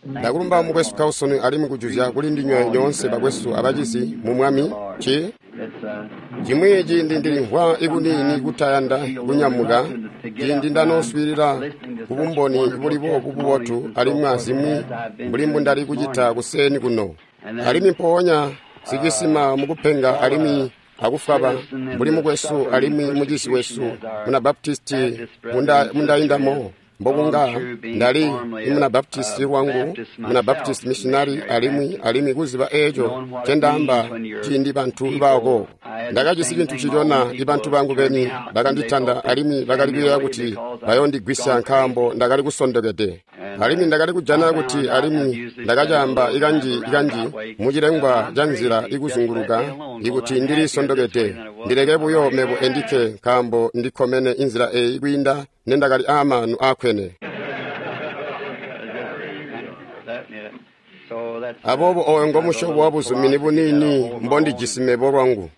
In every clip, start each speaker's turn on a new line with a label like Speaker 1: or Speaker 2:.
Speaker 1: Ndakulumba mukwesu Carlson alimwi kujuzya kuli ndinywe nyoonse bakwesu abacizi mu Mwami. Ci cimwi ciindi ndilimvwa ikuniini kutayanda kunyamuka ciindi ndanooswiilila kubumboni buli boobu bubotu alimwi azimwi mbuli mbundali kucita kuseeni kuno. Alimwi mpoonya sicisima mukupenga alimwi akufwaba mbuli mukwesu alimwi mucizi wesu muna Baptisti mundaindamo. Mbokunga ndali imuna Baptisti lwangu, muna Baptist missionary alimwi kuziba eeco ncendaamba ciindi bantu bako. Ndakajisi cintu cicona ibantu bangu beni bakanditanda alimwi bakali kuyeeya kuti bayondigwisya nkaambo ndakali kusondokede. Alimwi ndakali kujana kuti alimwi ndakacaamba ikanji mucilengwa ca nzila ikuzunguluka ikuti ndili sondokede. Ndileke buyo mebo endikke nkaambo ndikkomene inzila eeyi kwiinda nendakali aamaanu aakwene. Aboobo ooyo ngomusyobo wabuzumini buniini mbondijisi mebo lwangu.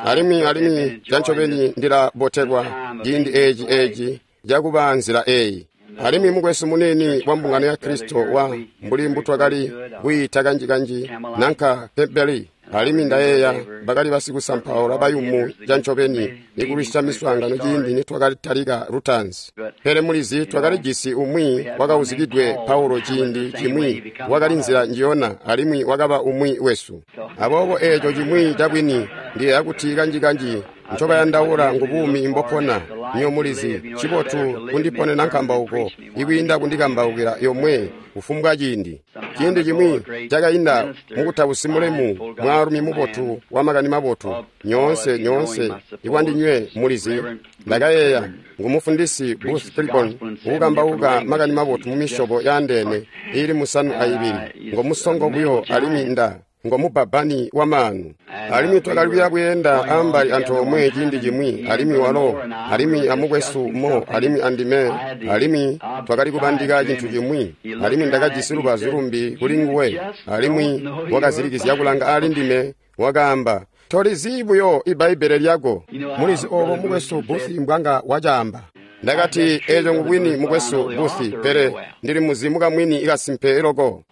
Speaker 1: Alimwi cancobeni ndilabotelwa ciindi eeci cakuba nzila eeyi. Alimwi mukwesu muniini wa mbungano ya Kristo wa mbuli mbutwakali kwiita kanji-kanji nanka Pebeli. Alimwi ndayeeya bakali basikusampaula bayumu cancobeni ikulwisya miswaangano ciindi nitwakatalika lutaanzi. Pele mulizi twakalijisi umwi wakauzikidwe Paulo ciindi cimwi wakali nzila njiyona alimwi wakaba umwi wesu. Aboobo eeco cimwi cabwini ndiyeeya kuti kanji-kanji ncobayandaula ngubuumi mbopona. Nyo mulizi cibotu kundiponena nkambauko ikwiinda kundikambaukila yomwe kufumbwa ciindi. Ciindi cimwi cakainda mukutausi mulemu mwaalumi mubotu wamakani mabotu nyoonse ikwandinywe mulizi. Ndakayeeya ngumufundisi Booth Clibborn ukukambauka makani mabotu mumisyobo yaandeene iili 72. Ngomusongo buyo alimwi ngomubbabbani wamaanu. Alimwi twakali kuya kuyenda ambali antoomwe ciindi cimwi alimwi walo alimwi amukwesu Mo alimwi andime alimwi twakali kubandika cintu cimwi alimwi ndakajisi lubazu lumbi kuli nguwe alimwi wakazilikizya kulanga ali ndime wakaamba, "Tolizi buyo ibbaibbele lyako." Mulizi oobo mukwesu Booth mbwanga wacaamba. Ndakati, eeco ngubwini mukwesu Booth, pele ndili muzi mukamwini ikasimpe loko.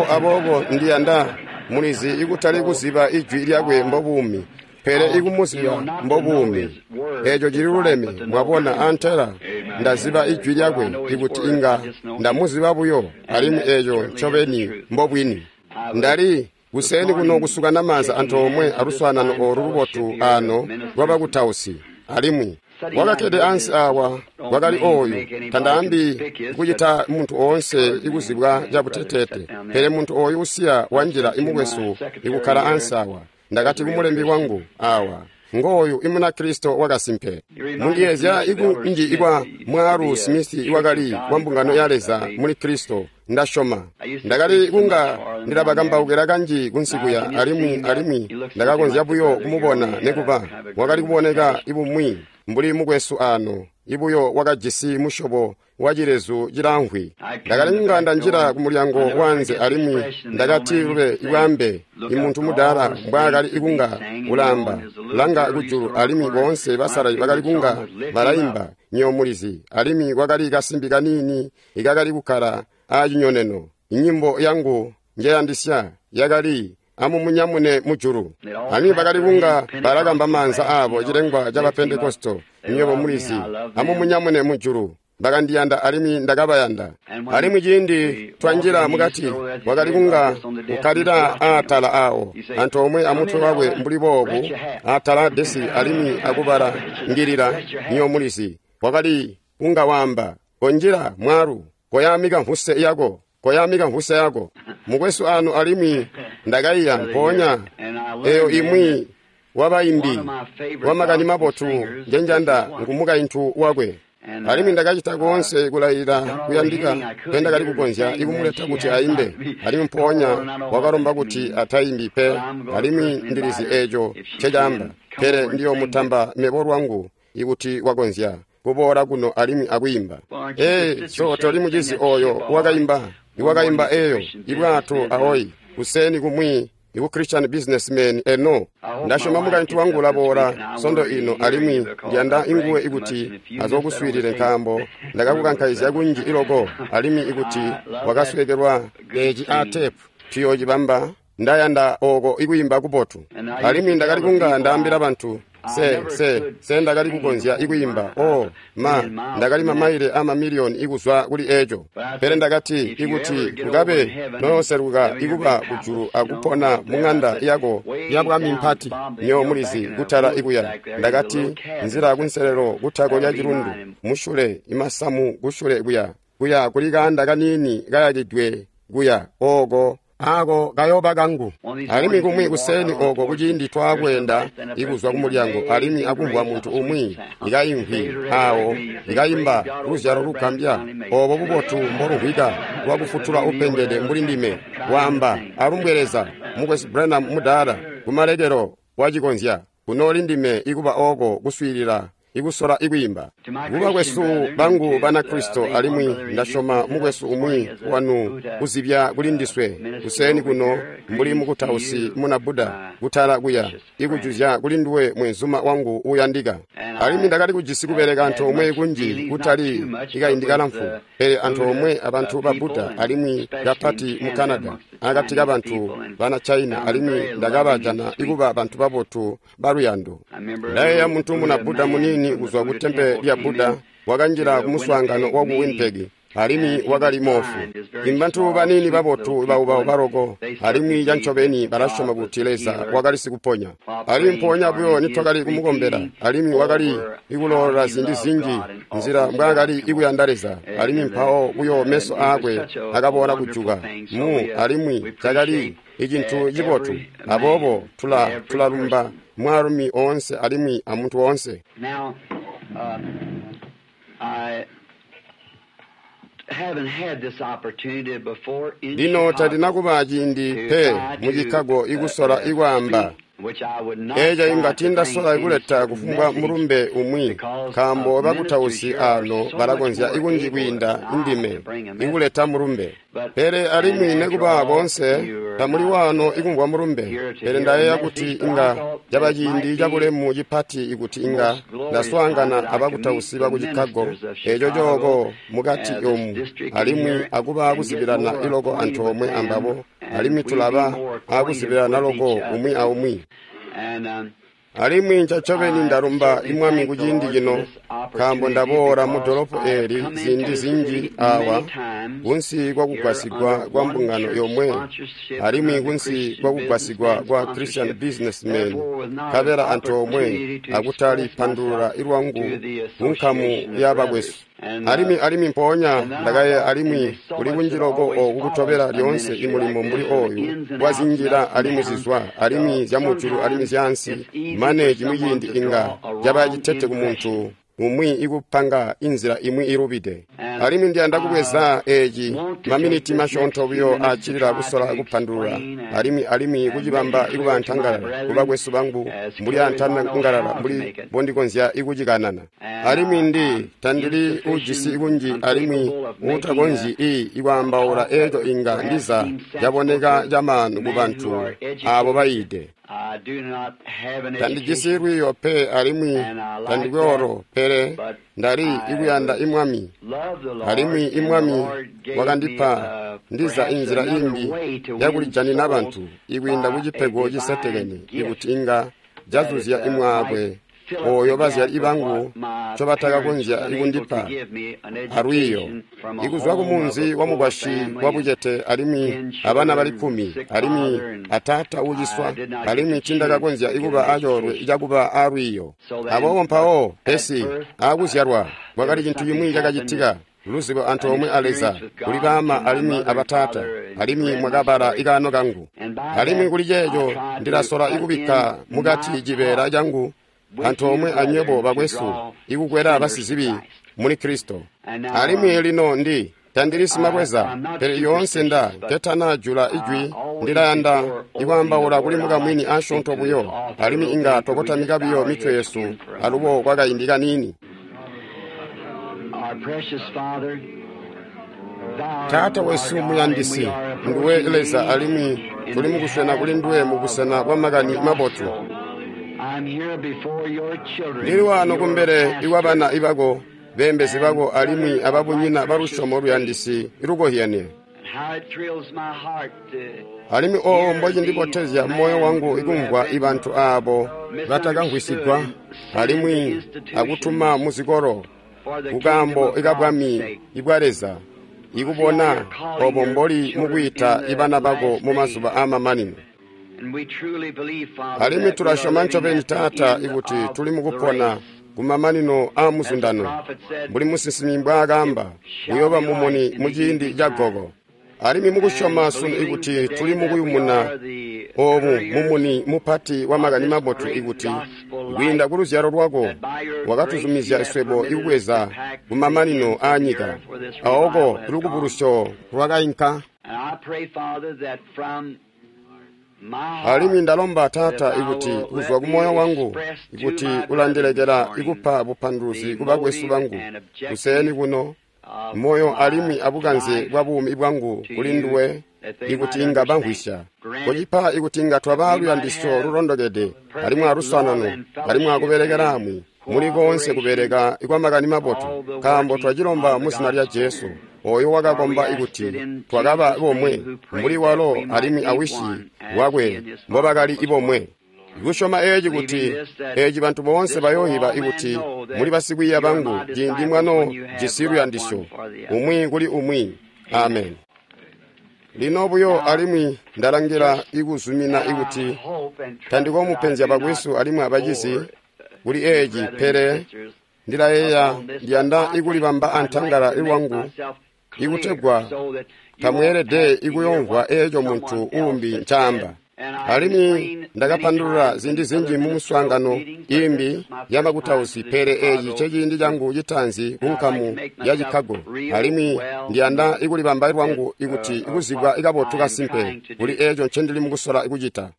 Speaker 1: Aboobo ndiyanda mulizi ikutali kuziba ijwi lyakwe mbobuumi, pele ikumuziba mbobuumi. Eeco cililuleme, mwabona, antela ndaziba ijwi lyakwe ikuti inga ndamuziba buyo, alimwi eeco ncobeni mbobwini. Ndali kuseeni kuno kusukana maanza antoomwe aluswaanano oolu lubotu aano lwabakutausi, alimwi wakakkede ansi aawa wakali ooyu. Tandaambi kucita muntu oonse ikuzibwa cabuteteete, pele muntu ooyu usiya wanjila imukwesu ikukkala ansi aawa. Ndakati kumulembi wangu aawa, ngooyu imuna Kristo wakasimpe. Mundiyeezya ikunji ikwa mwaalu Smith iwakali wa mbungano ya Leza muli Kristo. Ndasyoma ndakali kunga ndilabakambaukila kanji kunsikuya alimwi ndakakonzya buyo kumubona nekuba wakali kuboneka ibumwi mbuli mukwesu aano ibuyo wakajisi musyobo wacilezu cilamvwi. Ndakali kunga ndanjila kumulyango wanze alimwi ndakati lube ibwambe imuntu mudaala mbwaakali ikunga ulaamba langa kujulu alimwi boonse basalali bakali kunga balaimba nyomulizi alimwi kwakali kasimbi kaniini ikakali kukkala aacinyoneno. Inyimbo yangu njeyandisya yakali amumunyamune mujulu. Alimwi bakali kunga balakamba maanza aabo cilengwa ca Bapentekosto nywebo mulizi, amumunyamune mujulu. Bakandiyanda alimwi ndakabayanda. Alimwi ciindi twanjila mukati wakali kunga kukkalila aatala aawo antoomwe amutwe wakwe mbuli boobu aatala desi alimwi akubala ngilila nyo mulizi. Wakali kunga waamba, "Konjila mwaalu, koyaamika mvuse yako, koyaamika mvuse yako." Mukwesu anu alimwi ndakaiya mpoonya eyo imwi wabaimbi wamakani mabotu njenjanda ngumukaintu wakwe. Alimwi ndakacita koonse kulayilila kuyandika pendakali kukonzya ikumuleta kuti aimbe, alimwi mpoonya wakalomba kuti ataimbi pe. Alimwi ndilizi eeco ncecaamba, pele ndiyoomutamba mebo lwangu ikuti wakonzya kuboola kuno alimwi akwiimba. So toli mucizi ooyo wakaimba, iwakaimba eeyo ibwato ahoyi kuseeni kumwi Iku Christian Businessmen eno. Ndasyoma mukaintu wangu ulaboola sondo ino alimwi ndiyanda inguwe ikuti azokuswiilile nkaambo ndakakukankaizya kunji iloko alimwi ikuti wakasweekelwa eci a tepu tuyoocibamba. Ndayanda oko ikuyimba kubotu. Alimwi ndakali kunga ndaambila bantu se ndakali kukonzya ikuyimba. Oh ma, ndakali mamaile a mamiliyoni ikuzwa kuli eco. Pele ndakati ikuti kukabe noyoseluka ikuba kujulu akupona mung'anda yako ya bwami mpati, nyo mulizi kutala ikuya. Ndakati nzila kunselelo kutako lya cilundu mushule imasamu kushule kuya kuya kuli kaanda kaniini kayakidwe kuya oko ako kayoba kangu. Alimwi kumwi kuseni oko kuciindi twakweenda ikuzwa kumulyango alimwi akumvwa muntu umwi ikayimvwi awo ikayimba luzyalo lugambya obo bubotu mbolumvwika lwakufutula upengede mbuli ndime waamba alumbwe Leza mukwesu Branham mudaala kumalekelo wacikonzya kunooli ndime ikuba oko kuswiilila ikusola ikwiimba. Kuba kwesu bangu Banakristo alimwi ndasyoma mukwesu umwi wanu kuzibya kuli ndiswe kuseni kuno mbuli mukutausi muna Buddha kutala kuya ikujuzya kuli nduwe mwenzuma wangu uyandika. Alimwi ndakali kujisi kubeleka antoomwe kunji kutali ikaindi kalamfu, pele antoomwe abantu ba Buddha alimwi kapati mu Canada akati kabantu bana China, alimwi ndakabajana ikuba bantu babotu baluyando. Ndayeeya muntu muna Buddha munini kuzwa ku tempe lya Buddha wakanjila kumuswaangano waku Winnipeg alimwi wakali moofu. Imbantu banini babotu bauba baloko alimwi cancobeni balasyoma kuti Leza wakali sikuponya. Alimwi mpoonya buyo nitwakali kumukombela alimwi wakali ikuloolola ziindi zinji nzila mbwaakali ikuyanda Leza, alimwi mpawo buyo meso aakwe akaboola kujuka mu alimwi cakali icintu cibotu. Aboobo tulalumba mwaalumi oonse alimwi amuntu oonse.
Speaker 2: Now, I haven't had this opportunity before in
Speaker 1: Lino
Speaker 2: Chicago
Speaker 1: tandinakuba ciindi
Speaker 2: to
Speaker 1: pe
Speaker 2: try
Speaker 1: mu
Speaker 2: to,
Speaker 1: Chicago ikusola ikwaamba
Speaker 2: speak, which I would not
Speaker 1: eco
Speaker 2: try
Speaker 1: inga
Speaker 2: to
Speaker 1: tindasola
Speaker 2: bring any
Speaker 1: ikuleta
Speaker 2: certain
Speaker 1: kufumbwa
Speaker 2: message
Speaker 1: mulumbe umwi
Speaker 2: because
Speaker 1: nkaambo
Speaker 2: of
Speaker 1: bakutausi
Speaker 2: ministers here are
Speaker 1: ano
Speaker 2: so
Speaker 1: balakonzya
Speaker 2: much more
Speaker 1: ikunji
Speaker 2: able
Speaker 1: kwiinda
Speaker 2: than I
Speaker 1: indime
Speaker 2: to bring a message.
Speaker 1: ikuleta mulumbe.
Speaker 2: But,
Speaker 1: Pele
Speaker 2: and
Speaker 1: alimwi
Speaker 2: after
Speaker 1: nekuba
Speaker 2: all,
Speaker 1: boonse
Speaker 2: you're
Speaker 1: tamuli
Speaker 2: not
Speaker 1: waano ikumvwa mulumbe,
Speaker 2: here to
Speaker 1: pele
Speaker 2: hear a
Speaker 1: ndayeeya kuti
Speaker 2: message, but I
Speaker 1: inga
Speaker 2: thought
Speaker 1: caba
Speaker 2: it might
Speaker 1: ciindi
Speaker 2: be
Speaker 1: cabulemu cipati ikuti inga
Speaker 2: most glorious time
Speaker 1: ndaswaangana
Speaker 2: that I could meet
Speaker 1: abakutausi
Speaker 2: the
Speaker 1: baku Chicago
Speaker 2: ministers of
Speaker 1: eco
Speaker 2: Chicago,
Speaker 1: cooko mukati
Speaker 2: this
Speaker 1: omu
Speaker 2: district in
Speaker 1: alimwi
Speaker 2: here,
Speaker 1: akuba
Speaker 2: and get
Speaker 1: kuzibilana
Speaker 2: more
Speaker 1: iloko
Speaker 2: acquainted with
Speaker 1: antoomwe
Speaker 2: them,
Speaker 1: ambabo
Speaker 2: and
Speaker 1: alimwi
Speaker 2: we'd be
Speaker 1: tulaba
Speaker 2: more acquainted
Speaker 1: akuzibilana
Speaker 2: with
Speaker 1: loko
Speaker 2: each
Speaker 1: umwi
Speaker 2: other.
Speaker 1: aumwi.
Speaker 2: And
Speaker 1: Alimwi ncacobeni
Speaker 2: I
Speaker 1: ndalumba
Speaker 2: certainly
Speaker 1: imwami
Speaker 2: thank the
Speaker 1: kuciindi
Speaker 2: Lord for
Speaker 1: cino
Speaker 2: this
Speaker 1: nkaambo
Speaker 2: opportunity
Speaker 1: ndaboola mu
Speaker 2: because
Speaker 1: dolopo
Speaker 2: I have
Speaker 1: eli
Speaker 2: come into
Speaker 1: ziindi
Speaker 2: the
Speaker 1: zinji
Speaker 2: city
Speaker 1: awa
Speaker 2: many times
Speaker 1: kunsi
Speaker 2: here
Speaker 1: kwakugwasigwa
Speaker 2: under
Speaker 1: kwa
Speaker 2: one
Speaker 1: mbungano
Speaker 2: church
Speaker 1: yomwe
Speaker 2: sponsorship,
Speaker 1: alimwi
Speaker 2: under the
Speaker 1: kunsi
Speaker 2: Christian
Speaker 1: kwakugwasigwa
Speaker 2: businessman
Speaker 1: kwa Christian
Speaker 2: sponsorship.
Speaker 1: Businessmen
Speaker 2: Therefore, with not an
Speaker 1: nkabela antoomwe
Speaker 2: opportunity to
Speaker 1: akutali
Speaker 2: express
Speaker 1: pandulula
Speaker 2: myself
Speaker 1: ilwangu
Speaker 2: to the
Speaker 1: ku nkamu
Speaker 2: association of
Speaker 1: ya
Speaker 2: brothers.
Speaker 1: bakwesu.
Speaker 2: And,
Speaker 1: Alimwi alimwi mpoonya
Speaker 2: and then I
Speaker 1: ndakayeeya
Speaker 2: thought, and
Speaker 1: alimwi
Speaker 2: there's so
Speaker 1: kuli
Speaker 2: much
Speaker 1: kunji
Speaker 2: that
Speaker 1: loko
Speaker 2: always
Speaker 1: oku kutobela
Speaker 2: follows a
Speaker 1: lyoonse
Speaker 2: ministry
Speaker 1: imulimo
Speaker 2: like
Speaker 1: mbuli
Speaker 2: this, the
Speaker 1: oyu
Speaker 2: ins and
Speaker 1: wa
Speaker 2: outs and
Speaker 1: zinjila
Speaker 2: ups and
Speaker 1: alimwi
Speaker 2: downs.
Speaker 1: zizwa alimwi
Speaker 2: So
Speaker 1: zyamujulu alimwi
Speaker 2: sometimes
Speaker 1: zyaansi
Speaker 2: it's easy
Speaker 1: mane
Speaker 2: for
Speaker 1: cimwi
Speaker 2: someone
Speaker 1: ciindi
Speaker 2: to
Speaker 1: inga
Speaker 2: draw a
Speaker 1: caba
Speaker 2: wrong
Speaker 1: citete ku muntu
Speaker 2: impression.
Speaker 1: umwi ikupanga inzila imwi ilubide.
Speaker 2: And
Speaker 1: Alimwi ndiyanda
Speaker 2: I
Speaker 1: kubweza eci
Speaker 2: want to take
Speaker 1: maminiti
Speaker 2: this next
Speaker 1: masyoonto
Speaker 2: few
Speaker 1: buyo
Speaker 2: minutes to
Speaker 1: acilila
Speaker 2: try
Speaker 1: kusola
Speaker 2: to
Speaker 1: kupandulula
Speaker 2: explain and,
Speaker 1: alimwi alimwi
Speaker 2: and make
Speaker 1: kucibamba
Speaker 2: it
Speaker 1: ikuba
Speaker 2: clear to my
Speaker 1: antangalala
Speaker 2: brethren
Speaker 1: kubakwesu bangu
Speaker 2: as
Speaker 1: mbuli
Speaker 2: clear as I know
Speaker 1: antangalala
Speaker 2: how to
Speaker 1: mbuli
Speaker 2: make it.
Speaker 1: mbondikonzya ikucikanana.
Speaker 2: And
Speaker 1: Alimwi ndi
Speaker 2: I'm
Speaker 1: tandili ujisi
Speaker 2: insufficient,
Speaker 1: ikunji alimwi
Speaker 2: incapable of making
Speaker 1: utakonzyi
Speaker 2: a
Speaker 1: ikwaambaula
Speaker 2: talk that
Speaker 1: eco inga
Speaker 2: perhaps
Speaker 1: ndiza
Speaker 2: seems sensible
Speaker 1: caboneka
Speaker 2: to
Speaker 1: camaanu ku
Speaker 2: men who
Speaker 1: bantu
Speaker 2: are
Speaker 1: aabo
Speaker 2: educated.
Speaker 1: bayiide.
Speaker 2: I do not have an
Speaker 1: Tandijisi
Speaker 2: education,
Speaker 1: lwiiyo pe alimwi
Speaker 2: and I like
Speaker 1: tandikwe
Speaker 2: that,
Speaker 1: oro pele
Speaker 2: but
Speaker 1: ndali
Speaker 2: I
Speaker 1: ikuyanda
Speaker 2: would
Speaker 1: imwami
Speaker 2: love the Lord,
Speaker 1: alimwi
Speaker 2: and the
Speaker 1: imwami
Speaker 2: Lord gave me
Speaker 1: wakandipa ndiza
Speaker 2: perhaps
Speaker 1: inzila
Speaker 2: another
Speaker 1: imbi
Speaker 2: way to win
Speaker 1: yakulijanina
Speaker 2: souls
Speaker 1: bantu ikwiinda
Speaker 2: by a
Speaker 1: kucipego
Speaker 2: divine
Speaker 1: cisetekene
Speaker 2: gift
Speaker 1: ikuti inga
Speaker 2: that
Speaker 1: cazuzya
Speaker 2: might
Speaker 1: imwaakwe
Speaker 2: fill up
Speaker 1: oyo
Speaker 2: the
Speaker 1: bazyali
Speaker 2: gap of
Speaker 1: bangu
Speaker 2: what my parents
Speaker 1: ncobatakakonzya
Speaker 2: was unable to
Speaker 1: ikundipa
Speaker 2: give me, an
Speaker 1: alwiiyo
Speaker 2: education from a
Speaker 1: ikuzwa
Speaker 2: home of
Speaker 1: kumunzi
Speaker 2: a
Speaker 1: wa
Speaker 2: poor
Speaker 1: mukwasyi
Speaker 2: family
Speaker 1: wa
Speaker 2: and
Speaker 1: bucete alimwi
Speaker 2: 10
Speaker 1: abana bali
Speaker 2: children,
Speaker 1: 10
Speaker 2: sick
Speaker 1: alimwi
Speaker 2: father, and
Speaker 1: ataata
Speaker 2: I
Speaker 1: uuciswa
Speaker 2: did not get
Speaker 1: alimwi
Speaker 2: the chance
Speaker 1: ncindakakonzya
Speaker 2: to get an
Speaker 1: ikuba acoolwe
Speaker 2: education.
Speaker 1: cakuba alwiiyo.
Speaker 2: So then,
Speaker 1: Aboobo
Speaker 2: but
Speaker 1: mpawo
Speaker 2: at
Speaker 1: pesi
Speaker 2: birth,
Speaker 1: aakuzyalwa
Speaker 2: there
Speaker 1: kwakali
Speaker 2: was
Speaker 1: cintu
Speaker 2: something
Speaker 1: cimwi
Speaker 2: happened that
Speaker 1: cakacitika luzibo
Speaker 2: an
Speaker 1: antoomwe a Leza
Speaker 2: experience with
Speaker 1: kuli
Speaker 2: God
Speaker 1: baama
Speaker 2: to my
Speaker 1: alimwi
Speaker 2: mother and
Speaker 1: abataata
Speaker 2: father and
Speaker 1: alimwi
Speaker 2: read my
Speaker 1: mwakabala
Speaker 2: story.
Speaker 1: ikaano kangu.
Speaker 2: And by
Speaker 1: Alimwi
Speaker 2: that,
Speaker 1: kuli
Speaker 2: I
Speaker 1: ceeco
Speaker 2: tried to
Speaker 1: ndilasola
Speaker 2: put
Speaker 1: ikubikka
Speaker 2: in
Speaker 1: mukati
Speaker 2: my
Speaker 1: cibeela
Speaker 2: part
Speaker 1: cangu
Speaker 2: with you
Speaker 1: antoomwe anywebo
Speaker 2: brethren to
Speaker 1: bakwesu
Speaker 2: draw
Speaker 1: ikukwela
Speaker 2: sinners to
Speaker 1: basizibi
Speaker 2: Christ.
Speaker 1: muli Kristo.
Speaker 2: And now,
Speaker 1: Alimwi lino ndi tandili simabweza
Speaker 2: I'm not
Speaker 1: pele lyoonse nda
Speaker 2: superstitious, but
Speaker 1: nketanajula ijwi
Speaker 2: always
Speaker 1: ndilayanda
Speaker 2: before opening the
Speaker 1: ikwaambaula kuli
Speaker 2: word, I
Speaker 1: mukamwini
Speaker 2: like to speak
Speaker 1: asyoonto
Speaker 2: to this
Speaker 1: buyo
Speaker 2: author a
Speaker 1: alimwi
Speaker 2: little
Speaker 1: inga
Speaker 2: bit. Could we just
Speaker 1: twakotamika
Speaker 2: bow
Speaker 1: buyo
Speaker 2: our
Speaker 1: mitwe
Speaker 2: heads
Speaker 1: yesu
Speaker 2: again for a
Speaker 1: alubo
Speaker 2: moment?
Speaker 1: kwakaindi kaniini.
Speaker 2: Our precious Father, Thou art
Speaker 1: Taata
Speaker 2: our
Speaker 1: wesu
Speaker 2: God, and
Speaker 1: muyandisi
Speaker 2: we are
Speaker 1: nduwe
Speaker 2: approaching
Speaker 1: Leza
Speaker 2: Thee
Speaker 1: alimwi Tuli mukuswena kuli nduwe mubusena bwa makani mabotu. Ndili waano kumbele ikwabana ibako, beembezi bako alimwi ababunyina balusyomo luyandisi ilukozyenie. Alimwi oo mbocindibotezya moyo wangu ikumvwa ibantu aabo batakamvwisigwa alimwi akutuma muzikolo kukaambo ikabwami ibwa Leza, ikubona obo mboli mukwiita ibana bako mumazuba aamamanino. Alimwi tulasyoma ncobeni, Taata, ikuti tuli mukupona kumamanino aamuzundano. Mbuli musinsimi mbwaakaamba, uyooba mumuni muciindi ca goko. Alimwi mukusyoma sunu ikuti tuli mukuyumuna oobu mumuni mupati wa makani mabotu, ikuti kwiinda ku luzyalo lwako wakatuzumizya swebo ikubweza kumamanino aanyika, aoko lukubulusyo lwakainka. Alimwi ndalomba, Taata, ikuti kuzwa kumoyo wangu ikuti ulandilekela ikupa bupanduluzi kubakwesu bangu kuseeni kuno, moyo alimwi abukanze bwa buumi bwangu kuli nduwe, ikuti inga bamvwisya. Kucipa ikuti inga twaba luyandisyo lulondokede alimwi aluswanano alimwi akubelekelaamwi muli koonse kubeleka kwa makani mabotu, nkaambo twacilomba mu zina lya Jesu, oyo wakakomba ikuti twakaba bomwe mbuli walo alimwi awishi wakwe mbobakali ibomwe. Kusyoma eeci kuti eeci bantu boonse bayooyiba ikuti muli basikwiiya bangu ciindi mwano jisi luyandisyo umwi kuli umwi. Amen. Lino buyo alimwi ndalangila ikuzumina ikuti tandikomupenzya bakwesu alimwi abacizi kuli eeci, pele ndilayeeya ndiyanda ikulibamba antangala lwangu ikutegwa tamweelede ikuyomvwa eeco muntu uumbi ncaamba. Alimwi ndakapandulula ziindi zinji mu muswaangano imbi yabakutausi, pele eeci nceciindi cangu citaanzi kunkamu ya Chicago. Alimwi ndiyanda ikulibamba lwangu ikuti ikuzibwa kabotu kasimpe kuli eeco ncendili mukusola kucita.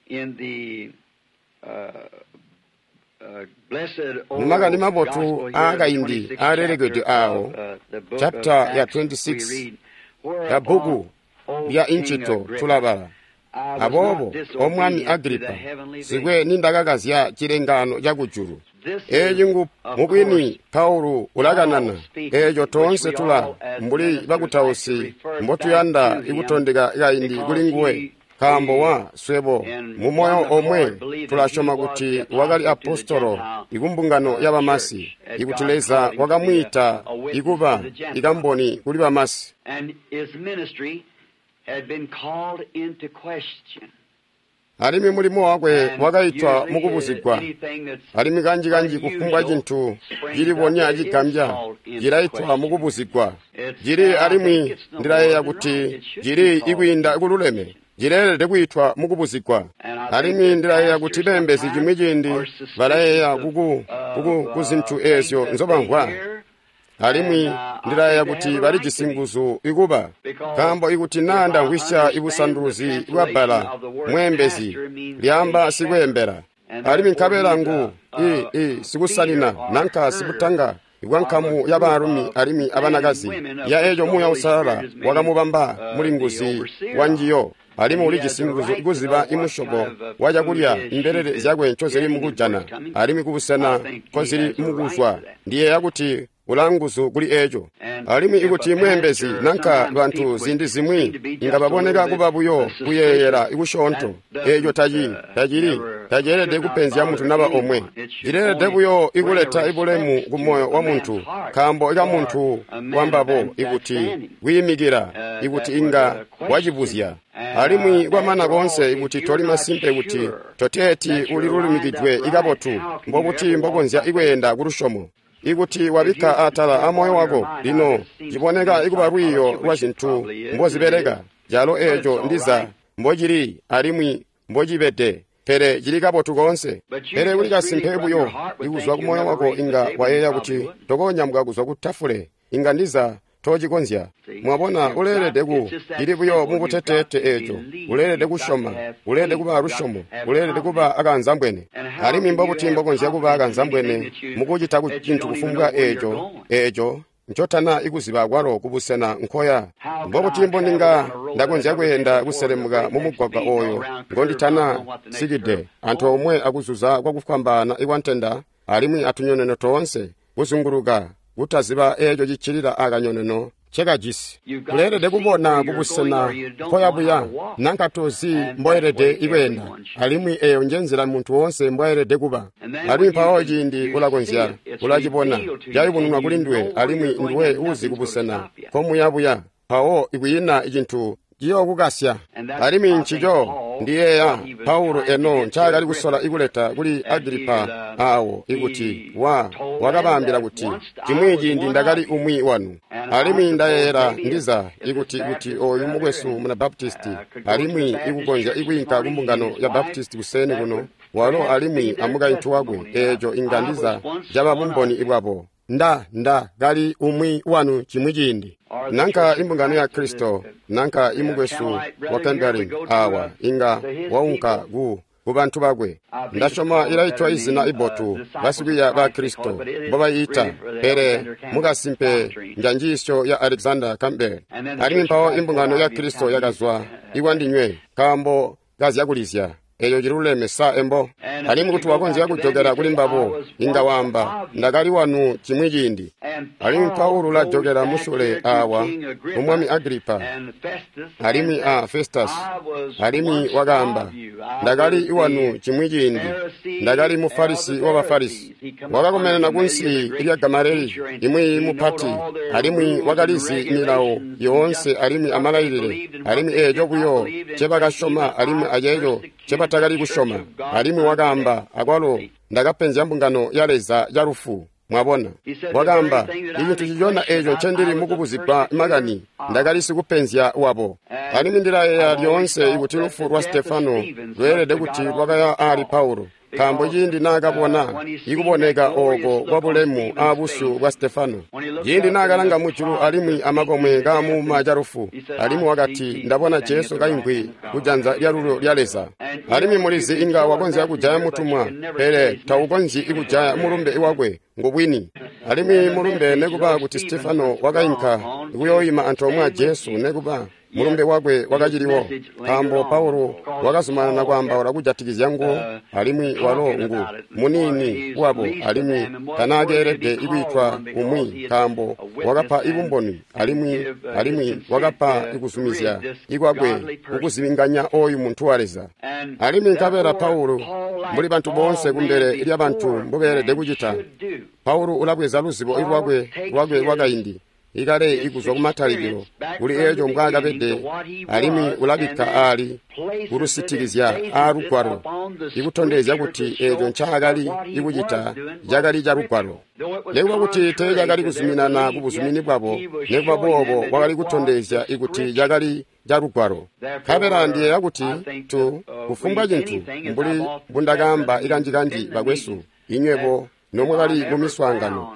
Speaker 1: Mumakani mabotu aakaindi aalelekedwe aawo, chapter ya 26 ya bbuku lya Incito tulabala. Aboobo, O Mwami Agripa, sikwe nindakakazya cilengaano cakujulu. Eeci ngu mubwini Paulu ulakanana, eeco toonse tula mbuli bakutausi mbotuyanda ikutondeka kaindi kuli nguwe, nkaambo wa swebo mumoyo omwe tulasyoma kuti wakali apostolo ikumbungano ya bamasi, ikuti Leza wakamwiita ikuba ikamboni kuli bamasi. Alimwi mulimo wakwe wakaitwa mukubuzigwa. Alimwi kanji-kanji kufumbwa cintu cilibonya cigambya cilaitwa mukubuzigwa. Cili alimwi ndilayeeya kuti cili ikwiinda kululeme, cileelede kwiitwa mukubuzigwa. Alimwi ndilayeeya kuti beembezi cimwi ciindi balayeeya kuzintu eezyo nzobamvwa. Alimwi ndilayeeya kuti balijisi nguzu ikuba, nkaambo ikuti naa ndamvwisya ibusanduluzi bwa bbala mweembezi lyaamba sikweembela, alimwi nkabela ngu sikusanina nanka sikutanga ikwa nkamu ya baalumi alimwi abanakazi ya eeco Muuya Uusalala wakamubamba mulinguzi wa njiyo, alimwi ulijisi nguzu ikuziba imusyobo wa cakulya imbelele zyakwe ncozili mukujana alimwi kubusena nkozili mukuzwa. Ndiyeeya kuti ulanguzu kuli eeco. Alimwi ikuti mweembezi nanka bantu ziindi zimwi inga baboneka kuba buyo kuyeeyela ikusyoonto, eeco tacili taceelede kupenzya muntu naba omwe. Cileelede buyo ikuleta ibulemu ku moyo wa muntu, nkaambo ikamuntu wambabo ikuti kwiimikila ikuti inga wacibuzya. Alimwi kwamana koonse ikuti toli masimpe kuti toteeti ulilulumikidwe ikabotu, mbobuti mbokonzya ikweenda kulusyomo? Ikuti wabikka atala amoyo wako, lino ciboneka ikuba lwiiyo lwa zintu mbozibeleka, calo eeco ndiza mbocili alimwi mbocibede, pele cili kabotu koonse. Pele kuli kasimpe buyo ikuzwa kumoyo wako inga wayeeya kuti tokonyamuka kuzwa ku tafule, inga ndiza tocikonzya. Mwabona, uleelede ku cili buyo mubuteteete eeco. Uleelede kusyoma, uleelede kuba alusyomo, uleelede kuba akanzambwene. Alimwi mbobuti mbokonzya kuba akanzambwene mukucita cintu kufumbwa eeco ncotana ikuziba kwalo kubusena nkoya. Mbobuti mbondinga ndakonzya kweenda kuselemuka mu mugwagwa oyo ngonditana sikide, antoomwe akuzuza kwakufwambaana ikwantenda alimwi atunyoneno toonse kuzunguluka, kutaziba eeco ciccilila akanyoneno cekajisi. Uleelede kubona kubusena nkoya buya, nanka tozi mboelede ikweenda, alimwi eyo njenzila muntu woonse mbwaelede kuba. Alimwi mpawo ciindi ulakonzya, ulacibona, cayubununwa kuli nduwe, alimwi nduwe uzi kubusena nkomuya buya, mpawo ikwiina cintu ciyookukasya. Alimwi ncico ndiyeeya Paulo eno ncaakali kusola ikuleta kuli Agripa aawo, ikuti wakabaambila kuti cimwi ciindi ndakali umwi wanu. Alimwi ndayeeyela ndiza ikuti kuti oyu mukwesu muna Baptisti, alimwi ikukonzya ikwiinka kumbungano ya Baptisti kuseeni kuno, walo alimwi amukaintu wakwe, eeco inga ndiza caba bumboni bwabo. Nda kali umwi wanu cimwi ciindi. Nanka imbungano ya Kristo, nanka imukwesu wa Campbell awa, inga waunka ku bantu bakwe. Ndasyoma ilaitwa izina ibotu basikwiiya ba Kristo mbobayiita, pele mukasimpe njanjiisyo ya Alexander Campbell. Alimwi mpawo imbungano ya Kristo yakazwa ikwandinywe nkaambo kazyakulizya. Eyo ciluleme sa embo. Alimwi kuti wakonzya kujokela kuli mbabo, inga waamba, ndakali wanu cimwi ciindi. Alimwi Paulo ulajokela musule awa kumwami Agripa alimwi a Festus, alimwi wakaamba, ndakali wanu cimwi ciindi, ndakali mufarisi wa Bafarisi. Wakakomenena kunsi lya Gamaleli, imwi mupati, alimwi wakalizi milawo yoonse alimwi amalailile, alimwi eeco buyo ncebakasyoma alimwi aceeco ncebatakali kusyoma. Alimwi wakaamba, akwalo ndakapenzya mbungano ya Leza calufu. Mwabona, wakaamba, icintu cicona eeco ncendili mukubuzigwa makani, ndakali sikupenzya wabo. Alimwi ndilayeeya lyoonse ikuti lufu lwa Stefano lweelede kuti lwakaya ali Paulo, nkaambo ciindi naakabona ikuboneka ooko kwabulemu aabusyu bwa Stefano, ciindi naakalanga mujulu alimwi amakomwe kaamuuma calufu, alimwi wakati, ndabona Jesu kaimvwi kujanza lyalulyo lya Leza. Alimwi mulizi inga wakonzya kujaya mutumwa, pele taukonzyi ikujaya mulumbe wakwe ngubwini. Alimwi mulumbe nekuba kuti Stefano wakainka kuyooima antoomwe a Jesu, nekuba mulumbe wakwe wakaciliwo, nkaambo Paulo wakazumanana kwaambaula kujatikizya nguwo, alimwi walo ngu muniini wabo, alimwi tanaakeelede ikwiitwa umwi, nkaambo wakapa ibumboni alimwi wakapa ikuzumizya ikwakwe kukuzibinganya oyu muntu wa Leza. Alimwi nkabela Paulo, mbuli bantu boonse kumbele lyabantu mbobeelede kucita, Paulo ulabweza luzibo lwakwe lwakaindi ikale ikuzwa kumatalikilo kuli eeco mbwaakabede, alimwi ulabikka aali kulusitikizya aalugwalo ikutondezya kuti eeco ncaakali ikucita cakali calugwalo. Nekuba kuti teecakali kuzuminana kubuzumini bwabo, nekuba boobo wakali kutondezya ikuti cakali calugwalo. Nkabela ndiyeeya kuti kufumbwa cintu mbuli mbundakaamba ikanjikanji bakwesu, inywebo nomwakali mumiswaangano,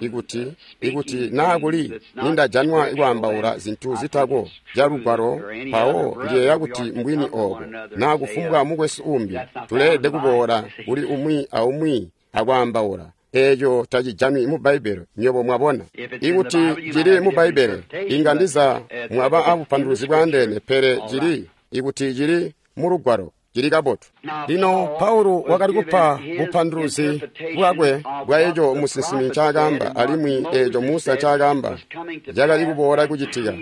Speaker 1: ikuti naa kuli nindajanwa kwaambaula zintu zitako calugwalo, mpawo ndiyeeya kuti mbwini oobo, naa kufumbwa mukwesu uumbi, tuleelede kuboola kuli umwi aumwi akwaambaula. Eeco tacijanwi mu Bbaibbele, nywebo mwabona. Ikuti cili mu Bbaibbele, inga ndiza mwaba abupanduluzi bwaandeene, pele cili ikuti cili mu lugwalo, cili kabotu. Lino Paulo wakali kupa bupanduluzi bwakwe bwa eco musinsimi ncaakaamba, alimwi eeco Musa ncaakaamba cakali kuboola kucitika,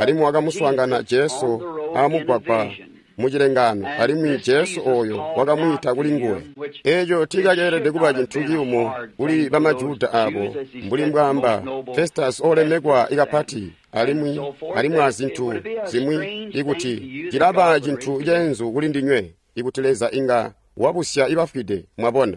Speaker 1: alimwi wakamuswaangana Jesu amugwagwa mucilengaano, alimwi Jesu ooyo wakamwiita kuli nguwe. Eeco tiicakeelede kuba cintu ciyumu kuli bamajuda aabo, mbuli mbwaamba Festus olemekwa ikapati, alimwi azintu zimwi, ikuti cilaba cintu ceenzu kuli ndinywe, ikuti Leza inga wabusya ibafwide, mwabona.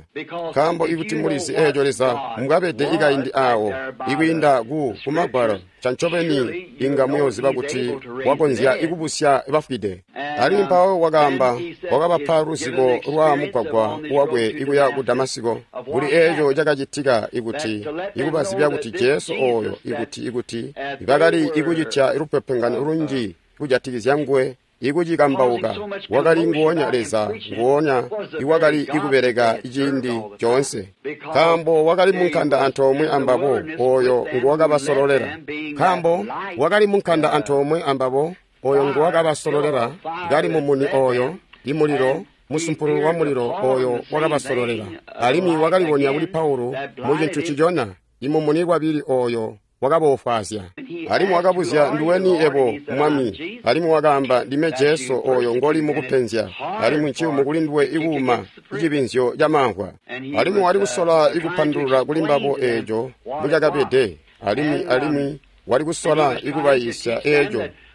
Speaker 1: Nkaambo ikuti mulizi eeco Leza mbwabede ikaindi aawo, ikwiinda kumagwalo, cancobeni inga muyooziba kuti wakonzya ikubusya bafwide. Alimwi mpawo wakaamba, wakabapa luzibo lwa mugwagwa wakwe ikuya ku Damasiko, kuli eeco cakacitika ikuti ikubazibya kuti Jesu ooyo ikuti bakali ikucitya lupepengano lunji kujatikizya nguwe, ikucikambauka wakali nguonya Leza nguonya iwakali ikubeleka ciindi coonse, nkaambo wakali munkanda antoomwe ambabo oyo nguwakabasololela. Nkaambo wakali munkanda antoomwe ambabo oyo nguwakabasololela, kali mumuni oyo, imulilo, musumpululu wa mulilo oyo wakabasololela. Alimwi wakalibonya kuli Paulo mu cintu ncicona, imumuni wabili oyo wakaboofwaazya. Alimwi wakabuzya, nduweni yebo, Mwami? Alimwi wakaamba, ndime Jesu oyo ngoli mukupenzya, alimwi nciyumu kuli nduwe ikuuma icibinzyo camamvwa. Alimwi wali kusola ikupandulula kuli mbabo eeco mbucakabede, alimwi wali kusola ikubayiisya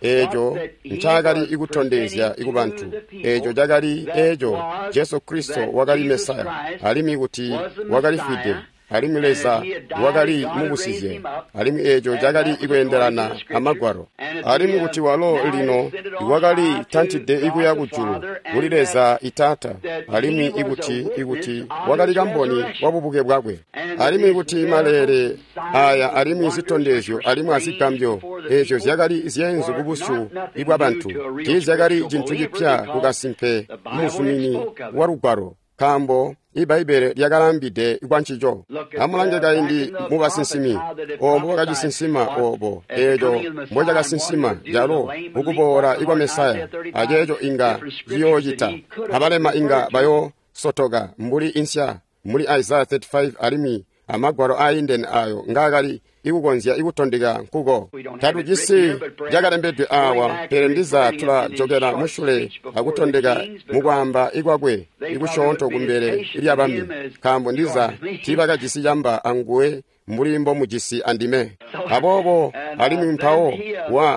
Speaker 1: eeco ncaakali ikutondezya ikubantu, eeco cakali eeco Jesu Kristo wakali Mesaya, alimwi kuti wakalifwide, alimwi Leza wakali mubusizye, alimwi eeco cakali ikweendelana amagwalo, alimwi kuti walo lino wakali tantide ikuya kujulu kuli Leza Itaata, alimwi ikuti wakali kamboni wa bubuke bwakwe, alimwi kuti maleele aya alimwi zitondezyo alimwi azigambyo eezyo zyakali zyeenzu kubusyu bwabantu, tiizyakali cintu cipya kukasimpe muzumini wa lugwalo, nkaambo Ibbaibbele lyakalambide kwancico. Amulange kaindi mu basinsimi, oobo mbobakacisinsima oobo, eeco mbocakasinsima calo mukuboola ikwa Mesaya, aceeco inga ciyoocita. Abalema inga bayoosotoka mbuli insya, mbuli Isaya 35 alimwi amagwalo aayindene ayo ngaakali ikukonzya ikutondeka nkuko. Tatujisi cakalembedwe aawa, pele ndiza tulajokela musyule akutondeka mukwaamba ikwakwe ikusyoonto kumbele lyabami, nkaambo ndiza tiibakajisi camba anguwe mbuli mbomujisi andime. Aboobo alimwi mpawo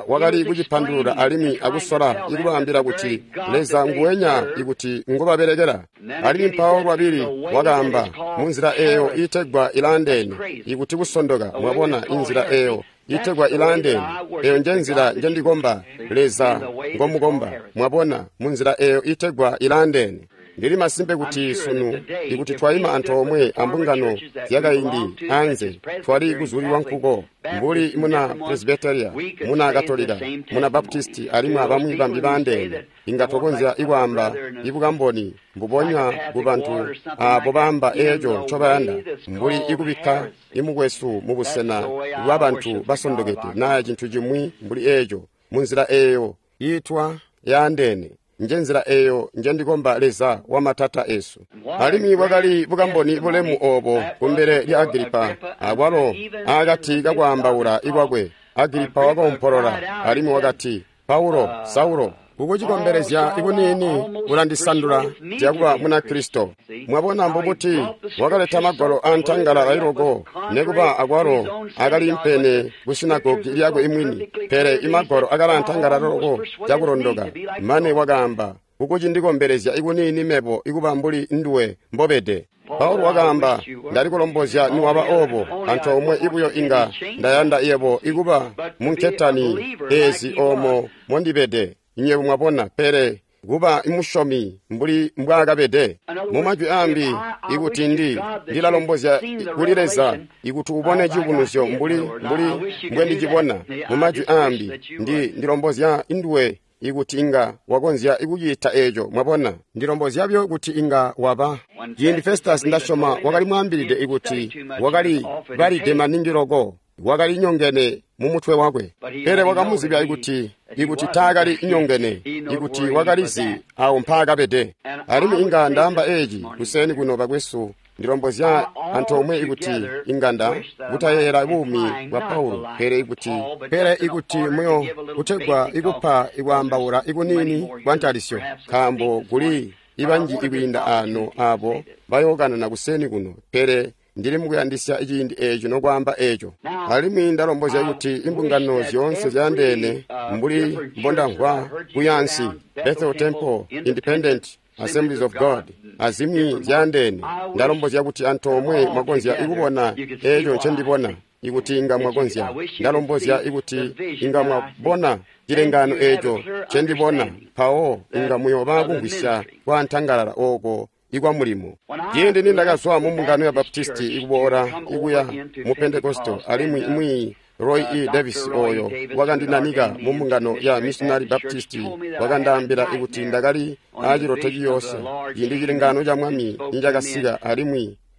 Speaker 1: wakali kucipandulula alimwi akusola ikubaambila kuti Leza nguwenya ikuti ngobabelekela. Alimwi mpawo lwabili wakaamba munzila eeyo iitegwa ilaandeene, ikuti kusondoka. Mwabona, inzila eeyo itegwa ilaandeene, eyo njenzila njendikomba Leza ngomukomba. Mwabona, munzila eeyo itegwa ilaandeene. Ndili masimpe kuti sunu ikuti twaima antoomwe ambungano zyakaindi anze twali kuzulilwa nkuko, mbuli muna Presbyteria, muna Katolika, muna Baptisti alimwi abamwi bambi baandeene, inga twakonzya ikwaamba ibukamboni mbubonya kubantu aabo baamba eeco ncobayanda, mbuli ikubikka imukwesu mubusena bwabantu basondokede naa cintu cimwi mbuli eeco, munzila eeyo iitwa yaandeene. Njenzila eeyo njendikomba Leza wamatata esu. Alimwi bwakali bukamboni bulemu oobo kumbele lya Agilipa, akwalo aakati kakwaambaula ikwakwe Agilipa wakoompolola alimwi wakati, Paulo, Saulo, kukucikombelezya ikuniini ulandisandula zyakuba muna Kristo. Mwabona mbubuti wakaleta magwalo antangala ailoko, nekuba akwalo akaliimpene ku sinagogi lyakwe imwini, pele imagwalo akala antangala loko cakulondoka, mane wakaamba, kukucindikombelezya ikuniini mebo ikuba mbuli nduwe mbobede. Paulo wakaamba, ndalikulombozya niwaba oobo, antoomwe ibuyo inga ndayanda yebo ikuba munketani eezi oomo mondibede. Nywebo mwabona, pele kuba musyomi mbuli mbwaakabede. Mumajwi aambi, ikuti ndilalombozya kuli Leza ikuti ubone ciyubunuzyo mbuli mbwendicibona. Mumajwi aambi, ndilombozya nduwe ikuti inga wakonzya ikucita eeco. Mwabona, ndilombozya buyo kuti inga waba. Ciindi Festus ndasyoma wakali mwaambilide ikuti wakali balide maningi loko, wakali nyongene mumutwe wakwe, pele wakamuzibya ikuti taakali nyongene, ikuti wakalizi awo mpaakabede. Alimwi inga ndaamba eeci kuseni kuno bakwesu, ndilombozya antoomwe ikuti inganda kutayeeyela buumi bwa Paulo, pele ikuti muyo kutegwa ikupa ikwaambaula ikuniini kwa ntalisyo, nkaambo kuli ibanji ikwiinda aano aabo bayookanana kuseni kuno, pele ndili mukuyandisya ciindi eeco nokwaamba eeco. Alimwi ndalombozya kuti imbungano zyoonse zyaandeene mbuli mbondamvwa kuyansi, Bethel Temple, Independent Assemblies of God, azimwi zyaandeene, ndalombozya kuti antoomwe mwakonzya ikubona eeco ncendibona, ikuti inga mwakonzya. Ndalombozya ikuti inga mwabona cilengano eeco ncendibona, mpawo inga muyooba kumvwisya kwa ntangalala ooko ikwa mulimo. Ciindi nindakazwa mu mbungano ya Baptisti ikuboola ikuya mu Pentekosto, alimwi imwi Roy E. Davis oyo wakandinanika mu mbungano ya Missionary Baptist wakandaambila kuti ndakali aaciloto ciyoosya ciindi cilengano ca Mwami nicakasika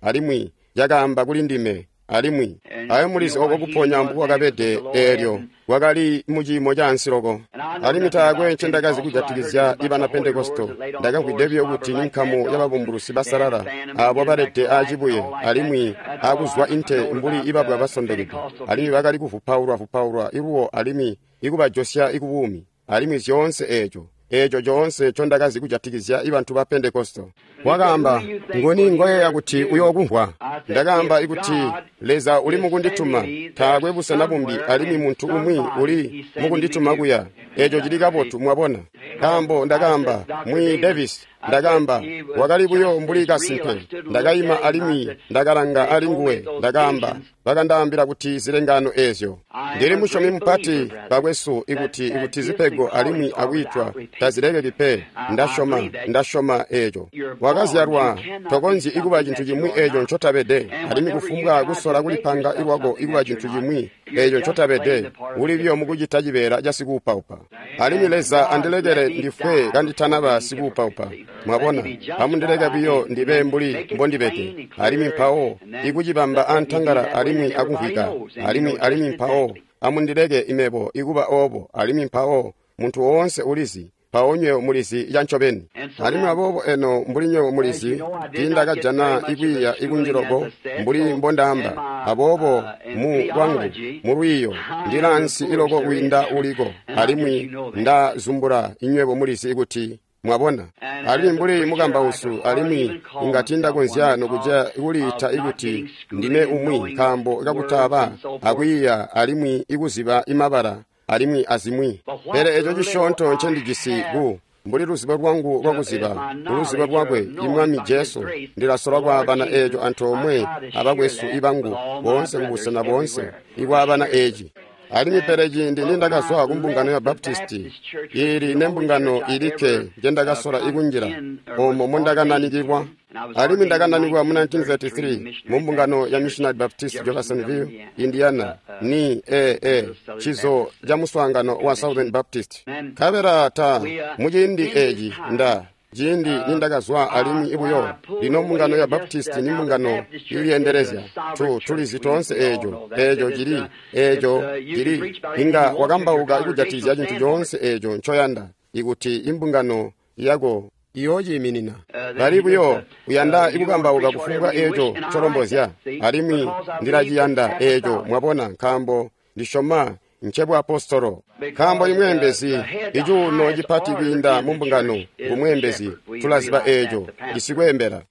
Speaker 1: alimwi cakaamba kuli ndime alimwi ayo mulizi oko kuponya mbukwakabede eelyo kwakali muciimo caansi loko. Alimwi taakwe ncendakazi kujatikizya ibana Pentekosto. Ndakamvwide buyo kuti ninkamu yababumbulusi basalala aabo balede aacibuye alimwi akuzwa inte mbuli ibabwa basondokede, alimwi bakali kuvupaulwa iluwo alimwi ikubajosya ikubuumi, alimwi zyoonse eeco coonse ncondakazi kujatikizya ibantu ba Pentekosto. Wakaamba, nguni ngoyeeya kuti uyookumvwa? Ndakaamba ikuti Leza uli mukundituma, taakwe busena bumbi alimwi muntu umwi uli mukundituma kuya. Eeco cili kabotu, mwabona. Nkaambo ndakaamba, Mwi Davis, ndakaamba, wakali buyo mbuli kasimpe. Ndakaima alimwi ndakalanga ali nguwe, ndakaamba, bakandaambila kuti zilengano eezyo. Ndili musyomi mupati, bakwesu, ikuti zipego alimwi akwiitwa tazilekeki pe. Ndasyoma eeco. Wakazyalwa, tokonzyi ikuba cintu cimwi eeco ncotabede, alimwi kufumbwa kusola kulipanga ilwako ikuba cintu cimwi eeco ncotabede, uli buyo mukucita cibeela ca sikuupaupa. Alimwi Leza andilekele ndifwe kanditanaba sikuupaupa. Mwabona, amundileke buyo ndibe mbuli mbondibede, alimwi mpawo ikucibamba antangala alimwi akumvwika, alimwi mpawo amundileke imebo ikuba oobo, alimwi mpawo muntu woonse ulizi, mpawo nywebo mulizi cancobeni. Alimwi aboobo eno mbuli nywebo mulizi, tiindakajana ikwiiya ikunji loko mbuli mbondaamba. Aboobo mu lwangu mulwiiyo ndilaansi iloko kwiinda uliko, alimwi ndazumbula inywebo mulizi ikuti mwabona. Alimwi mbuli mukambausu, alimwi inga tiindakonzya nokuja kuliita ikuti ndime umwi nkaambo kakutaba akwiiya alimwi ikuziba imabala alimwi azimwi. Pele eco cisyoonto ncendijisi ku mbuli luzibo lwangu lwakuziba kuluzibo lwakwe imwami Jesu, ndilasola kwaabana eeco antoomwe abakwesu ibangu boonse kubusena boonse ikwaabana eeci. Alimwi pele ciindi nindakazwa kumbungano ya Baptisti, ili nembungano ilikke njendakasola ikunjila omo mondakananikilwa. Alimwi ndakananikwa mu 1933 mumbungano ya Missionary Baptist Jeffersonville, Indiana, ni cizo ca muswaangano wa Southern Baptist. Nkabela ta muciindi eeci ciindi nindakazwa alimwi ibuyo lino mbungano ya Baptist ni mbungano ilyendelezya. Tulizi toonse eeco cili inga wakambauka ikujatikizya cintu coonse eeco ncoyanda ikuti imbungano yako iyoociiminina. Bali buyo uyanda ikukambauka kufumbwa eeco ncolombozya, alimwi ndilaciyanda eeco, mwabona, nkaambo ndisyoma ncebwaapostolo. Nkaambo imweembezi icuuno cipati kwiinda mumbungano ngumweembezi, tulaziba eeco isikweembela.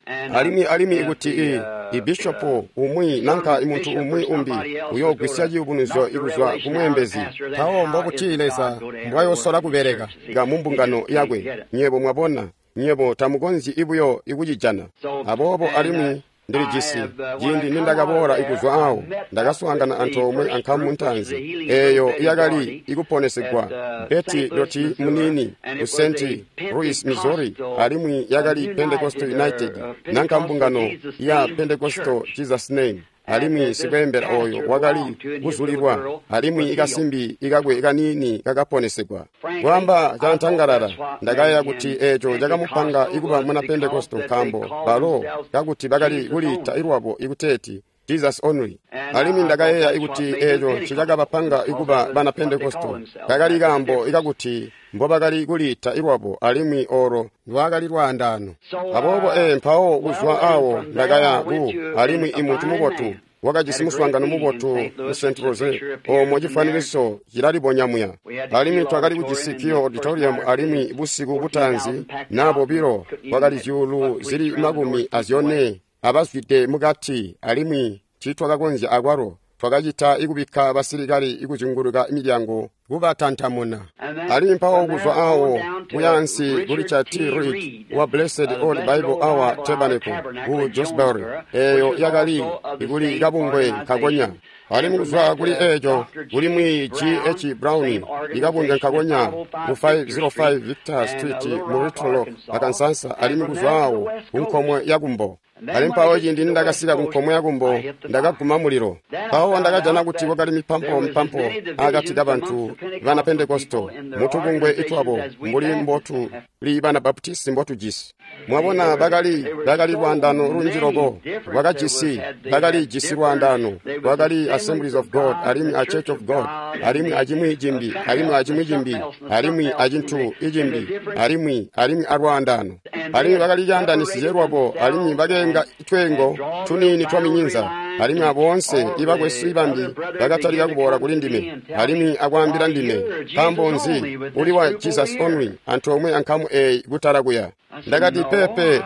Speaker 1: Alimwi ikuti ibishopo umwi nanka imuntu umwi umbi uyoogwisya ciyubunuzyo ikuzwa kumweembezi, mpawo mbobuti Leza mbwayosola kubeleka mumbungano yakwe? Nywebo mwabona, nywebo tamukonzyi ibuyo ikucijana. Aboobo alimwi ndilijisi ciindi nindakaboola ikuzwa awo, ndakaswaangana antoomwe ankamu ntaanzi eeyo yakali ikuponesegwa Betty Loti muniini ku St. Louis, Missouri, alimwi yakali Pentecostal United nanka mbungano ya Pentecostal Jesus Name. Alimwi sikweembela oyo wakali kuzulilwa, alimwi ikasimbi ikakwe kaniini kakaponesegwa. Kwaamba cantangalala, ndakayeeya kuti eeco cakamupanga ikuba muna Pentekosto nkaambo balo kakuti bakali kuliita ilwabo ikuteeti Jesus only. Alimwi ndakayeeya ikuti eeco ncicakabapanga ikuba bana Pentekosto kakali kaambo ikakuti mbobakali kuliita ilwabo, alimwi olo lwakali lwaandaano. Aboobo mpawo kuzwa awo ndakaya ku alimwi imuntu mubotu wakajisi muswaangano mubotu mu St. Rose, omo cifwanikiso cilalibonya muya. Alimwi twakali kujisi Kiyo Auditorium, alimwi busiku butaanzi na bobilo kwakali zyuulu zili 14 abazwide mukati, alimwi tiitwakakonzya akwalo. Twakacita ikubikka basilikali ikuzyunguluka milyango kubatantamuna. Alimwi mpawo kuzwa awo kuyansi ku Richard T. Reed wa Blessed Old Bible Hour Tabernacle ku Jonesboro, eeyo yakali ikuli kabungwe kakonya. Alimwi kuzwa kuli eeco kuli mwi G. H. Brown ikabungwe nkakonya ku 505 Victor Street mu Little Rock, Arkansas, alimwi kuzwa awo ku nkomwe ya kumbo. Alimwi mpawo ciindi nindakasika kunkomwe yakumbo, ndakaguma mulilo. Mpawo ndakajana kuti kwakali mipampo mpampo akati kabantu bana Pentekosto mutubungwe itwabo mbuli mbotu li bana Baptisti mbotujisi. Mwabona, bakali lwaandano lunji loko bakajisi, bakalijisi lwaandano. Kwakali Assemblies of God alimwi a Church of God alimwi acimwi cimbi alimwi acimwi cimbi alimwi acintu icimbi alimwi alwaandano. Alimwi bakali caandanisizye lwabo alimwi bakeenga tweengo tuniini twa minyinza. Alimwi aboonse ibakwesu ibambi bakatalika kuboola kuli ndime alimwi akwaambila ndime, nkaambo nzi uli wa Jesus Only antoomwe ankamu eeyi kutala kuya. Ndakati, pepe,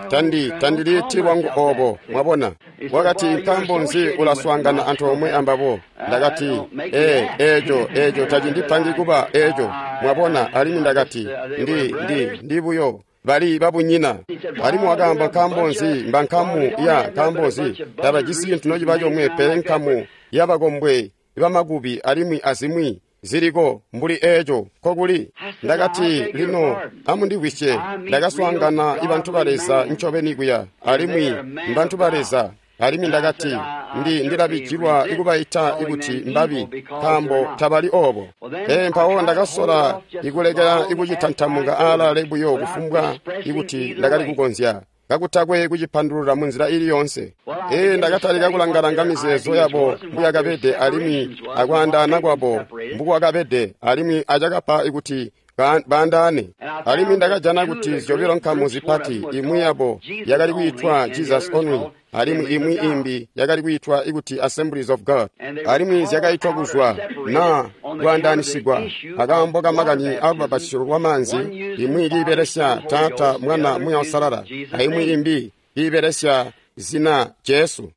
Speaker 1: tandiliiti lwangu obo. Mwabona? Wakati, nkaambo nzi ulaswaangana antoomwe ambabo? Ndakati, eeco tacindipangi kuba eeco. Mwabona? Alimwi ndakati, ndi buyo bali babunyina. Alimwi wakaamba, nkaambo nzi mba nkamu ya nkaambo nzi tabajisi cintu nociba comwe pele nkamu yabakombwe bamakubi alimwi azimwi ziliko mbuli eeco nkokuli. Ndakati, lino amundivwisye, ndakaswaangana ibantu ba Leza ncobeni kuya, alimwi mbantu ba Leza. Alimwi ndakati, ndilabijilwa ikubaita ikuti mbabi, nkaambo tabali obo. Mpawo ndakasola ikulekela ikucitantamuka aalale buyo kufumbwa ikuti ndakali kukonzya, kakutakwe kucipandulula munzila ili yoonse. Ndakatalika kulanga-langa mizeezo yabo mbuyakabede alimwi akwaandaana kwabo mbukwakabede alimwi acakapa ikuti baandaane. Alimwi ndakajana kuti zyobilo nkamu zipati, imwi yabo yakali kwiitwa Jesus Only alimwi imwi imbi yakali kwiitwa ikuti Assemblies of God. Alimwi zyakaitwa kuzwa na kwaandaanisigwa akaambo kamakani alubapatizyo lwamaanzi, imwi kiibelesya Taata, Mwana, Muuya Uusalala, aimwi imbi kiibelesya zina Jesu.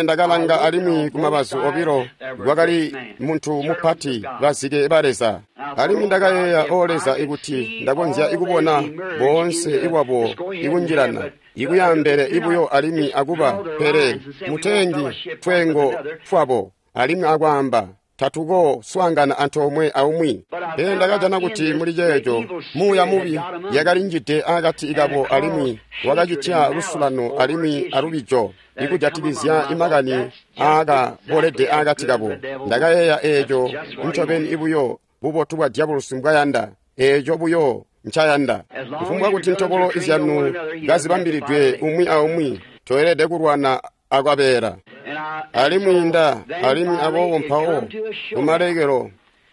Speaker 1: Ndakalanga alimwi kumabazu obilo kwakali muntu mupati, bazike ba Leza. Alimwi ndakayeeya, o Leza, ikuti ndakonzya ikubona boonse iwabo ikunjilana ikuyambele ibuyo alimwi akuba, pele muteengi twengo twabo alimwi akwaamba tatuko swaangana antoomwe aumwi. Pele ndakajana kuti muli ceeco muuya mubi yakalinjide akati kabo alimwi wakacitya lusulano alimwi alubijo ikujatikizya imakani aakabolede akati kabo. Ndakayeeya eeco ncobeni ibuyo bubotu bwa diabolosi mbwayanda, eeco buyo ncayanda. Kufumbwa kuti ntobolo izyanu kazibambilidwe umwi aumwi, toelede kulwana akwabeela. Alimwi alimwi aboobo mpawo kumalekelo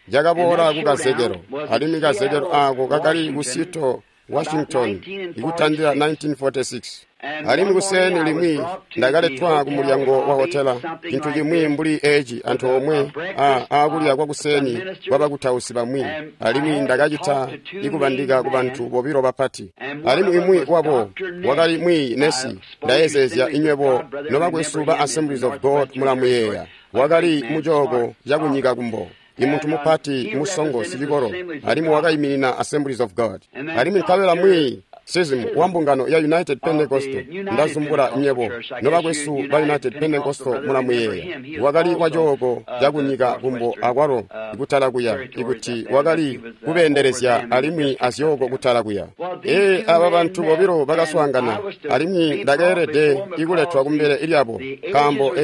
Speaker 1: yakaboola kukazekelo, alimwi kazekelo aako kakali ku Seattle, Washington, ikutandila 1946. Alimwi kuseeni limwi ndakaletwa ku mulyango wa hotela, cintu cimwi mbuli eci antoomwe aakulya kwakuseeni kwabakutausi bamwi, alimwi ndakacita ikubandika ku bantu bobilo bapati. Alimwi imwi wabo wakali mwiiyi nesi, ndayezeezya inywebo nobakwesu ba Assemblies of God mulamuyeeya, wakali mucooko cakunyika kumbo. Imuntu mupati musongo sicikolo, alimwi wakaiminina Assemblies of God. Alimwi nkabela mwiiyi Sism wa mbungano ya United Pentecostal, ndazumbula nyebo nobakwesu ba United Pentecostal mulamuyeeya, wakali wacooko cakunyika kumbo akwalo kutala kuya, ikuti wakali kubeendelezya alimwi azyooko kutala kuya. Aba bantu bobilo bakaswaangana, alimwi ndakeelede ikuletwa kumbele lyabo, nkaambo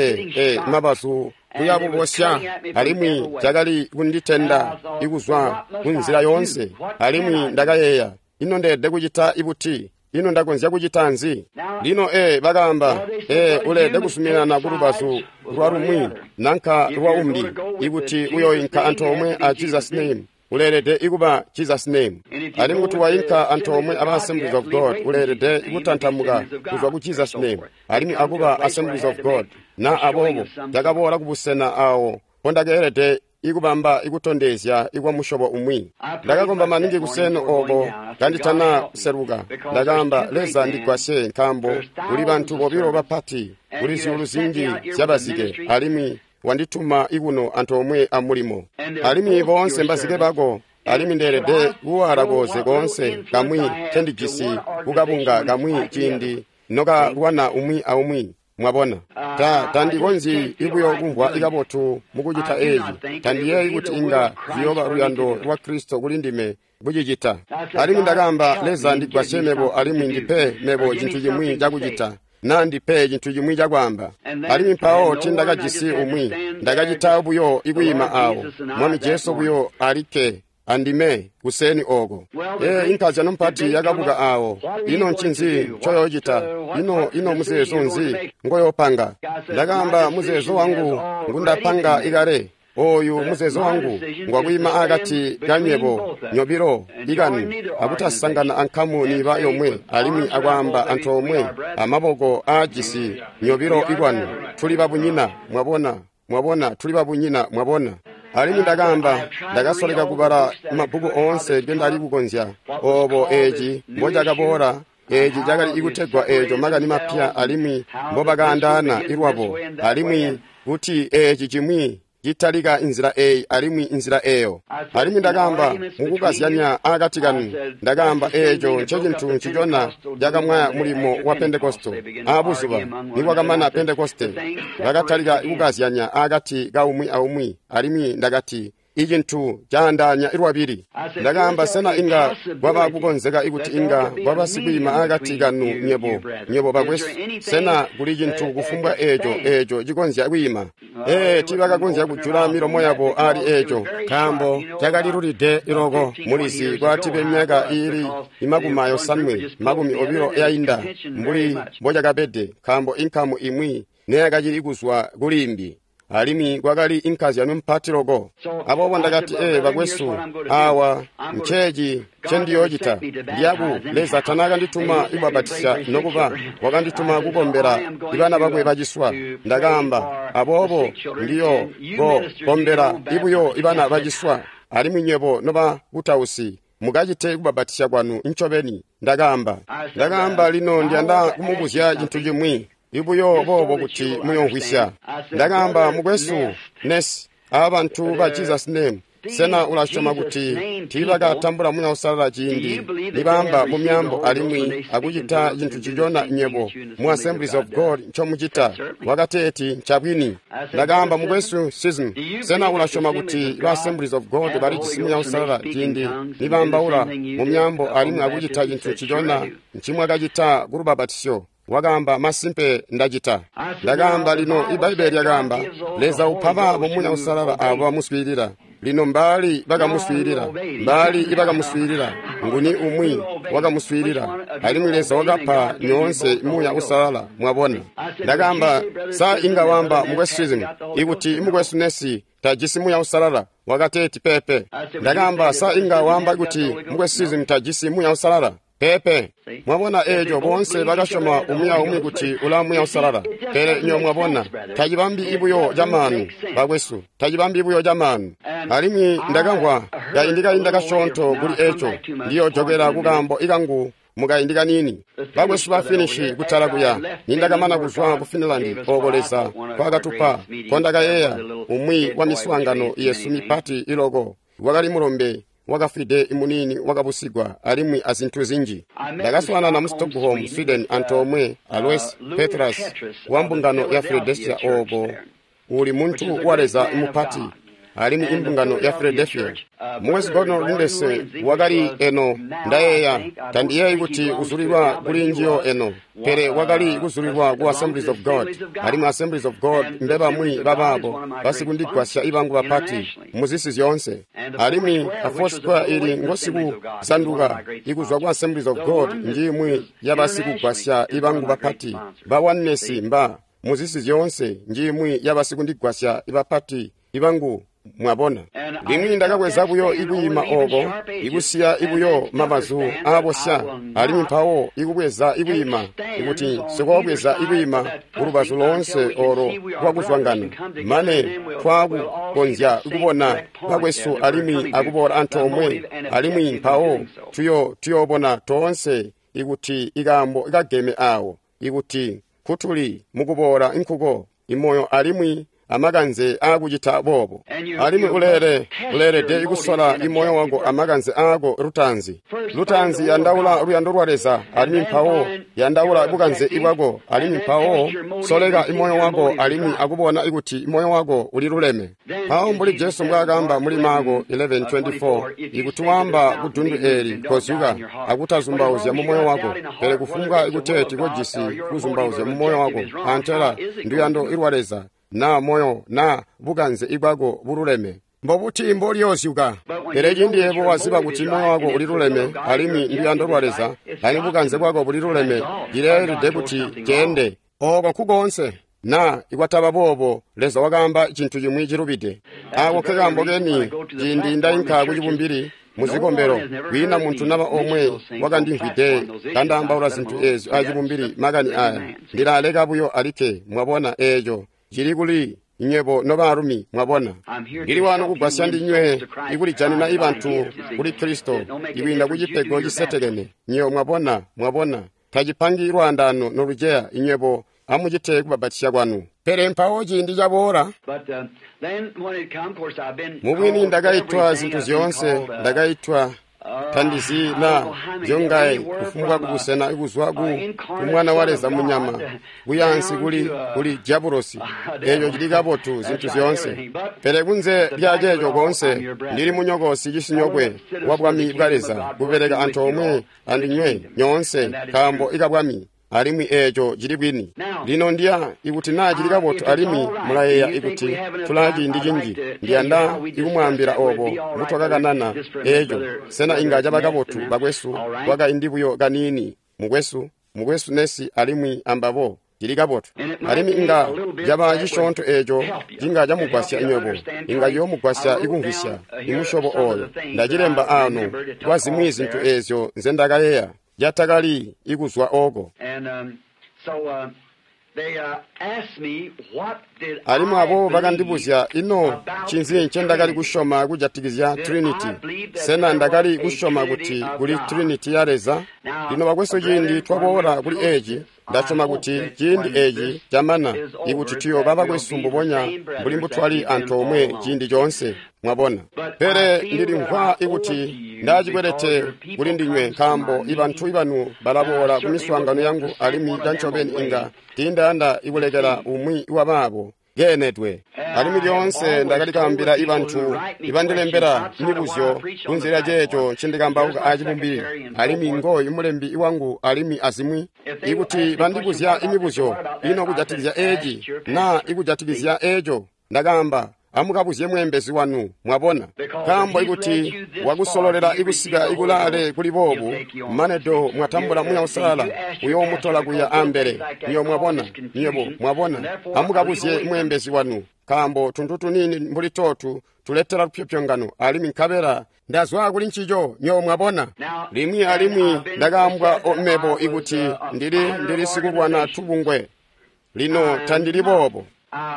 Speaker 1: mabazu kuyabubosya, alimwi cakali kunditenda ikuzwa kunzila yoonse. Alimwi ndakayeeya, ino ndeelede kucita ibuti? Ino ndakonzya kucita nzi? Lino bakaamba, uleelede kuzuminana ku lubazu lwa lumwi nanka lwa umbi, ikuti uyoinka antoomwe a Jesus Name, uleelede ikuba Jesus Name. Alimwi kuti wainka antoomwe aba Assemblies of God, uleelede kutantamuka kuzwa ku Jesus Name alimwi akuba Assemblies of God. Na aboobo ndakaboola kubusena awo mpondakeelede ikubamba ikutondezya ikwa musyobo umwi. Ndakakomba maningi kuseeni oko kanditana seluka. Ndakaamba, Leza ndigwasye, nkaambo kuli bantu bobilo bapati, kuli zyuulu zinji zyabazike, alimwi wandituma ikuno antoomwe amulimo, alimwi boonse mbazike bako, alimwi ndeelede kuwala koze koonse kamwi ncendijisi kukabunga kamwi ciindi nokalwana umwi aumwi. Mwabona, tandikonzyi ibuyo kumvwa ikabotu mukucita eeci. Tandiyeeyi kuti inga ziyooba luyando lwa Kristo kuli ndime kucicita. Alimwi ndakaamba, Leza ndigwasye mebo alimwi ndipe mebo cintu cimwi cakucita, Na ndipe cintu cimwi cakwaamba. Alimwi mpawo tiindakajisi umwi, ndakacita buyo ikwiima awo, Mwami Jesu buyo alikke andime kuseeni oko. Inkazyano mpati yakabuka awo. Ino ncinzi ncoyoocita? Ino muzeezo nzi ngoyoopanga? Ndakaamba, muzeezo wangu ngundapanga ikale. Oyu muzeezo wangu ngwakwiima akati kanywebo nyobilo ikanu, akutasangana ankamu niba yomwe, alimwi akwaamba antoomwe amaboko aajisi nyobilo ikwanu. Tuli babunyina, mwabona, mwabona, tuli babunyina, mwabona. Alimwi ndakaamba, ndakasoleka kubala mabbuku oonse ngendali kukonzya. Obo eci mbocakaboola, eci cakali ikutegwa eco makani mapya, alimwi mbobakaandaana ilwabo, alimwi kuti eci cimwi citalika inzila eyi alimwi inzila eyo. Alimwi ndakaamba, mukukazyanya akati kanu, ndakaamba eeco ncecintu ncicona cakamwaya mulimo wa Pentekoste. Aabuzuba nikwakamana Pentekoste, bakatalika kukazyanya akati kaumwi aumwi, alimwi ndakati, icintu caandaanya lwabili. Ndakaamba, sena inga kwaba kukonzeka ikuti inga kwaba sikwiima akati kanu nywebo bakwesu? Sena kuli cintu kufumbwa eeco cikonzya kwiima? Tiibakakonzya kujula milomo yabo ali eeco, nkaambo cakalilulide loko. Mulizi kwatibe myaka iili 80 yainda mbuli mbocakabede, nkaambo inkamu imwi neyakacili kuzwa kulimbi, alimwi kwakali inkazyano mpati loko. Aboobo ndakati, bakwesu, awa nceeci ncendiyoocita. Ndiyaku Leza tanaakandituma ikubabatisya, nokuba wakandituma kukombela ibana bakwe baciswa. Ndakaamba, aboobo ndiyo kombela ibuyo ibana baciswa, alimwi nywebo nobakutausi mukacite kubabatisya kwanu ncobeni. Ndakaamba, lino ndiyanda kumubuzya cintu cimwi ibuyo boobo kuti muyomvwisya. Ndakaamba, mukwesu Ness, aba bantu ba Jesus Name, sena ulasyoma kuti tiibakatambula Muuya Uusalala ciindi nibaamba mu myaambo alimwi akucita cintu ncicona nywebo mu Assemblies of God ncomucita? Wakateeti, ncabwini. Ndakaamba, mukwesu Sism, sena ulasyoma kuti ba Assemblies of God balijisi Muuya Uusalala ciindi nibaambaula mu myaambo alimwi akucita cintu ncicona ncimwakacita ku lubabatisyo? Wakaamba, masimpe ndacita. Ndakaamba, lino iBbaibele lyakaamba, Leza upa baabo Muuya Uusalala aabo bamuswiilila. Lino mbaali bakamuswiilila? Mbaali ibakamuswiilila? Nguni umwi wakamuswiilila? Alimwi Leza wakapa nyoonse Muuya Uusalala, mwabona. Ndakaamba, sa inga wamba mukwesu Sism ikuti mukwesu Nesi tajisi Muuya Uusalala? Wakateeti, pepe. Ndakaamba, sa inga wamba kuti mukwesu Sism tajisi Muuya Uusalala? Pepe. Mwabona eeco, boonse bakasyoma umwi aumwi kuti ula Muuya Uusalala. Pele nyo mwabona, tacibambi ibuyo camaanu, bakwesu, tacibambi buyo camaanu. Alimwi ndakamvwa kaindi kainda kasyoonto kuli eeco, ndiyojokela kukaambo ikangu mukaindi kaniini. Bakwesu ba Finishi kutala kuya, nindakamana kuzwa ku Finland ooko Leza kwakatupa, kondakayeeya umwi wa miswaangano yesu mipati iloko, wakali mulombe wakafwide imuniini wakabusigwa, alimwi azintu zinji. Ndakaswaanana mu Stockholm, Sweden, antoomwe a Louis Petras wa mbungano ya Philadelphia ooko uli muntu wa Leza mupati, alimwi imbungano ya Philadelphia. Mukwesu Gordon Lindsay wakali eno, ndayeeya, tandiyeeyi kuti uzulilwa kuli njiyo eno, pele wakali kuzulilwa ku Assemblies of God, alimwi Assemblies of God mbebamwi babaabo basikundigwasya ibangu bapati muzisi zyoonse. Alimwi a Foursquare ili ngosikuzanduka ikuzwa ku Assemblies of God njimwi yabasikugwasya ibangu bapati. Ba Oneness mba muzisi zyoonse njimwi yabasikundigwasya ibapati ibangu, mwabona. Limwi ndakabweza buyo ikwiima oko, ikusiya ibuyo mabazu aabosya, alimwi mpawo ikubweza ikwiima, ikuti nsikobweza ikwiima kulubazu loonse olo lwakuzwangana, mane twakukonzya kubona bakwesu alimwi akuboola antoomwe, alimwi mpawo tuyoobona toonse ikuti ikaambo kageme awo, ikuti kutuli mukuboola nkuko imoyo alimwi amakanze aakucita boobo. Alimwi uleelede kusola imoyo wako amakanze aako lutaanzi. Lutaanzi yandaula luyando lwa Leza, alimwi mpawo yandaula bukanze bwako, alimwi mpawo soleka imoyo wako alimwi akubona ikuti imoyo wako uliluleme. Mpawo mbuli Jesu mbwaakaamba muli Marko 11:24, ikuti waamba kudundu eeli, kozuka akutazumbauzya mumoyo wako, pele kufumbwa ikuteeti kojisi kuzumbauzya mumoyo wako, antela nduyando lwa Leza, na moyo na bukanze ibwako bululeme. Mbobuti mboliyoozyuka? Pele ciindi yebo waziba kuti moyo wako uliluleme alimwi nduyando lwa Leza, alimwi bukanze bwako buliluleme, cileelede kuti ceende. Ooko nkukoonse. Na ikwataba boobo, Leza wakaamba cintu cimwi cilubide. Aako nkekaambo keni ciindi ndainka kucibumbili muzikombelo, kwiina muntu naba omwe wakandimvwide kandaambaula zintu eezyo acibumbili makani aya. Ndilaleka buyo alikke, mwabona eeco cili kuli nywebo nobaalumi, mwabona. Ndili wano kugwasya ndinywe ikulijanina ibantu kuli Kristo ikwiinda kucipego cisetekene. Nywebo mwabona, mwabona, tacipangi lwaandaano noluceya inywebo amucite kubabatisya kwanu. Pele mpawo ciindi caboola, mubwini ndakaitwa zintu zyoonse, ndakaitwa tandizi na zyongaye kufumbwa kubusena kuzwa ku mwana wa Leza munyama kuyansi kuli diabulosi. Eeco cili kabotu zintu zyoonse. Pele kunze lya ceeco koonse, ndili munyokosi cisinyokwe wa bwami bwa Leza, kubeleka antoomwe andinywe nyoonse nkaambo ikabwami. Alimwi eeco cili bwini. Lino ndiya ikuti naa cili kabotu alimwi mulayeeya ikuti tulaa ciindi cinji, ndiyanda ikumwaambila oobo mbutwakakanana eeco. Sena inga caba kabotu bakwesu kwakaindi buyo kaniini, mukwesu Nesi alimwi ambabo, cili kabotu. Alimwi inga caba cisyoonto eeco cinga camugwasya nywebo, inga ciyoomugwasya ikumvwisya imusyobo ooyo. Ndacilemba aano kwa zimwi zintu eezyo nzendakayeeya yatakali ikuzwa oko. Alimwi abo bakandibuzya, ino ncinzi ncendakali kusyoma kujatikizya Trinity? Sena ndakali kusyoma kuti kuli Trinity ya Leza? Lino bakwesu, ciindi twaboola kuli eeci, ndasyoma kuti ciindi eeci camana, ikuti tuyooba bakwesu mbubonya mbuli mbutwali antoomwe ciindi coonse, mwabona. Pele ndilimvwa ikuti ndacikwelete kuli ndinywe, nkaambo ibantu ibanu balaboola kumiswaangano yangu, alimwi cancobeni inga tiindayanda ikulekela umwi wabaabo keenedwe. Alimwi lyoonse ndakali kaambila ibantu ibandilembela mibuzyo kunze lya ceeco ncindikambauka acibumbili, alimwi ngooyu mulembi wangu alimwi azimwi. Ikuti bandibuzya imibuzyo ino kujatikizya eeci na ikujatikizya eeco, ndakaamba, amukabuzye mweembezi wanu, mwabona. Nkaambo ikuti wakusololela ikusika ikulaale kuli boobu, manedo mwatambula Muuya Uusalala uyoomutola kuya ambele. Nywebo mwabona, nywebo mwabona, amukabuzye mweembezi wanu, nkaambo tuntu tuniini mbuli tootu tuletela lupyopyongano, alimwi nkabela ndazwa kuli ncico, nywebo mwabona. Limwi alimwi ndakaambwa mebo ikuti ndili sikulwana tubungwe. Lino tandili boobo.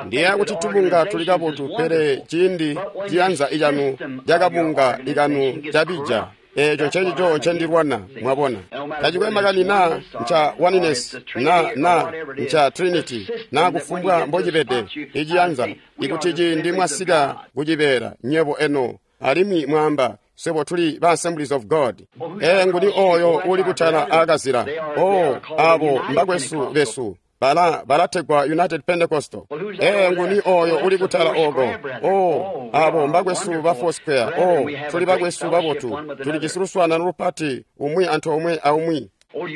Speaker 1: Ndiyeeya kuti tubunga tuli kabotu, pele ciindi ciyanza icanu cakabunga ikanu cabija, eeco ncencico ncendilwana, mwabona. Tacikwe makani naa nca oneness na nca Trinity na kufumbwa mbocibede iciyanza, ikuti ciindi mwasika kucibeela nywebo eno alimwi mwaamba, swebo tuli ba Assemblies of God. Ee, nguni ooyo uli kutala aakazila? Oh, abo mbakwesu besu. Balategwa United Pentecostal. Ee, nguni oyo uli kutala oko? Oh, abo mbakwesu ba Foursquare. Oh, tuli bakwesu babotu. Tulijisi luswaanano lupati umwi antoomwe aumwi.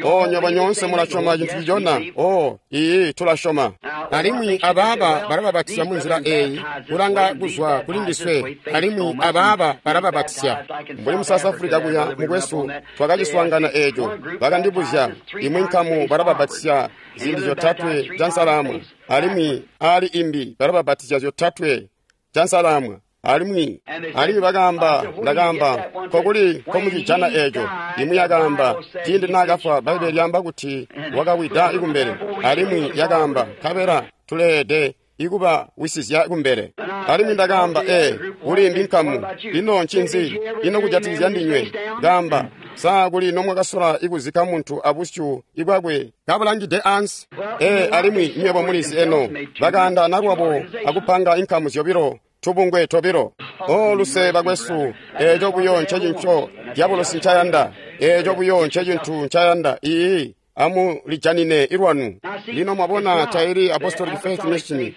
Speaker 1: Oh, nywebo nyoonse mulasyoma cintu cicona. Oh, iyi tulasyoma. Alimwi abaaba balababatizya munzila eeyi, kulanga kuzwa kuli ndiswe, alimwi abaaba balababatizya. Mbuli mu South Africa kuya, mukwesu, twakaciswaangana eeco. Bakandibuzya, imwi nkamu balababatizya ziindi zyotatwe cansalamwa, alimwi aali imbi balababatizya zyotatwe cansalamwa. Alimwi bakaamba, ndakaamba, kokuli nkomucijana eeco. Imwi yakaamba, ciindi naakafwa, Bbaibele lyaamba kuti wakawida kumbele. Alimwi yakaamba, nkabela tuleede ikuba wisizya kumbele. Alimwi ndakaamba, ee, kuli imbi nkamu. Ino ncinzi? Ino kujatikizya ndinywe? Ndaamba, Sa kuli nomwakasola ikuzikka muntu abusyu ibwakwe kabulangide ansi? Ee, alimwi nywebo mulizi eno, bakaandaana lwabo akupanga inkamu zyobilo, tubungwe tobilo. O luse bakwesu, eeco buyo ncecinco dyabulosi ncayanda. Eeco buyo ncecintu ncayanda. Iiyi, amulijanine ilwanu. Lino mwabona taili Apostolic Faith Mission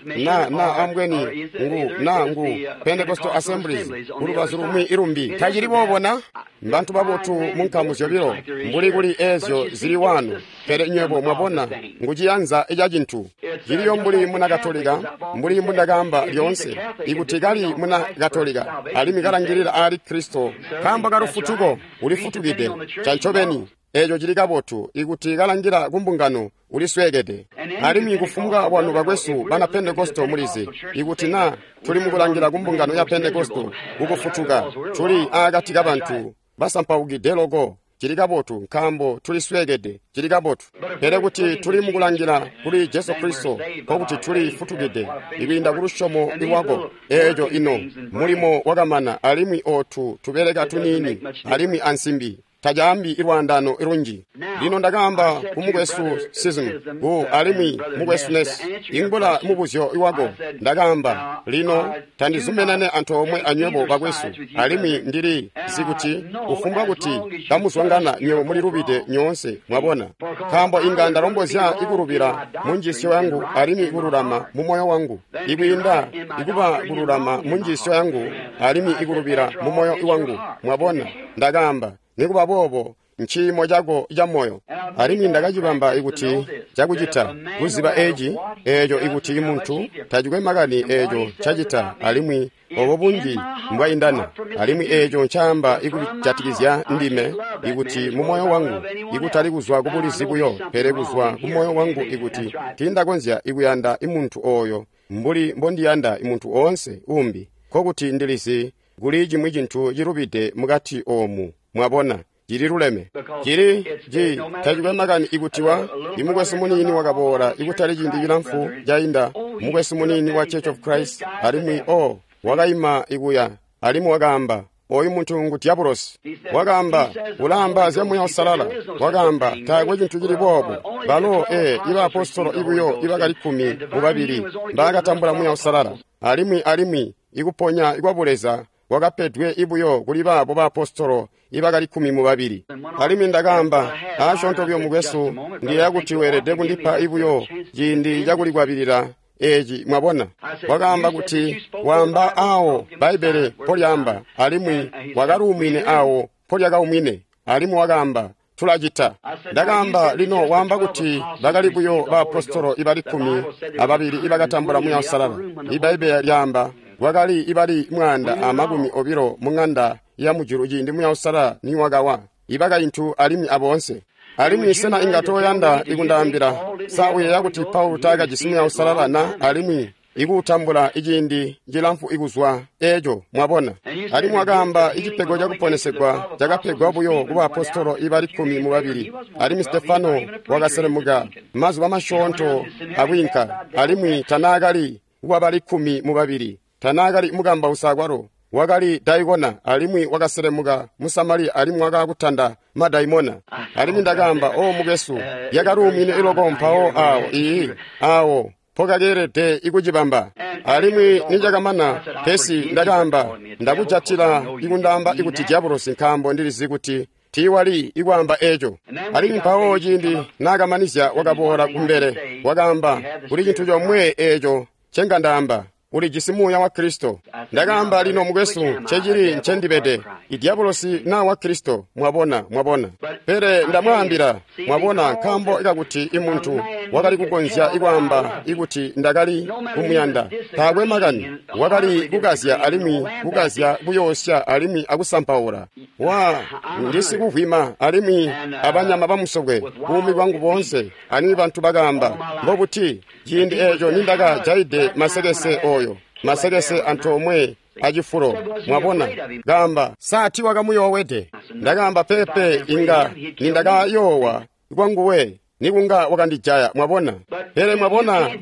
Speaker 1: na ambweni ngu na ngu Pentecostal Assemblies kulubazu lumwi ilumbi. Tacili boobona mbantu babotu mu nkamu zyobilo mbuli kuli eezyo zili wanu, pele nywebo mwabona ngu ciyanza ca cintu. Ciliyo mbuli muna Katolika, mbuli mbundakaamba lyoonse, ikuti kali muna Katolika alimwi kalangilila aali Kristo nkaambo kalufutuko, ulifutukide cancobeni. Eeco cili kabotu. Ikuti kalangila kumbungano, ulisweekede. Alimwi kufumbwa bwanu bakwesu bana Pentekosto mulizi, ikuti na tuli mukulangila kumbungano ya Pentekosto kukufutuka, tuli aakati kabantu basampaukide loko. Cili kabotu, nkaambo tulisweekede. Cili kabotu. Pele kuti tuli mukulangila kuli Jesu Kristo, nkokuti tuli futukide ikwiinda kulusyomo lwako. Eeco ino mulimo wakamana, alimwi ootu tubeleka tuniini alimwi ansimbi tacaambi ilwaandano ilunji. Lino ndakaamba ku mukwesu Sism ku alimwi mukwesu Ness, ingula mubuzyo iwako. Ndakaamba, lino tandizumenane antoomwe anywebo bakwesu, alimwi ndili zikuti kufumbwa kuti kamuzwangana nywebo mulilubide nyoonse, mwabona. Nkaambo inga ndalombozya ikulubila mu njiisyo yangu alimwi ikululama mu moyo wangu, ikwiinda ikuba kululama mu njiisyo yangu alimwi ikulubila mu moyo wangu, mwabona. Ndakaamba, nikuba boobo nciimo cako ca moyo. Alimwi ndakacibamba ikuti cakucita kuziba eci, eeco ikuti muntu tacikwe makani eeco ncacita alimwi obo bunji mbwaindana, alimwi eeco ncaamba ikujatikizya ndime, ikuti mu moyo wangu, ikutali kuzwa kubulizi buyo, pele kuzwa ku moyo wangu, ikuti tiindakonzya ikuyanda imuntu ooyo mbuli mbondiyanda imuntu oonse umbi, nkokuti ndilizi kuli cimwi cintu cilubide mukati oomu. Mwabona, cili luleme. Cili ci tacikwe makani ikuti wa imukwesu muniini wakaboola ikutali ciindi cilamfu cainda, mukwesu muniini wa Church of Christ, alimwi o wakaima ikuya alimwi wakaamba, oyu muntu ngu dyabulosi. Wakaamba, ulaamba zya Muuya Uusalala. Wakaamba, taakwe cintu cili boobo. Balo ibaapostolo ibuyo ibakali 12 mbaakatambula Muuya Uusalala, alimwi ikuponya kwa Buleza wakapedwe ibuyo kuli baabo baapostolo ibakali 12. Alimwi ndakaamba, aasyoonto buyo mukwesu, ndiyeeya kuti weelede kundipa ibuyo ciindi cakulikwabilila eci, mwabona. Wakaamba kuti waamba aawo Bbaibbele mpolyaamba, alimwi wakaluumwine aawo mpolyakaumwine, alimwi wakaamba, tulacita. Ndakaamba, lino waamba kuti bakali buyo baapostolo ibali 12 ibakatambula Muuya Uusalala. Ibbaibbele lyaamba kwakali ibali 120 mu ng'anda ya mujulu ciindi Muuya Uusalala niwakawa, ibakaintu alimwi aboonse. Alimwi sena inga toyanda ikundaambila, sa uyeeya kuti Paulo taakajisi Muuya Uusalala na alimwi ikuutambula iciindi cilamfu ikuzwa eeco, mwabona. Alimwi wakaamba icipego cakuponesegwa cakapegwa buyo ku baapostolo ibali 12, alimwi Stefano wakaselemuka mazuba masyoonto akwiinka, alimwi tanaakali wabali 12, tanaakali mukambausi akwalo, wakali daikona, alimwi wakaselemuka mu Samariya alimwi wakakutanda madaimona. Alimwi ndakaamba, o mukwesu, lyakaluumwine iloko mpawo aawo, iiyi, aawo mpokakeelede ikucibamba. Alimwi nicakamana, pesi ndakaamba, ndakujatila ikundaamba ikuti dyabulosi, nkaambo ndilizi kuti tiiwali ikwaamba eeco. Alimwi mpawo ciindi naakamanizya wakaboola kumbele, wakaamba, kuli cintu comwe eeco ncengandaamba, ulijisi Muuya wa Kristo. Ndakaamba, lino mukwesu, ncecili ncendibede, idyabulosi naa wa Kristo, mwabona, mwabona. Pele ndamwaambila, mwabona, nkaambo kakuti imuntu wakali kukonzya ikwaamba ikuti ndakali kumuyanda, taakwe makani, wakali kukazya alimwi kukazya kuyoosya alimwi akusampaula. Wa ndisikuvwima alimwi abanyama bamusokwe buumi bwangu boonse, alimwi bantu bakaamba, mbobuti ciindi eeco nindakajaide masekese oyo, masekese antoomwe acifulo, mwabona. Kaamba, sa tiwakamuyoowede? Ndakaamba, pepe, inga nindakayoowa kwanguwe nikunga wakandijaya, mwabona. Pele mwabona,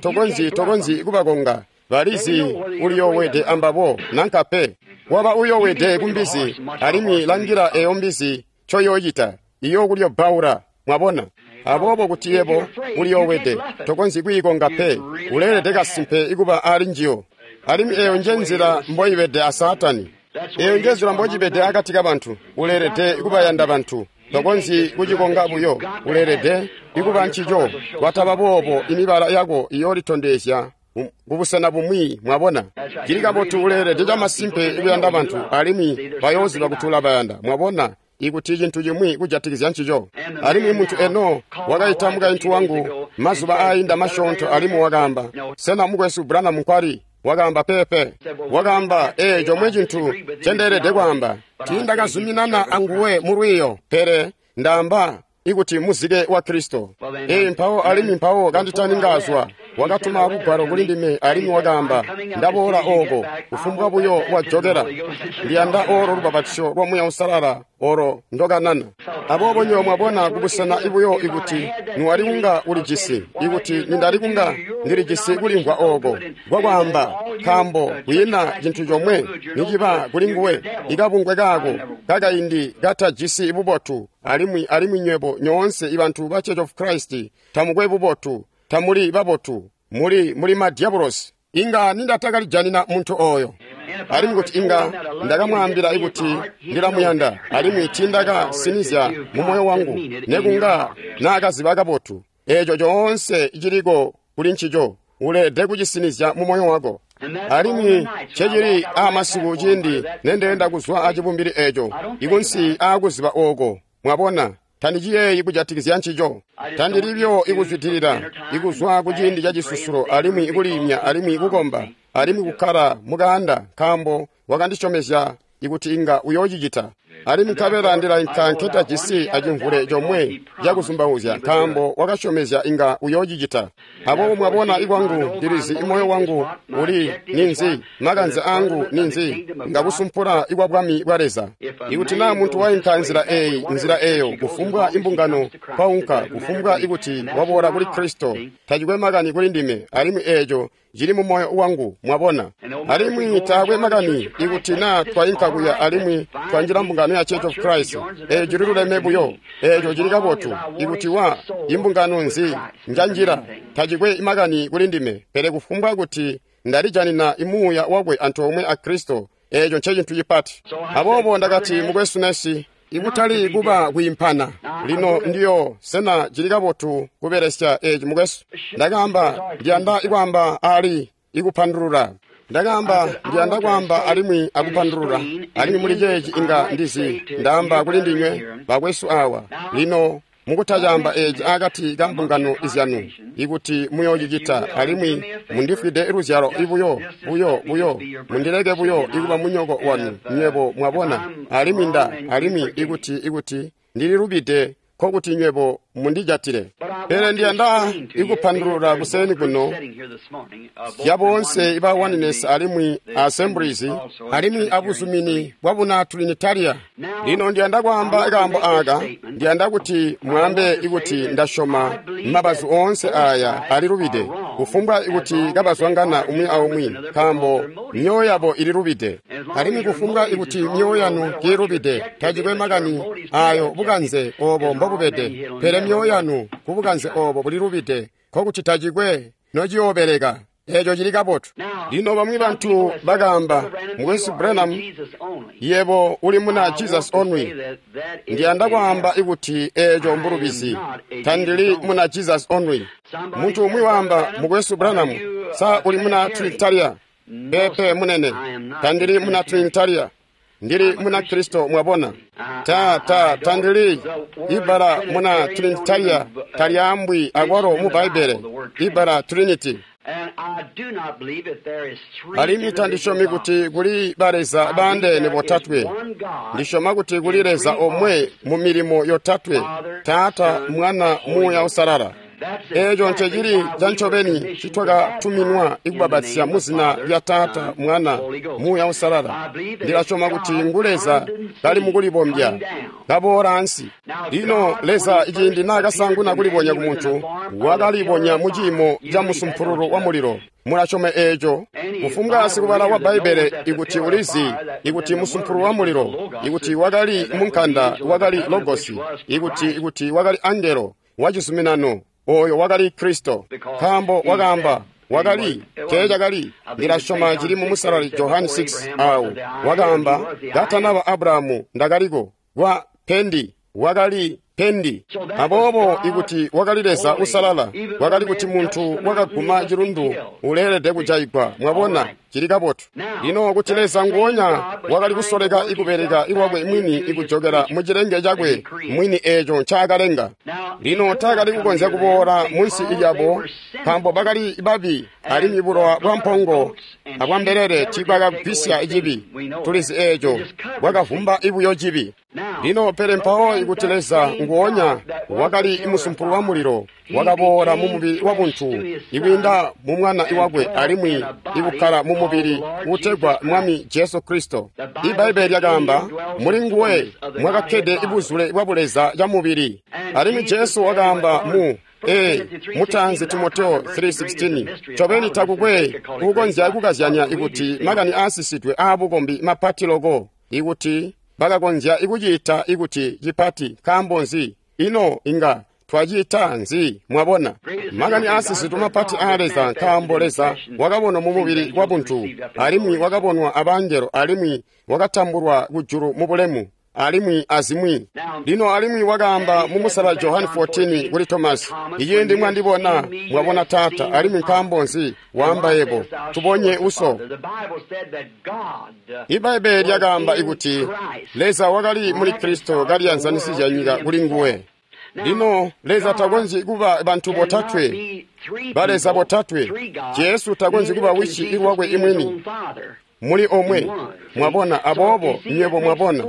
Speaker 1: tokonzyi kubakonga, balizi uliyoowede ambabo nanka pe. Waba uyoowede kumbizi, alimwi langila eyo mbizi ncoyoocita, iyookulyobbaula. Mwabona? Aboobo kuti yebo uliyoowede, tokonzyi kwiikonga pe. Uleelede kasimpe ikuba ali njiyo. Alimwi eyo nje nzila mboibede a Saatani. Eyo nje nzila mbocibede akati kabantu. Uleelede kubayanda bantu. Tokonzyi kucikonga buyo. Uleelede ikuba ncico. Kwataba boobo imibala yako iyoolitondezya kubusena bumwi. Mwabona? Cili kabotu, uleelede camasimpe ikuyanda bantu, alimwi bayooziba kuti ulabayanda. Mwabona? Ikuti cintu cimwi kujatikizya ncico. Alimwi muntu eno wakaita mukaintu wangu mazuba aayinda masyoonto, alimwi wakaamba, sena mukwesu Branham nkwali? Wakaamba, pepe. Wakaamba, comwe cintu ncendeelede kwaamba, tiindakazuminana anguwe mu lwiiyo, pele ndaamba ikuti muzike wa Kristo. Mpawo alimwi mpawo kanditaningaazwa, wakatuma lugwalo kuli ndime, alimwi wakaamba, ndaboola ooko, kufumbwa buyo wajokela, ndiyanda olo lubapatizyo lwa Muuya Uusalala olo ndokanana. Aboobo nywebo mwabona kubusena ibuyo ikuti niwali kunga ulijisi, ikuti nindali kunga ndilijisi kulimvwa ooko kwakwaamba, nkaambo kwiina cintu comwe niciba kuli nguwe, ikabungwe kaako kakaindi katajisi bubotu, alimwi nywebo nyoonse ibantu ba Church of Christ tamukwe bubotu, tamuli babotu, muli madyabulosi. Inga nindatakalijanina muntu oyo. Alimwi kuti inga ndakamwaambila ikuti ndilamuyanda, alimwi tiindakasinizya mu moyo wangu, nekunga naakaziba kabotu. Eeco coonse ciliko kuli ncico, uleelede kucisinizya mu moyo wako. Alimwi cecili aamasiku ciindi nendeenda kuzwa acibumbili eeco, ikunsi aakuziba ooko. Mwabona? Tandiciyeeyi kujatikizya ncico. Tandilibyo ikuzwidilila, ikuzwa kuciindi ca cisusulo, alimwi ikuliimya, alimwi ikukomba, alimwi kukkala mukaanda, nkaambo wakandisyomezya ikuti inga uyoocicita. Alimwi nkabela ndilainka nketajisi acimvule comwe cakuzumbauzya, nkaambo wakasyomezya inga uyoocicita. Aboobo mwabona ikwangu ndilizi imoyo wangu uli ninzi, makanze angu ninzi, ngakusumpula ikwa bwami bwa Leza. Ikuti naa muntu wainka nzila eyi, nzila eyo, kufumbwa imbungano kwaunka, kufumbwa ikuti waboola kuli Kristo, tacikwe makani kuli ndime, alimwi eeco cili mu moyo wangu. Mwabona? Alimwi taakwe makani ikuti naa twainka kuya alimwi twanjila mbungano ya Church of Christ, eeco cililuleme buyo, eeco cili kabotu. Ikuti wa imbungano nzi njanjila, tacikwe makani kuli ndime, pele kufumbwa kuti ndalijanina imuuya wakwe antoomwe a Kristo, eeco ncecintu cipati. Aboobo ndakati, mukwesu Nesi, ikutali kuba kwiimpana lino ndiyo, sena cili kabotu kubelesya eeci mukwesu? Ndakaamba, ndiyanda ikwaamba ali ikupandulula. Ndakaamba, ndiyanda kwaamba alimwi akupandulula. Alimwi muli ceeci inga ndizi, ndaamba kuli ndinywe bakwesu awa lino, mukutacaamba eeci akati ka mbungano izyanu, ikuti muyoocicita, alimwi mundifwide luzyalo ibuyo buyo buyo, mundileke buyo ikuba munyoko wanu nywebo. Mwabona? Alimwi alimwi ikuti ndililubide, nkokuti nywebo mundijatile. Pele ndiyanda ikupandulula kuseni kuno zya boonse iba Oneness alimwi Assemblies alimwi abuzumini bwa buna Trinitaria. Lino ndiyanda kwaamba kaambo aaka, ndiyanda kuti mwaambe ikuti ndasyoma mabazu oonse aaya alilubide, kufumbwa ikuti kabazwangana umwi aumwi, nkaambo myoyo yabo ililubide. Alimwi kufumbwa ikuti myoyo yanu kiilubide, tacikwe makani aayo bukanze oobo mbobubede, pele myoyo yanu kubukanze oobo bulilubide, nkokuti tacikwe nociyoobeleka. Eeco cili kabotu. Lino bamwi bantu bakaamba, mukwesu Branham, yebo uli muna Jesus Only. Ndiyanda kwaamba ikuti eeco mbulubizi. Tandili muna Jesus Only. Muntu umwi waamba, mukwesu Branham, sa uli muna Trinitaria? Pepe munene, tandili muna Trinitaria. Ndili muna Kristo. Mwabona? Tandili ibala muna Trinitaria talyaambwi akwalo mu Bbaibbele, ibala Trinity. Alimwi tandisyomi kuti kuli baleza baandeene botatwe. Ndisyoma kuti kuli Leza omwe mu milimo yotatwe, Taata, Mwana, Muuya Uusalala. Eeco ncecili ca ncobeni ncitwakatuminwa ikubbapatizya mu zina lya Taata, Mwana, Muuya Uusalala. Ndilasyoma kuti ngu Leza kali mukulibombya, kaboola ansi. Lino Leza iciindi naakasaanguna kulibonya ku muntu, wakalibonya mu ciimo ca musumpululu wa mulilo. Mulasyoma eeco? Kufumbwa sikubala wa Bbaibbele ikuti ulizi ikuti musumpululu wa mulilo, ikuti wakali munkanda wakali Logosi, ikuti wakali angelo wa cizuminano, oyo wakali Kristo. Nkaambo wakaamba wakali teecakali. Ndilasyoma cili mu Musalali Johani 6 awo wakaamba katanaba Abrahamu ndakaliko kwa pendi wakali pendi. Aboobo ikuti wakali Leza usalala, wakali kuti muntu wakaguma cilundu uleelede kujaigwa. Mwabona, cili kabotu. Lino kuti Leza nguonya wakali kusoleka ikubeleka iwakwe mwini ikujokela mu cilenge cakwe mwini eeco ncaakalenga. Lino taakali kukonzya kuboola munsi lyabo nkaambo bakali babi, alimwi bulowa bwa mpongo abwa mbelele tiibwakagwisya cibi. Tulizi eeco, bwakavumba ibuyo cibi. Lino pele mpawo ikuti Leza nguonya wakali musumpulu wa mulilo wakaboola mu mubili wa buntu ikwiinda mu mwana iwakwe alimwi ikukkala mu mubili utegwa Mwami Jesu Kristo. Ibbaibbele lyakaamba muli nguwe mwakakkede ibuzule bwa buleza ca mubili. Alimwi Jesu wakaamba mu mutaanzi Timoteo 3:16, ncobeni takukwe kukonzya kukazyanya ikuti makani aasisidwe aabukombi mapati loko ikuti bakakonzya ikuciita ikuti cipati. Nkaambo nzi? Ino inga twaciita nzi? Mwabona, makani aasisidwe mapati aa Leza, nkaambo Leza wakabonwa mu mubili wa buntu, alimwi wakabonwa abangelo, alimwi wakatambulwa kujulu mu bulemu, alimwi azimwi. Lino alimwi wakaamba mu Musalali Johani 14 kuli Tomasi, iciindi mwandibona mwabona Taata, alimwi nkaambo nzi waamba yebo tubonye uso? Ibbaibbele lyakaamba ikuti Leza wakali muli Kristo kaliyanzanisizya nyika kuli nguwe. Lino Leza takonzyi kuba bantu botatwe, baleza botatwe. Jesu takonzyi kuba wisi ilwakwe imwini muli omwe. Mwabona? Aboobo nywebo mwabona,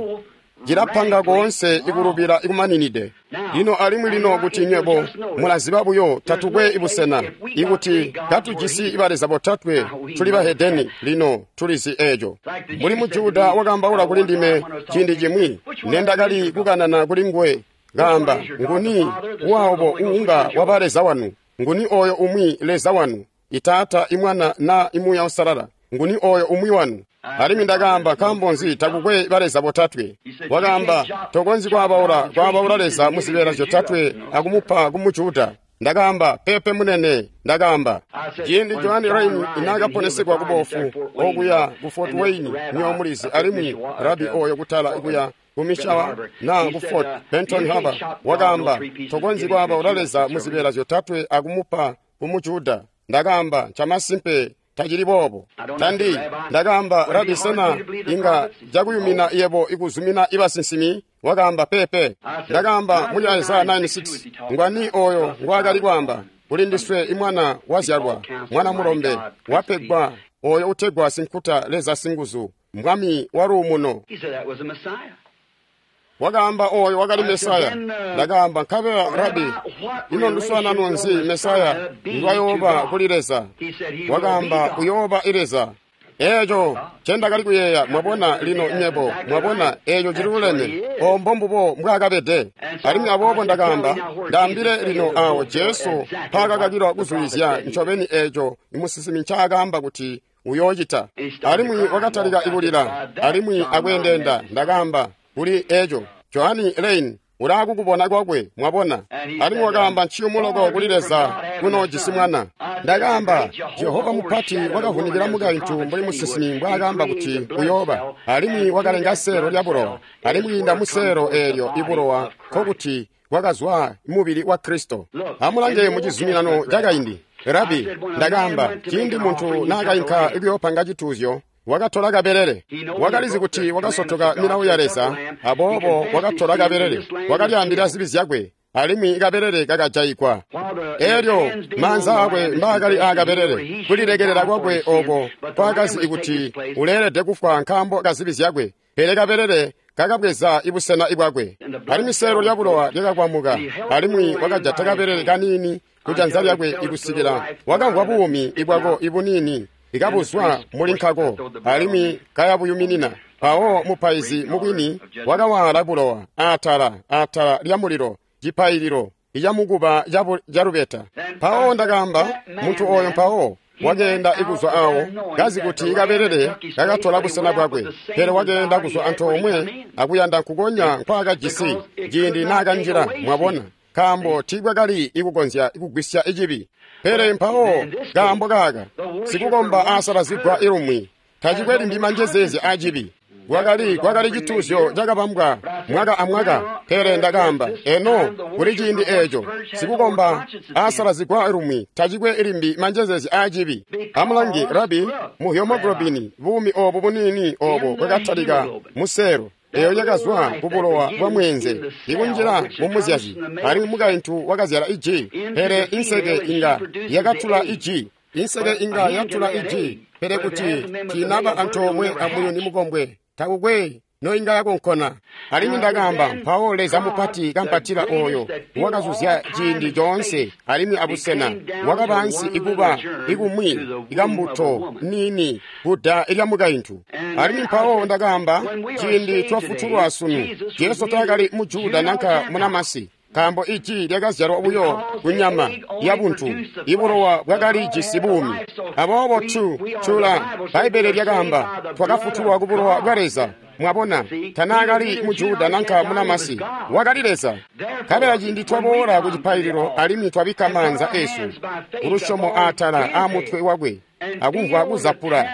Speaker 1: cilapanga koonse ikulubila ikumaninide. Lino alimwi lino kuti nywebo mulaziba buyo tatukwe ibusena ikuti katujisi baleza botatwe tuli bahedeni. Lino tulizi eeco. Mbuli mu Juda wakaambaula kuli ndime ciindi cimwi nendakali kukanana kuli nguwe, kaamba, nguni waobo uunga waba Leza wanu? Nguni oyo umwi Leza wanu? Itaata, Imwana na Imuuya Uusalala. Nguni oyo umwi wanu? Alimwi ndakaamba, nkaambo nzi takukwe baleza botatwe? Wakaamba, tokonzyi kwaabaula Leza mu zibeela zyotatwe akumupa ku Mujuda. Ndakaamba, pepe munene. Ndakaamba, ciindi Johani Raini naakaponesekwa kubofu okuya ku Fort Wayne nyomulizi, alimwi rabi oyo kutala kuya ku Mishawa na ku Fort Benton Harbor, wakaamba, tokonzyi kwaabaula Leza mu zibeela zyotatwe akumupa ku Mujuda. Ndakaamba, ncamasimpe tacili boobo. Ndakaamba, rabi, sena inga cakuyumina yebo ikuzumina ibasinsimi? Wakaamba, pepe. Ndakaamba, muli Isaya 9:6, ngwani oyo ngwaakali kwaamba? Kuli ndiswe imwana wazyalwa, mwana mulombe wapegwa, oyo utegwa Sinkuta Leza Singuzu, Mwami wa luumuno. Wakaamba oyo wakali Mesaya. Ndakaamba, nkabela rabi, ino nduswaanano nzi Mesaya ndwayooba kuli Leza? Wakaamba, uyooba i Leza. Eeco ncendakali kuyeeya. Mwabona lino nywebo, mwabona, eeco ciluleme. Ombo mbubo mbwaakabede. Alimwi aboobo ndakaamba, ndaambile lino awo Jesu mpaakakakilwa kuzulizya ncobeni eeco imusinsimi ncaakaamba kuti uyoocita. Alimwi wakatalika ikulila alimwi akweendeenda. Ndakaamba, kuli eeco Johani Lane ulaakukubona kwakwe, mwabona. Alimwi wakaamba, nciyumu loko kuli Leza kunoojisi mwana. Ndakaamba, Jehova mupati wakavunikila mukaintu mbuli musinsimi mbwaakaamba kuti uyooba, alimwi wakalenga seelo lya bulowa, alimwi kwiinda mu seelo eelyo ibulowa nkokuti wakazwa mubili wa Kristo. Amulange mu cizuminano cakaindi. Rabi, ndakaamba, ciindi muntu naakainka kuyoopanga cituuzyo, wakatola kabelele. Wakalizi kuti wakasotoka milawo ya Leza, aboobo wakatola kabelele, wakalyaambila zibi zyakwe, alimwi kabelele kakajayigwa. Elyo maanza akwe mbaakali aakabelele, kulilekelela kwakwe oko kwakazi kuti uleelede kufwa nkaambo ka zibi zyakwe, pele kabelele kakabweza ibusena bwakwe. Alimwi seelo lyabulowa lyakakwamuka, alimwi wakajata kabelele kaniini kujanza lyakwe ikusikila wakamvwa buumi ibwako ibuniini ikabuzwa muli nkako, alimwi kayabuyuminina. Mpawo mupaizi mubwini wakawaala bulowa aatala aatala lya mulilo cipaililo icamukuba calubeta. Mpawo ndakaamba, muntu oyo mpawo wakeenda ikuzwa awo kazi kuti kabelele kakatola busena bwakwe, pele wakeenda kuzwa antoomwe akuyanda nkukonya nkwaakajisi ciindi naakanjila, mwabona, nkaambo tiibwakali ikukonzya kugwisya icibi. Pele mpawo kaambo kaka sikukomba aasalazigwa ilumwi tacikwe limbi manjezeezya acibi. Kwakali cituuzyo cakabambwa mwaka amwaka. Pele ndakaamba, eno kuli ciindi eeco sikukomba aasalazigwa lumwi tacikwe limbi manjezeezya aacibi. Amulange rabi mu hemoglobini, buumi oobu buniini oobo bwakatalika museelo eyo yakazwa kubulowa bwa mweenze ikunjila mumuzyazi, alimwi mukaintu wakazyala iji. Pele inseke inga yakatula iji, inseke inga yatula iji, pele kuti tiinaba antoomwe amuyuni mukombwe takukwe noinga yakonkona. Alimwi ndakaamba, mpawo Leza mupati kampatila oyo wakazuzya ciindi coonse alimwi abusena wakaba ansi ikuba ikumwi ikambuto niini kuda lya mukaintu. Alimwi mpawo ndakaamba, ciindi twafutulwa sunu, Jesu taakali mu Juda nanka munamasi, nkaambo iji lyakazyalwa buyo kunyama yabuntu, ibulowa bwakali jisi buumi. Aboobo tula Bbaibbele lyakaamba, twakafutulwa kubulowa bwa Leza. Mwabona, tanaakali mu Juda nanka munamasi, wakali Leza. Nkabela ciindi twaboola ku cipaililo alimwi twabikka maanza esu kulusyomo aatala aamutwe wakwe, akumvwa kuzapula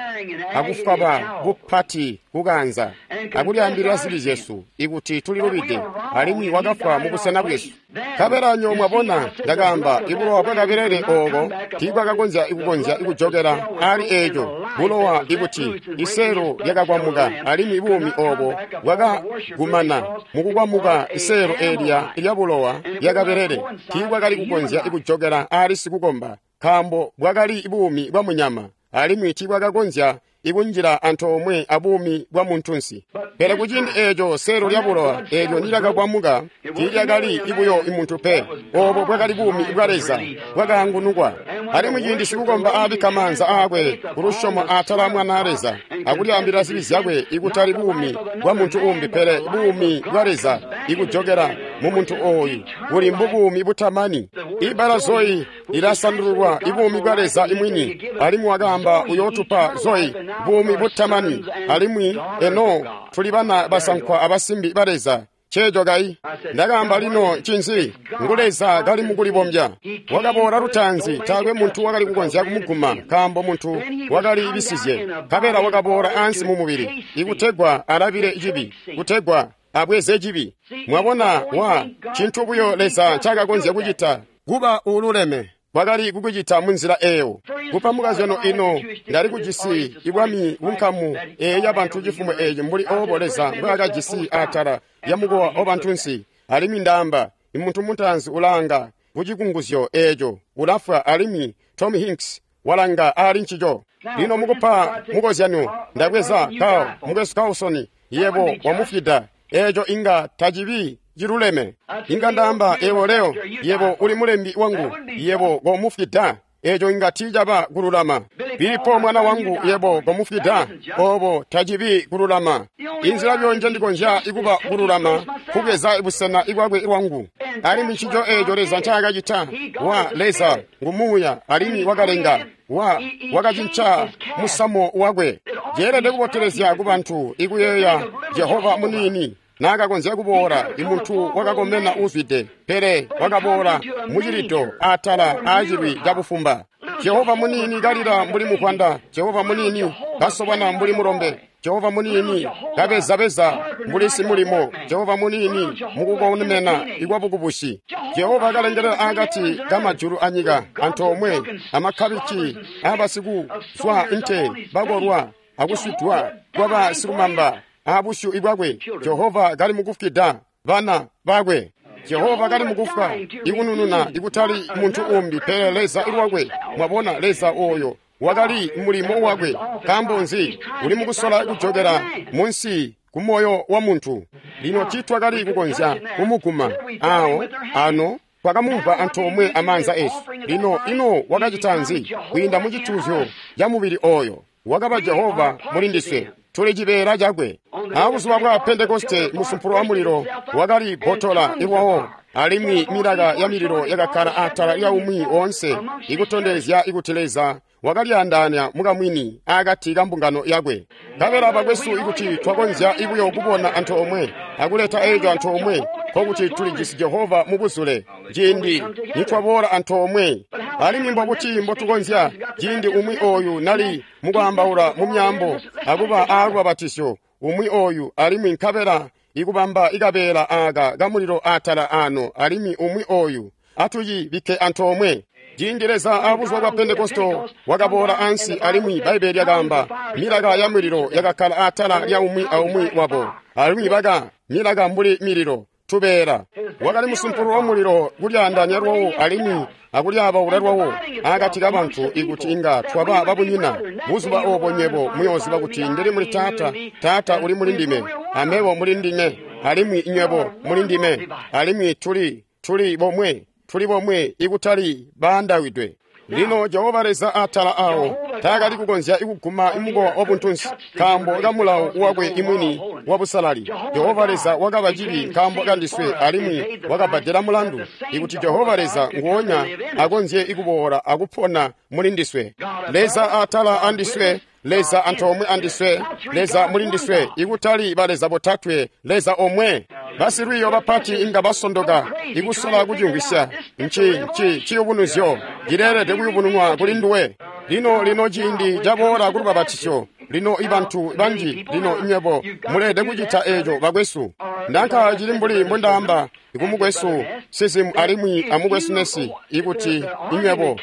Speaker 1: akufwaba kupati kukanza akulyaambilila zibi zyesu ikuti tulilubide, alimwi wakafwa mubusena bwesu. Nkabela nyo mwabona, ndakaamba, ibulowa bwakabelele ooko tiibwakakonzya ikukonzya ikujokela aali eeco bulowa ikuti iseelo lyakakwamuka, alimwi buumi oobo bwakagumana mukukwamuka iseelo eelya lyabulowa lyakabelele tiibwakali kukonzya ikujokela aali sikukomba, nkaambo bwakali buumi bwa munyama, alimwi tiibwakakonzya ikunjila antoomwe abuumi bwa muntunsi. Pele kuciindi eeco seelo lyabulowa eelyo nilyakakwamuka tiilyakali ibuyo imuntu pe, oobo bwakali buumi bwa Leza bwakaangunukwa. Alimwi ciindi sikukomba aabikka maanza aakwe kulusyomo atala Mwanaa Leza akulyaambilila zibi zyakwe, ikutali buumi bwa muntu uumbi pele buumi bwa Leza ikujokela mumuntu ooyu buli mbubuumi butamani. Ibbala Zoe lilasandululwa ibuumi bwa Leza imwini, alimwi wakaamba uyootupa Zoe, buumi butamani, alimwi eno tuli bana basankwa abasimbi ba Leza. Ceeco kayi ndakaamba lino ncinzi? Ngu Leza kali mukulibombya. Wakaboola lutaanzi, taakwe muntu wakali kukonzya kumuguma, nkaambo muntu wakali bisizye. Nkabela wakaboola ansi mu mubili ikutegwa alabile cibi, kutegwa abweze cibi. Mwabona, wa cintu buyo Leza ncaakakonzya kucita kuba uululeme wakali kukucita munzila eyo. Kupa mukazyano ino ndali kujisi ibwami bunkamu eyi yabantu cifumo eci mbuli oobo Leza mbwaakajisi atala lyamukowa wabantunsi. Alimwi ndaamba, imuntu mutaanzi ulanga kucikunguzyo eeco ulafwa, alimwi Tom Hinks walanga aali ncico. Lino mukupa mukozyano, ndabweza Carl, mukwesu Carlson, yebo wamufwida. Eeco inga tacibi ciluleme. Inga ndaamba, ewo leo, yebo uli mulembi wangu, yebo komufwida. Eeco inga tiicaba kululama. Pilipo mwana wangu, yebo komufwida. Oobo tacibi kululama. Inzila byonje ndikonzya ikuba kululama kubweza busena ibwakwe lwangu. Alimwi ncico eeco Leza ncaakacita. Wa Leza ngumuuya, alimwi wakalenga wakacinca musamo wakwe. Ceelede kubotelezya kubantu ikuyeeya Jehova muniini naakakonzya kuboola imuntu wakakomena uuzwide, pele wakaboola mucilido atala aacilwi cabufumba. Jehova muniini kalila mbuli mukwanda, Jehova muniini kasobana mbuli mulombe, Jehova muniini kabezabeza mbuli simulimo, Jehova muniini mukukomena ikwabukubusi. Jehova kalengelela akati kamajulu anyika antoomwe amakkabici abasikuzwa nte bakolwa akuswidwa kwabasikumamba abusyu ibwakwe. Jehova kali mukufwida bana bakwe. Jehova kali mukufwa ikunununa ikutali muntu umbi pele Leza ilwakwe. Mwabona, Leza oyo wakali mulimo wakwe. Nkaambo nzi? Uli mukusola kujokela munsi ku moyo wa muntu. Lino tiitwakali kukonzya kumuguma awo ano twakamumva antoomwe amaanza esu. Lino ino wakacita nzi? Kwiinda mu cituuzyo ca mubili oyo wakaba Jehova muli ndiswe. Tuli cibeela cakwe. Abuzuba bwa Pentekoste musumpulo wa mulilo wakali botola iwawo, alimwi milaka ya mililo yakakkala atala lya umwi woonse, ikutondezya ikuti Leza wakalyaandaanya mukamwini akati ka mbungano yakwe. Nkabela bakwesu, ikuti twakonzya ibuyo kubona antoomwe akuleta eco antoomwe, nkokuti tulijisi Jehova mubuzule ciindi nitwaboola antoomwe. Alimwi mbobuti mbotukonzya ciindi umwi oyu nali mukwaambaula mu myaambo akuba aalubabatisyo umwi oyu, alimwi nkabela ikubamba ikabeela aaka kamulilo atala ano, alimwi umwi oyu atucibikke antoomwe. Ciindi Leza abuzuba bwa Pentekosto wakaboola ansi, alimwi Bbaibele lyakaamba milaka ya mulilo yakakkala atala lya umwi aumwi wabo, alimwi baka milaka mbuli mililo tubeela. Wakali musumpulo wa mulilo kulyaandaanya lwawo alimwi akulyabaula lwawo akati kabantu, ikuti inga twaba babunyina. Buzuba obo nywebo muyooziba kuti ndili muli Taata, Taata uli muli ndime, amebo muli ndime, alimwi nywebo muli ndime, alimwi tuli bomwe, tuli bomwe, ikutali baandawidwe. Lino Jehova Leza atala awo taakali kukonzya ikuguma imukowa wabuntunsi nkaambo kamulawo wakwe imwini wabusalali. Jehova Leza wakaba cibi nkaambo kandiswe, alimwi wakabbadela mulandu ikuti Jehova Leza nguonya akonzye ikuboola akupona muli ndiswe. Leza atala andiswe, Leza antoomwe andiswe, Leza muli ndiswe, ikutali baleza botatwe, Leza omwe. Basilwiiyo bapati inga basondoka ikusola kucimvwisya. Nci ciyubunuzyo cileelede kuyubununwa kuli nduwe. Lino ciindi caboola kulubabatisyo. Lino ibantu banji, lino nywebo muleelede kucita eeco bakwesu. Nanka cili mbuli mbondaamba ikumukwesu Sizimu alimwi amukwesu Nesi, ikuti inywebo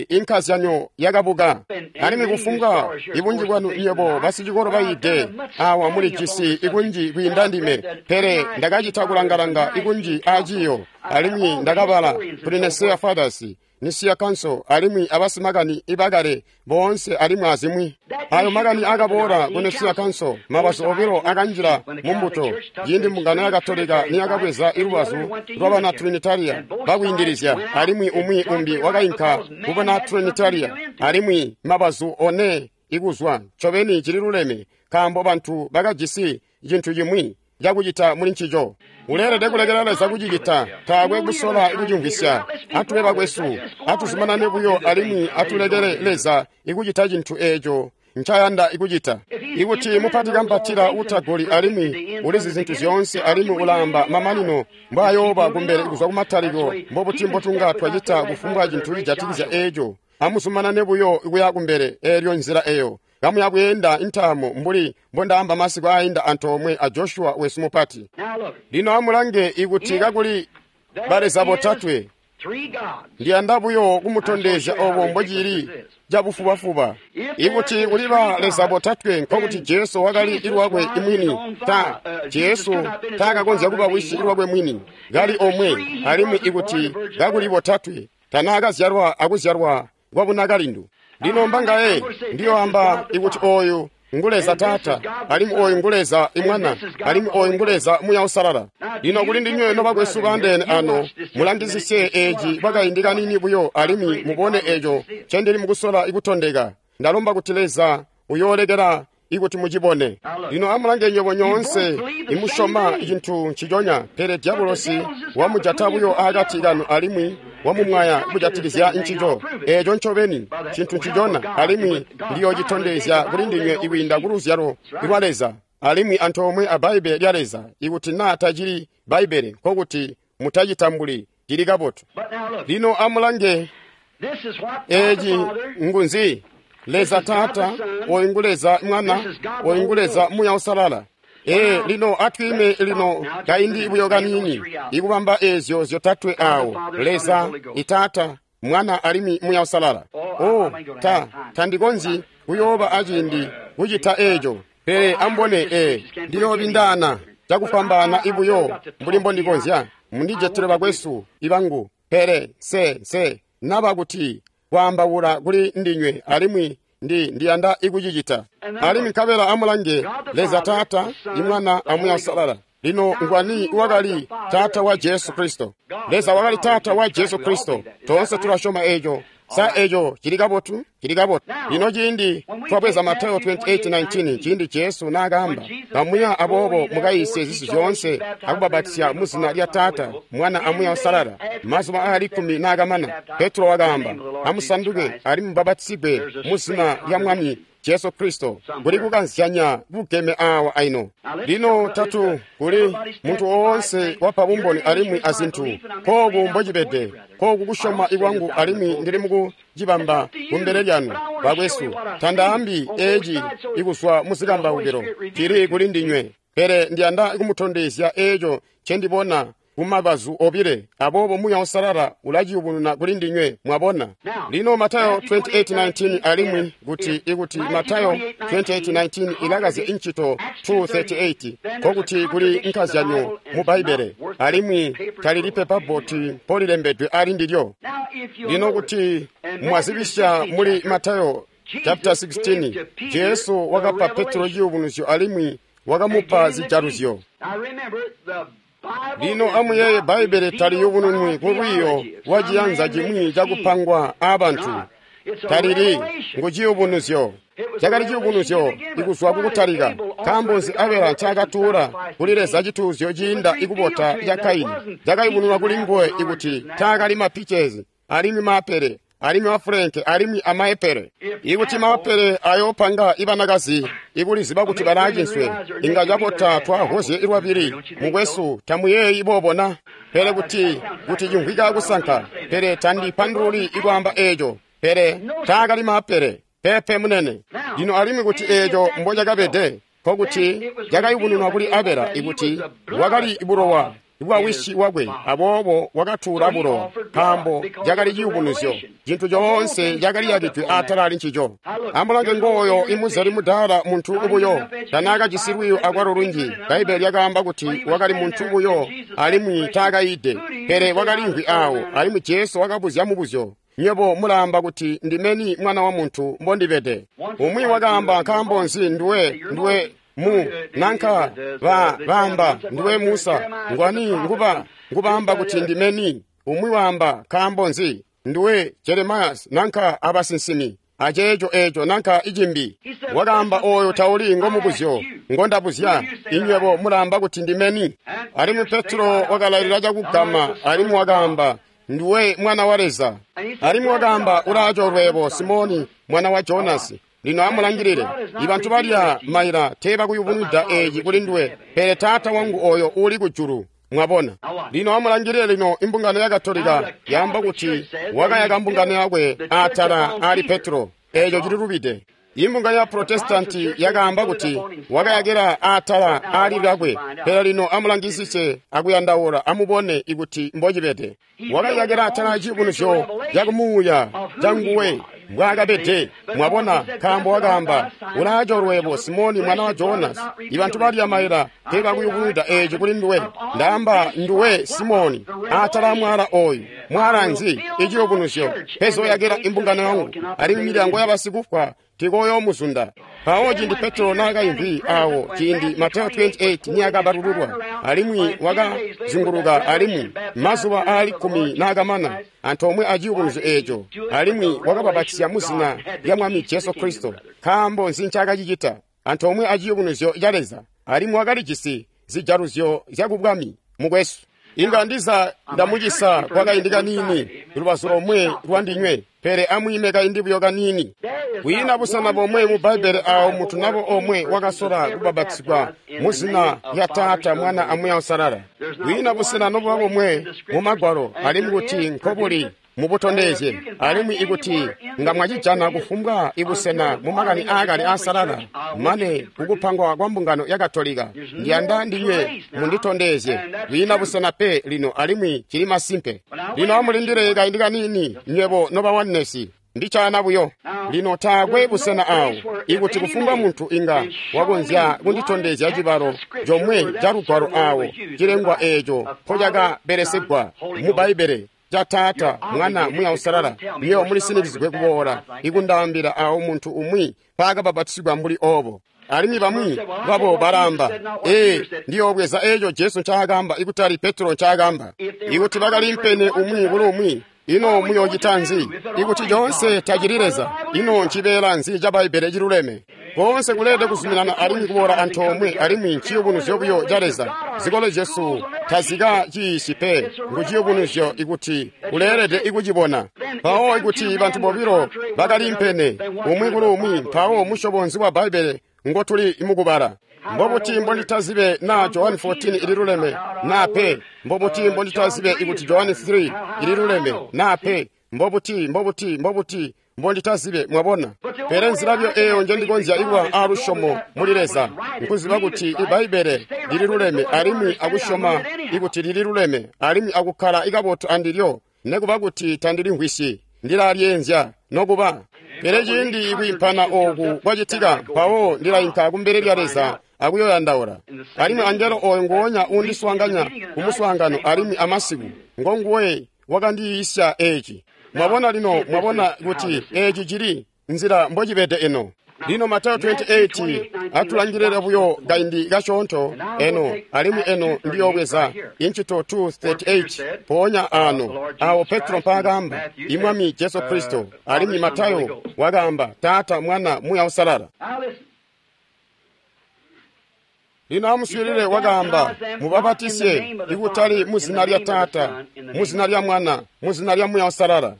Speaker 1: inkazyanyo yakabuka. Alimwi kufumbwa ibunji bwanu nywebo basicikolo bayiide awa mulijisi ikunji kwiinda ndime, pele ndakacita kulangalanga ikunji aciyo, alimwi ndakabala kuli Nicaea Fathers, Nicaea Council, alimwi abasimakani ibakale boonse alimwi azimwi. Ayo makani akaboola ku Nicaea Council, mabazu obilo akanjila mumbuto ciindi mbungano ya Katolika niyakabweza ilubazu lwabana Trinitaria bakwiindilizya, alimwi umwi umbi wakainka kubana Trinitaria, alimwi mabazu one ikuzwa. Ncobeni cililuleme, nkaambo bantu bakajisi cintu cimwi cakucita muli ncico. Uleelede kulekela Leza kucicita, taakwe kusola kucimvwisya. Atube bakwesu, atuzumanane buyo alimwi atulekele Leza ikucita cintu eeco ncayanda ikucita. Ikuti mupati kampatila utagoli alimwi ulizi zintu zyoonse alimwi ulaamba mamanino mbwaayooba kumbele kuzwa kumatalikilo, mbobuti mbotunga twacita kufumbwa cintu cijatikizya eeco? Amuzumanane buyo kuya kumbele eelyo nzila eyo. Kamuya kuyenda intaamo mbuli mbondaamba masiku ainda antoomwe a Joshua wesu mupati. Lino amulange ikuti kakuli baleza botatwe, ndiyanda buyo kumutondezya obo mbocili cabufubafuba. Ikuti kuli baleza botatwe, nkokuti Jesu wakali ilwakwe imwini. Jesu taakakonzya kuba wisi ilwakwe mwini, kali omwe, alimwi ikuti kakuli botatwe, tanaakazyalwa akuzyalwa kwabunakalindu. Lino mbangaye ndiyoamba ikuti oyu ngu Leza Taata, alimwi oyu ngu Leza Imwana, alimwi oyu ngu Leza Muya Usalala. Lino kuli ndinywe nobakwesu baandeene ano, mulangisisye eeci kwakaindi kaniini buyo alimwi mubone eeco ncendili mukusola ikutondeka. Ndalomba kuti Leza uyoolekela ikuti mucibone. Lino amulange nywebo nyoonse imusyoma cintu nciconya, pele diabolosi wamujata buyo akati kanu alimwi wamumwaya kujatikizya ncico. Eeco ncobeni cintu ncicona, alimwi ndiyoocitondezya kuli ndinywe ikwiinda ku luzyalo lwa Leza alimwi antoomwe a Bbaibbele lya Leza. Ikuti naa tacili Bbaibbele, nkokuti mutacitambuli, cili kabotu. Lino amulange eeci ngunzi? Leza Taata, oyu ngu Leza Mwana, oyu ngu Leza Muya Usalala. Lino atwiime lino kaindi buyo kaniini ikubamba eezyo zyotatwe awo: Leza Itaata, Mwana alimwi Muya Usalala. Oh, tandikonzyi kuyooba aciindi kucita eeco, pele ambone ndiyoobindaana cakufwambaana ibuyo mbuli mbondikonzya. Mundijetele bakwesu ibangu, pele nse naba kuti kwaambaula kuli ndinywe alimwi Ndiyanda ikucicita. Alimwi nkabela amulange Leza Taata, Imwana a Muuya Uusalala. Lino ngwani wakali Taata wa Jesu Kristo? Leza wakali Taata wa Jesu Kristo. Toonse tulasyoma eco. Sa eco cili kabotu? Cili kabotu. Lino ciindi twabweza Mateo 28:19, ciindi Jesu naakaamba, "Kamuya aboobo mukayiisye zisi zyoonse akubabatizya mu zina lya Taata, Mwana a Muuya Uusalala." Mazuba aali 10 naakamana, Petro wakaamba, "Amusanduke alimwi mubapatizigwe mu zina lya Mwami Jesu Kristo." Kuli kukanzyanya bugeme awa aino. Lino tatu kuli muntu woonse wapa bumboni alimwi azintu. Kooku mbocibede, kooku kusyoma ikwangu alimwi ndili mukucibamba kumbele lyanu, bakwesu. Tandaambi eci ikuzwa muzikambaukilo, cili kuli ndinywe. Pele ndiyanda kumutondezya eco ncendibona kumabazu obile, aboobo Muuya Uusalala ulaciyubununa kuli ndinywe, mwabona. Lino Mateo 28:19 alimwi kuti ikuti Mateo 28:19 ilakazya incito 2:38, nkokuti kuli nkazyanyo mu Bbaibbele, alimwi talili pepa boti mpolilembedwe ali ndilyo. Lino kuti mwazibisya muli Mateo chapter 16, Jesu wakapa Petro ciyubunuzyo alimwi wakamupa zijaluzyo. Lino amuyeeye, Bbaibbele taliyubununwi kulwiiyo lwa ciyanza cimwi cakupangwa aabantu. Talili ngu ciyubunuzyo. Cakali ciyubunuzyo ikuzwa kukutalika. Nkaambo nzi Abela ncaakatuula kuli Leza cituuzyo ciinda ikubota ca Kaini? Cakayubununwa kuli nguwe ikuti taakali mapichezi alimwi maapele alimwi mafulenke alimwi amaepele. Ikuti maapele ayoopanga ibanakazi ikuliziba kuti balaacinswe, inga cabota twahozye ilwabili. Mukwesu, tamuyeeyi boobona? Pele kuti cimvwika kusanka, pele tandipandululi ikwaamba eeco. Pele taakali maapele, pepe munene. Lino alimwi kuti eeco mbocakabede, nkokuti cakayubununwa kuli Abela ikuti wakali bulowa bwa wisi wakwe, aboobo wakatuula bulowa, nkaambo cakali ciyubunuzyo. Cintu coonse cakali yakidwe atala ali ncico. Amulange ngooyo imuzeli mudaala, muntu buyo, tanaakajisi lwiiyo akwalo lunji. Bbaibbele lyakaamba kuti wakali muntu buyo alimwi taakayiide, pele wakalimvwi aawo, alimwi Jesu wakabuzya mubuzyo. Nywebo mulaamba kuti ndimeni Mwana wa Muntu mbondibede? Umwi wakaamba, nkaambo nzi nduwe mu nanka baamba nduwe Musa, ngwani ngubaamba kuti ndimeni? Umwi waamba, nkaambo nzi nduwe Jeremias nanka abasinsimi aceeco eco nanka icimbi. Wakaamba, oyo tauli ngomubuzyo ngondabuzya, inywebo mulaamba kuti ndimeni? Alimwi Petro wakalailila cakugama alimwi wakaamba, nduwe Mwana wa Leza. Alimwi wakaamba, ulaacoolwebo Simoni mwana wa Jonasi. Lino amulangilile, ibantu balya maila teebakuyubunwida eeci kuli nduwe, pele Taata wangu oyo uuli kujulu. Mwabona? Lino amulangilile, lino imbungano ya Katolika yaamba kuti wakayaka mbungano yakwe atala ali Petro. Eeco cililubide. Imbungano ya Protestanti yakaamba kuti wakayakila atala ali lwakwe. Pele lino amulangisise akuyandaula, amubone ikuti mbocibede. Wakayakila atala ciyubunuzyo cakumuuya canguwe mbwaakabede. Mwabona, nkaambo wakaamba, ulaacoolwebo Simoni mwana wa Jonasi. Ibantu balya maila teebakuyubunwida eeci kuli nduwe. Ndaamba nduwe Simoni, atala mwaala oyu. Mwaala nzi? Iciyubunuzyo. Pezoyakila imbungano yangu, alimwi milyango yabasikufwa tikoyoomuzunda. Mpawo ciindi Petro naakaimvwi awo, ciindi Mateo 28 niyakabalululwa, alimwi wakazinguluka alimwi mazuba aali 10 naakamana, antoomwe aciyubunuzyo eeco, alimwi wakababatizya mu zina lya Mwami Jesu Kristo. Nkaambo nzi ncaakacicita? Antoomwe aciyubunuzyo ca Leza, alimwi wakalijisi zijaluzyo zyakubwami. Mukwesu, inga ndiza ndamucisa kwakaindi kaniini lubazu lomwe lwandinywe, pele amwiime kaindi buyo kaniini. Kwiina busena bomwe mu Bbaibbele awo muntu nabo omwe wakasola kubabatizigwa mu zina lya Taata, Mwana a Muuya Uusalala. Kwiina busena nobuba bomwe mu Magwalo, alimwi kuti nkobuli mubutondezye, alimwi ikuti nga mwacijana kufumbwa ibusena mu makani aakale aasalala mane kukupangwa kwa mbungano ya Katolika, ndiyanda ndinywe munditondezye. Kwiina busena pe lino, alimwi cili masimpe. Lino amulindile kaindi kaniini, nywebo nobawanesi. Ndichana buyo. Lino taakwe busena awo ikuti kufumbwa muntu inga wakonzya kunditondezya cibalo comwe ca lugwalo awo cilengwa eeco mpocakabelesegwa mu Bbaibbele. ca Taata, Mwana, Muuya Uusalala, nywebo mulisinikizigwe kuboola ikundaambila awo muntu umwi mpaakabapatisigwa mbuli obo. Alimwi bamwi babo balamba, ee, ndiyoobweza eeco Jesu ncaakamba ikutali Petro ncaakamba. Ikuti bakalimpene umwi kuli umwi, ino muyoocita nzi? Ikuti coonse tacili Leza, ino ncibeela nzi ca Bbaibbele ciluleme? Boonse kuleelede kuzuminana alimwi kuboola antoomwe alimwi nciyubunuzyo buyo ca Leza. Zikolo zyesu tazikaciyiisyi pe, ngu ciyubunuzyo ikuti uleelede ikucibona. Mpawo ikuti bantu bobilo bakalimpene umwi kuli umwi, mpawo musyobo nzi wa Bbaibbele ngotuli mukubala? Mbobuti mbonditazibe naa Johani 14 ililuleme naa pe? Mbobuti mbonditazibe ikuti Johani 3 ililuleme naa pe? Mbobuti, mbobuti, mbobuti mbonditazibe, mwabona? Pele nzila buyo eeyo njendikonzya ikuba aalusyomo muli Leza nkuziba kuti Ibbaibbele lililuleme alimwi akusyoma ikuti lililuleme alimwi akukkala ikabotu andilyo, nekuba kuti tandilimvwisyi, ndilalyeenzya nokuba. Pele ciindi ikwiimpana ooku kwacitika, mpawo ndilainka kumbele lya Leza akuyoyandaula. Alimwi angelo ooyo nguonya uundiswaanganya kumuswaangano alimwi amasiku, ngonguwe wakandiyiisya eeci. Mwabona lino, mwabona kuti eeci cili nzila mbocibede eno. Lino Matayo 28 atulangilile buyo kaindi kasyoonto eno, alimwi eno ndiyoobweza Incito 2:38 mpoonya aano awo Petro mpaakamba Imwami Jesu Kristo, alimwi Matayo wakaamba Taata, Mwana, Muuya Uusalala. Lino amuswiilile wakaamba, mubapatisye ikutali muzina lya Taata, muzina lya Mwana, muzina lya Muuya Uusalala.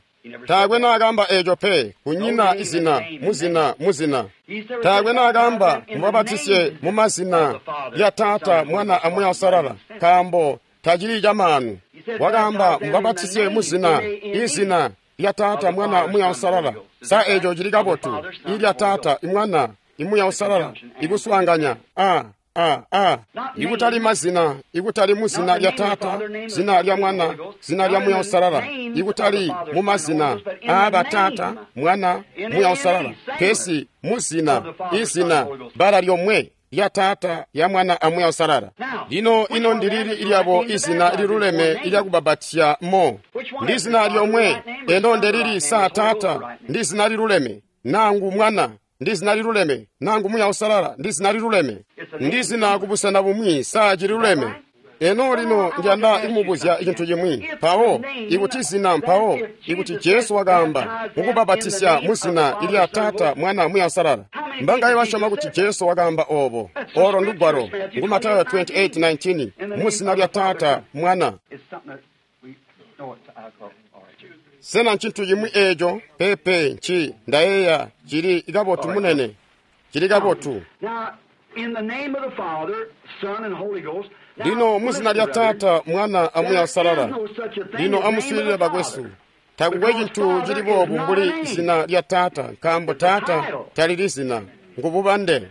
Speaker 1: Taakwe naakamba eeco pe, kunyina izina, muzina, muzina. Taakwe naakamba mubapatisye mumazina lya Taata, Mwana a Muuya Uusalala, nkaambo tacili camaanu. Wakaamba mubapatisye muzina, izina lya Taata, Mwana, Muuya Uusalala. Sa eeco cili kabotu? Ilya Taata, Imwana, Imuuya Uusalala, ikuswaanganya a a ikutali mazina, ikutali muzina lya Taata, zina lya Mwana, zina lya Muuya Uusalala, ikutali mumazina aaba Taata, Mwana, Muuya Uusalala, pesi muzina, izina bbala lyomwe lya Taata, ya Mwana a Muuya Uusalala. Lino ino ndilili ilyabo izina liluleme ilyakubabatya mo? Ndi zina lyomwe. Eno ndelili sa Taata ndi zina liluleme, nangu Mwana ndi zina liluleme, nangu Muuya Uusalala ndi zina liluleme, ndi zina kubusena bumwi sa cililuleme. Eno lino ndiyanda ikumubuzya icintu cimwi. Mpawo ikuti zina, mpawo ikuti Jesu wakaamba mukubabatisya muzina ilya Taata, Mwana, Muuya Uusalala, mbangaye basyoma kuti Jesu wakaamba oobo? Olo ndugwalo ngu Matayo 28:19, muzina lya Taata, Mwana. Sena ncintu cimwi eeco? Pepe, nci ndayeeya cili kabotu munene, cili kabotu. Lino muzina lya Taata, Mwana a Muuya Uusalala. Lino amuswiilile bakwesu, takukwe cintu cili boobu mbuli zina lya Taata, nkaambo Taata talili zina, ngububande.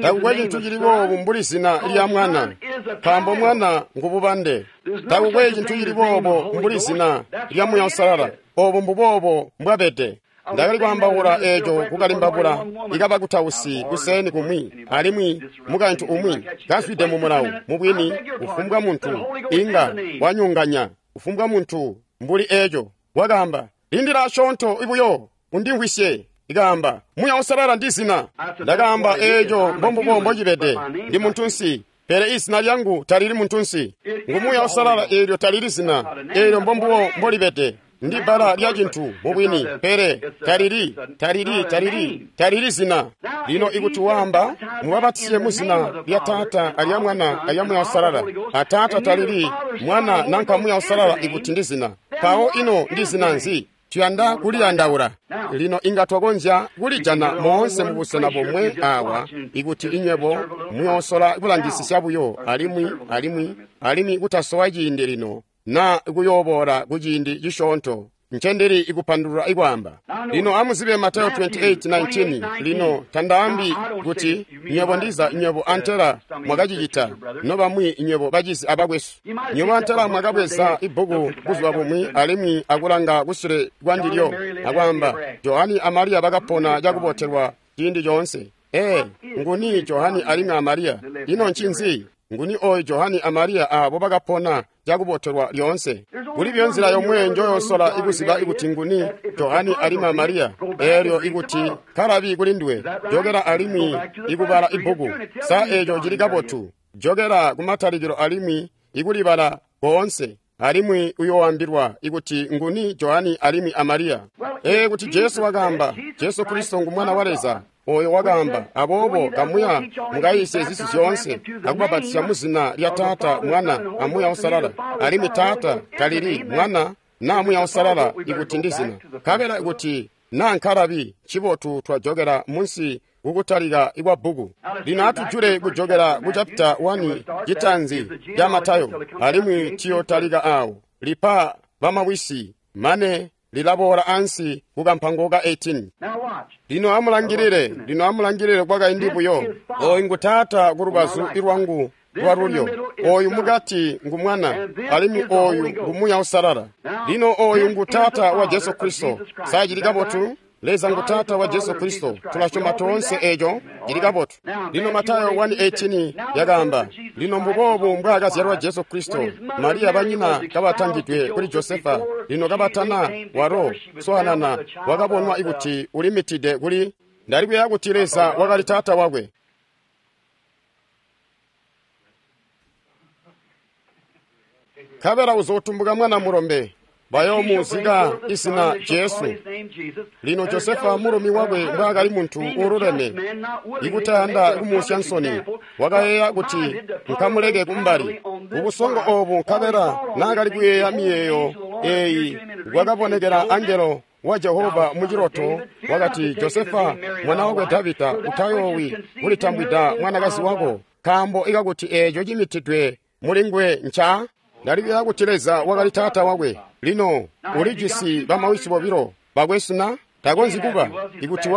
Speaker 1: Takukwe cintu cili boobu mbuli zina lya Mwana, nkaambo Mwana ngububande. Takukwe cintu cili boobo mbuli zina lya Muuya Uusalala, obo mbuboobo mbwabede. Ndakali kwaambaula eeco kukalimbabula ikabakutausi kuseeni kumwi, alimwi mukaintu umwi kazwide mu mulawo. Mubwini, kufumbwa muntu inga wanyonganya kufumbwa muntu mbuli eeco. Wakaamba, lindila asyoonto ibuyo undimvwisye. Ikaamba, Muuya Uusalala ndi zina. Ndakaamba, eeco mbombubo mbocibede. Ndi muntunsi, pele izina lyangu talili muntunsi. Ngu Muuya Uusalala, eelyo talili zina. Eelyo mbombubo mbolibede. Ndi bbala lya cintu mubwini, pele talili, talili, talili, talili zina. Lino ikuti waamba mubabatisiye muzina lya Taata alya Mwana alya Muuya Uusalala, a Taata talili, Mwana nanka Muuya Uusalala ikuti ndi zina, mpawo ino ndi zina nzi? Tuyanda kuliyandaula. Lino inga twakonzya kulijana moonse mubusena bomwe awa ikuti inywebo muyoosola kulangisisya buyo alimwi alimwi alimwi kutasowa ciindi lino na kuyooboola kuciindi cisyoonto ncendili ikupandulula ikwaamba. Lino amuzibe Matayo 28:19. Lino tandaambi kuti nywebo ndiza nywebo antela mwakacicita, nobamwi nywebo bacizi abakwesu. Nywebo antela mwakabweza ibbuku buzuba bumwi alimwi akulanga kusule kwandilyo akwaamba, Johani a Mariya bakapona cakubotelwa ciindi coonse. Ee, nguni Johani alimwi a Mariya? Ino ncinzi Nguni oyu Johani a Mariya aabo bakapona cakubotelwa lyoonse? Kuli buyo nzila yomwe njoyosola ikuziba ikuti nguni Johani alimwi a Mariya, eelyo ikuti kalabi kuli nduwe, jokela alimwi ikubala ibbuku. Sa eeco cili kabotu? Jokela kumatalikilo alimwi ikulibala koonse, alimwi uyooambilwa ikuti nguni Johani alimwi a Mariya. Ee, kuti Jesu wakaamba, Jesu Kristo ngu Mwana wa Leza, oyo wakaamba, aboobo kamuya mukayisye zisi zyoonse akubapatizya mu zina lya Taata, Mwana a Muuya Uusalala. Alimwi Taata talili Mwana naa Muuya Uusalala ikuti ndi zina. Nkabela ikuti naa nkalabi, ncibotu twajokela munsi kukutalika kwa bbuku. Lino atujule kujokela ku chapita 1 citanzi ca Matayo, alimwi tiyotalika awo. Lipa bamawisi mane lilaboola ansi ku kampango ka 18. Lino amulangilile, lino amulangilile kwakaindi buyo. Oyu ngu Taata ku lubazu lwangu lwa lulyo, oyu mukati ngu Mwana, alimwi oyu ngu Muuya Uusalala. Lino oyu ngu Taata wa Jesu Kristo. Sa cili kabotu? Leza ngu Taata wa Jesu Kristo. Tulasyoma toonse eeco cili kabotu. Lino Matayo 1:18 yakaamba, lino mbuboobu mbwaakazyalwa Jesu Kristo, Mariya banyina kabatangidwe kuli Josefa, lino kabatana walo swaanana wakabonwa ikuti ulimitide kuli. Ndali kuyeeya kuti Leza wakali Taata wakwe. Nkabela uzootumbuka mwana mulombe, bayoomuzika izina Jesu. Lino Josefa mulumi wakwe mbwaakali muntu uululeme, ikutayanda kumuusya nsoni, wakayeeya kuti nkamuleke kumbali. Kubusongo oobu nkabela naakali kuyeeya miyeeyo eeyi, kwakabonekela angelo wa Jehova muciloto, wakati, Josefa mwana wakwe Davida, utayoowi kulitambwida mwanakazi wako, nkaambo ikakuti eeco cimitidwe mulinguwe nca. Ndali kuyeeya kuti Leza wakali Taata wakwe. Lino ulijisi bamawisi bobilo bakwesu na? Takonzyi kuba. Ikuti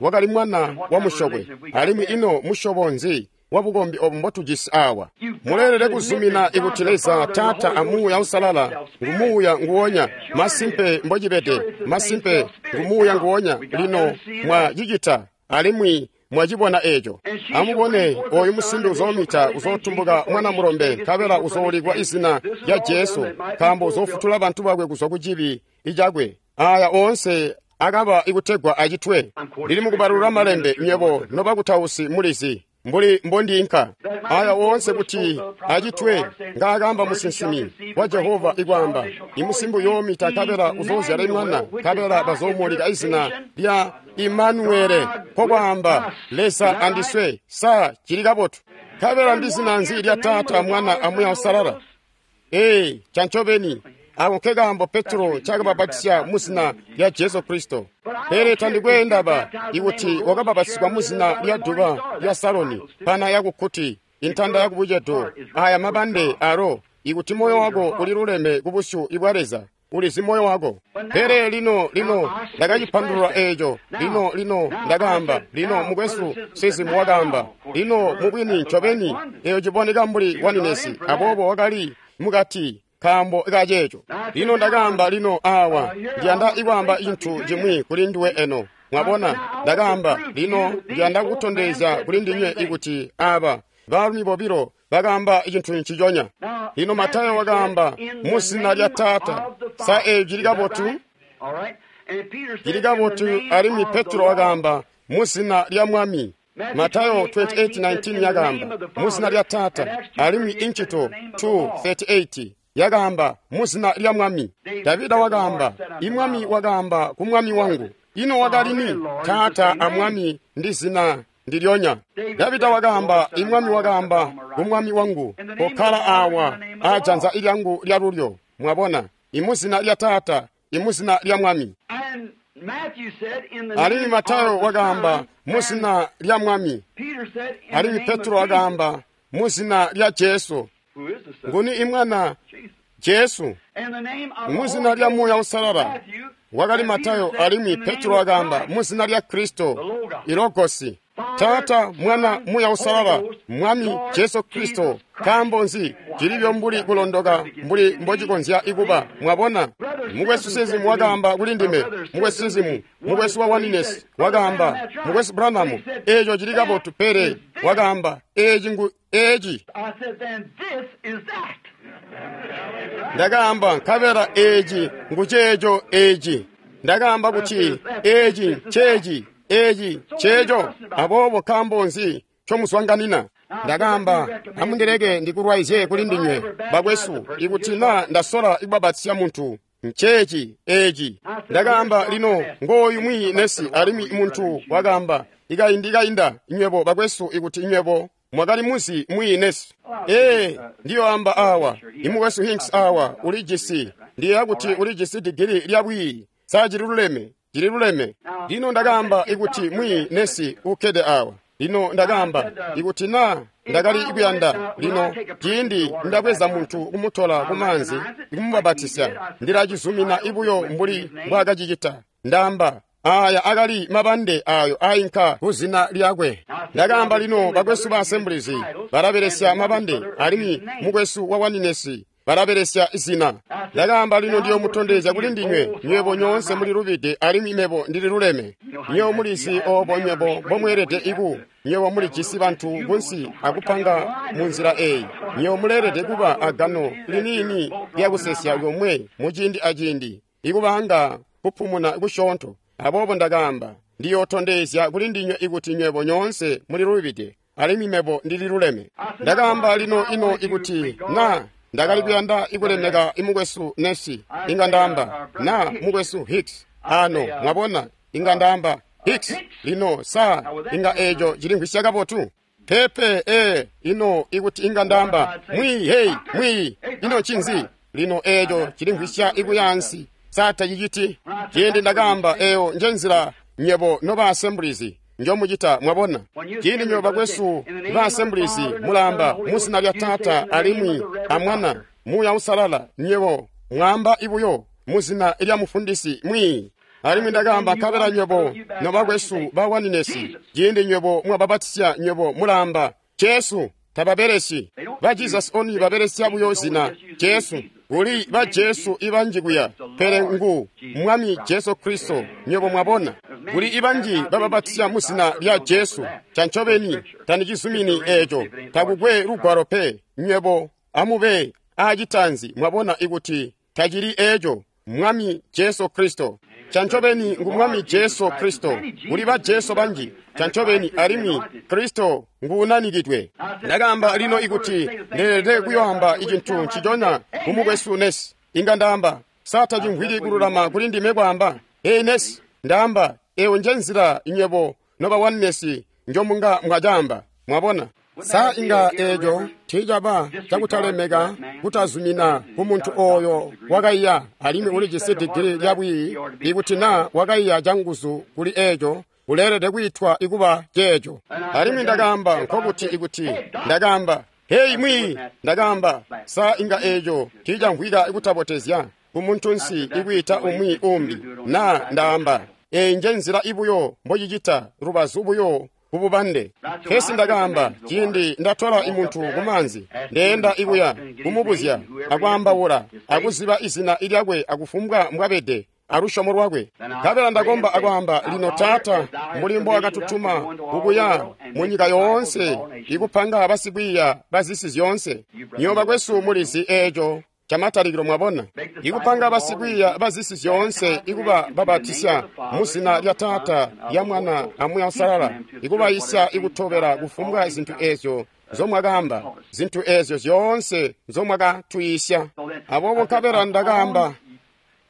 Speaker 1: wakali mwana wa musyokwe. Alimwi ino musyobo nzi wabukombi obu mbotujisi awa? Muleelede kuzumina ikuti Leza Taata a Muuya Uusalala ngu Muuya nguwonya. Masimpe mbocibede, masimpe ngu Muuya nguwonya. Lino mwacicita alimwi mwacibona eeco. Amubone, oyu musimbi uzoomita, uzootumbuka mwana mulombe, nkabela uzoolikwa izina lya Jesu, nkaambo uzoofutula bantu bakwe kuzwa ku cibi icakwe. Aya oonse akaba ikutegwa acitwe. Ndili mukubalula malembe nywebo nobakutausi mulizi mbuli mbondiinka. Aya oonse kuti acitwe ngaakaamba musinsimi wa Jehova ikwaamba, imusimbi uyoomita nkabela uzoozyala mwana, nkabela bazoomuulika izina lya Imanuele, nkokwaamba Leza andiswe. Sa cili kabotu? Nkabela ndi zina nzi lya Taata, Mwana a Muuya Uusalala? Ee, cancobeni ako nkekaambo Petro ncaakabapatisya mu zina lya Jesu Kristo. Pele tandikwe ndaba ikuti wakabapatisibwa mu zina lya duba lya Saloni, pana yakukkuti, intanda yakubucedo, aya mabande alo, ikuti moyo wako uliluleme kubusyu bwa Leza, ulizi moyo wako. Pele lino ndakacipandulula eeco. Lino ndakaamba, lino mukwesu sizimu wakaamba, lino mubwini ncobeni eeyo ciboneka mbuli waninesi, aboobo wakali mukati nkaambo kaceeco. Lino ndakaamba, lino awa ndiyanda ikwaamba cintu cimwi kuli nduwe eno. Mwabona, ndakaamba, lino ndiyanda kutondezya kuli ndinywe ikuti aaba baalumi bobilo bakaamba cintu nciconya. Lino Matayo wakaamba mu zina lya Taata. Sa eeco cili kabotu? Cili kabotu. Alimwi Petro wakaamba mu zina lya Mwami. Matayo 28:19 yakaamba mu zina lya Taata, alimwi Incito 2:38 yakaamba mu zina lya Mwami. Davida wakaamba, imwami wakaamba ku mwami wangu. Ino wakali ni? Taata a Mwami ndi zina ndilyonya. Davida wakaamba, imwami wakaamba ku mwami wangu, kokkala awa ajanza lyangu lya lulyo. Mwabona, imuzina lya Taata, imuzina lya Mwami. Alimwi Matayo wakaamba mu zina lya Mwami. Alimwi Petro wakaamba mu zina lya Jesu. Nguni imwana? Jesu. Mu zina lya Muuya Uusalala wakali Matayo, alimwi Petro wakaamba mu zina lya Kristo, Ilogosi. Taata, Mwana, Muuya Uusalala, Mwami Jesu Kristo. Nkaambo nzi? Cilibyo mbuli kulondoka mbuli mbocikonzya ikuba. Mwabona? Mukwesu Sizimu wakaamba kuli ndime. Mukwesu Sizimu, mukwesu wa Oneness wakaamba, Mukwesu Branham, eeco cili kabotu, pele wakaamba, eeci ngu eeci. Ndakaamba, nkabela eeci ngu ceeco eeci. Ndakaamba kuti eeci nceeci, eeci nceeco. Aboobo nkaambo nzi ncomuzwanganina? Ndakaamba, amundileke ndikulwaizye kuli ndinywe bakwesu, ikuti naa ndasola ikubabatizya muntu, nceeci eeci. Ndakaamba, lino ngooyu mwiiyi nesi, alimwi muntu wakaamba, ikaindi kainda nywebo bakwesu, ikuti nywebo mwakali muzi mwiiyi nesi. Ee, ndiyoamba awa, imukwesu Hinks awa ulijisi, ndiyeeya kuti ulijisi digili lya bwiiyi. Sa cililuleme? Cililuleme. Lino ndakaamba ikuti mwiiyi nesi ukkede awa. Lino ndakaamba, ikuti naa ndakali kuyanda, lino ciindi ndabweza muntu kumutola kumaanzi ikumubabatisya, ndilacizumina ibuyo mbuli mbwaakacicita. Ndaamba, aya akali mabande ayo ainka kuzina lyakwe. Ndakaamba, lino bakwesu ba Assemblies balabelesya mabande, alimwi mukwesu wa Oneness balabelesya zina. Ndakaamba, lino ndiyomutondezya kuli ndinywe, nywebo nyoonse mulilubide alimwi mebo ndililuleme. Nywebo mulizi oobo nywebo mbomweelede iku, nywebo mulijisi bantu kunsi akupanga munzila eeyi. Nywebo muleelede kuba agano liniini lyakusesya komwe muciindi aciindi, ikubanga kupumuna kusyoonto. Aboobo ndakaamba, ndiyotondezya kuli ndinywe ikuti nywebo nyoonse mulilubide alimwi mebo ndililuleme. Ndakaamba, lino ino ikuti naa ndakali kuyanda ikulemeka imukwesu Nesi, inga ndaamba, na mukwesu Hicks ano, mwabona, inga ndaamba Hicks. Lino sa inga eeco cilimvwisya kabotu? Pepe, ee, ino ikuti inga ndaamba mwiiyi, hey, mwiiyi, ino ncinzi? Lino eeco cilimvwisya ikuyaansi. Sa taciciti? Ciindi ndakaamba, eeyo njenzila nywebo noba Assemblies njomucita, mwabona. Ciindi nywebo bakwesu ba Assemblies mulaamba muzina lya Taata alimwi a Mwana, Muuya Uusalala, nywebo mwaamba ibuyo muzina lya mufundisi mwiiyi. Alimwi ndakaamba, nkabela nywebo nobakwesu ba Oneness, ciindi nywebo mwababatisya, nywebo mulaamba Jesu. Tababelesi ba Jesus Only, babelesya buyo zina Jesu. Kuli ba Jesu ibanji kuya, pele ngu Mwami Jesu Kristo. Nywebo mwabona, kuli ibanji bababatisya muzina lya Jesu. Cancobeni tandicizumini eeco, takukwe lugwalo pe. Nywebo amube aacitanzi, mwabona, ikuti tacili eeco, Mwami Jesu Kristo. Cancobeni ngu Mwami Jesu Kristo. Kuli ba Jesu banji, cancobeni, alimwi Kristo nguunanikidwe. Ndakaamba, lino ikuti ndeelede kuyoamba icintu nciconya kumukwesu Nesi, inga ndaamba, sa tacimvwiki kululama kuli ndime kwaamba, hey Nesi, ndaamba, eyo njenzila nywebo noba Oneness njomunga mwacaamba, mwabona. Sa inga eeco tiicaba cakutalemeka kutazumina kumuntu ooyo wakaiya alimwi ulijisi digili lya bwiiyi, ikuti naa wakaiya canguzu kuli eeco, uleelede kwiitwa ikuba ceeco. Alimwi ndakaamba, nkokuti ikuti ndakaamba, heyi mwiiyi, ndakaamba, sa inga eeco tiicamvwika kutabotezya kumuntunsi ikwiita umwi umbi, naa ndaamba, eeyi njenzila ibuyo mbocicita, lubazu buyo kububande. Pesi ndakaamba, ciindi ndatola imuntu kumaanzi, ndeenda ikuya kumubuzya akwaambaula akuziba izina lyakwe akufumbwa mbwabede alusyomo lwakwe. Nkabela ndakomba akwaamba, lino Taata, mbuli mbowakatutuma kukuya munyika yoonse ikupanga basikwiiya bazisi zyoonse. Nywebo bakwesu mulizi eeco camatalikilo, mwabona, ikupanga basikwiiya bazisi zyoonse, ikuba babatisya muzina lya Taata, lya Mwana a Muuya Uusalala, ikubayisya ikutobela kufumbwa zintu eezyo nzomwakaamba, zintu eezyo zyoonse nzomwakatwiisya. Aboobo nkabela ndakaamba,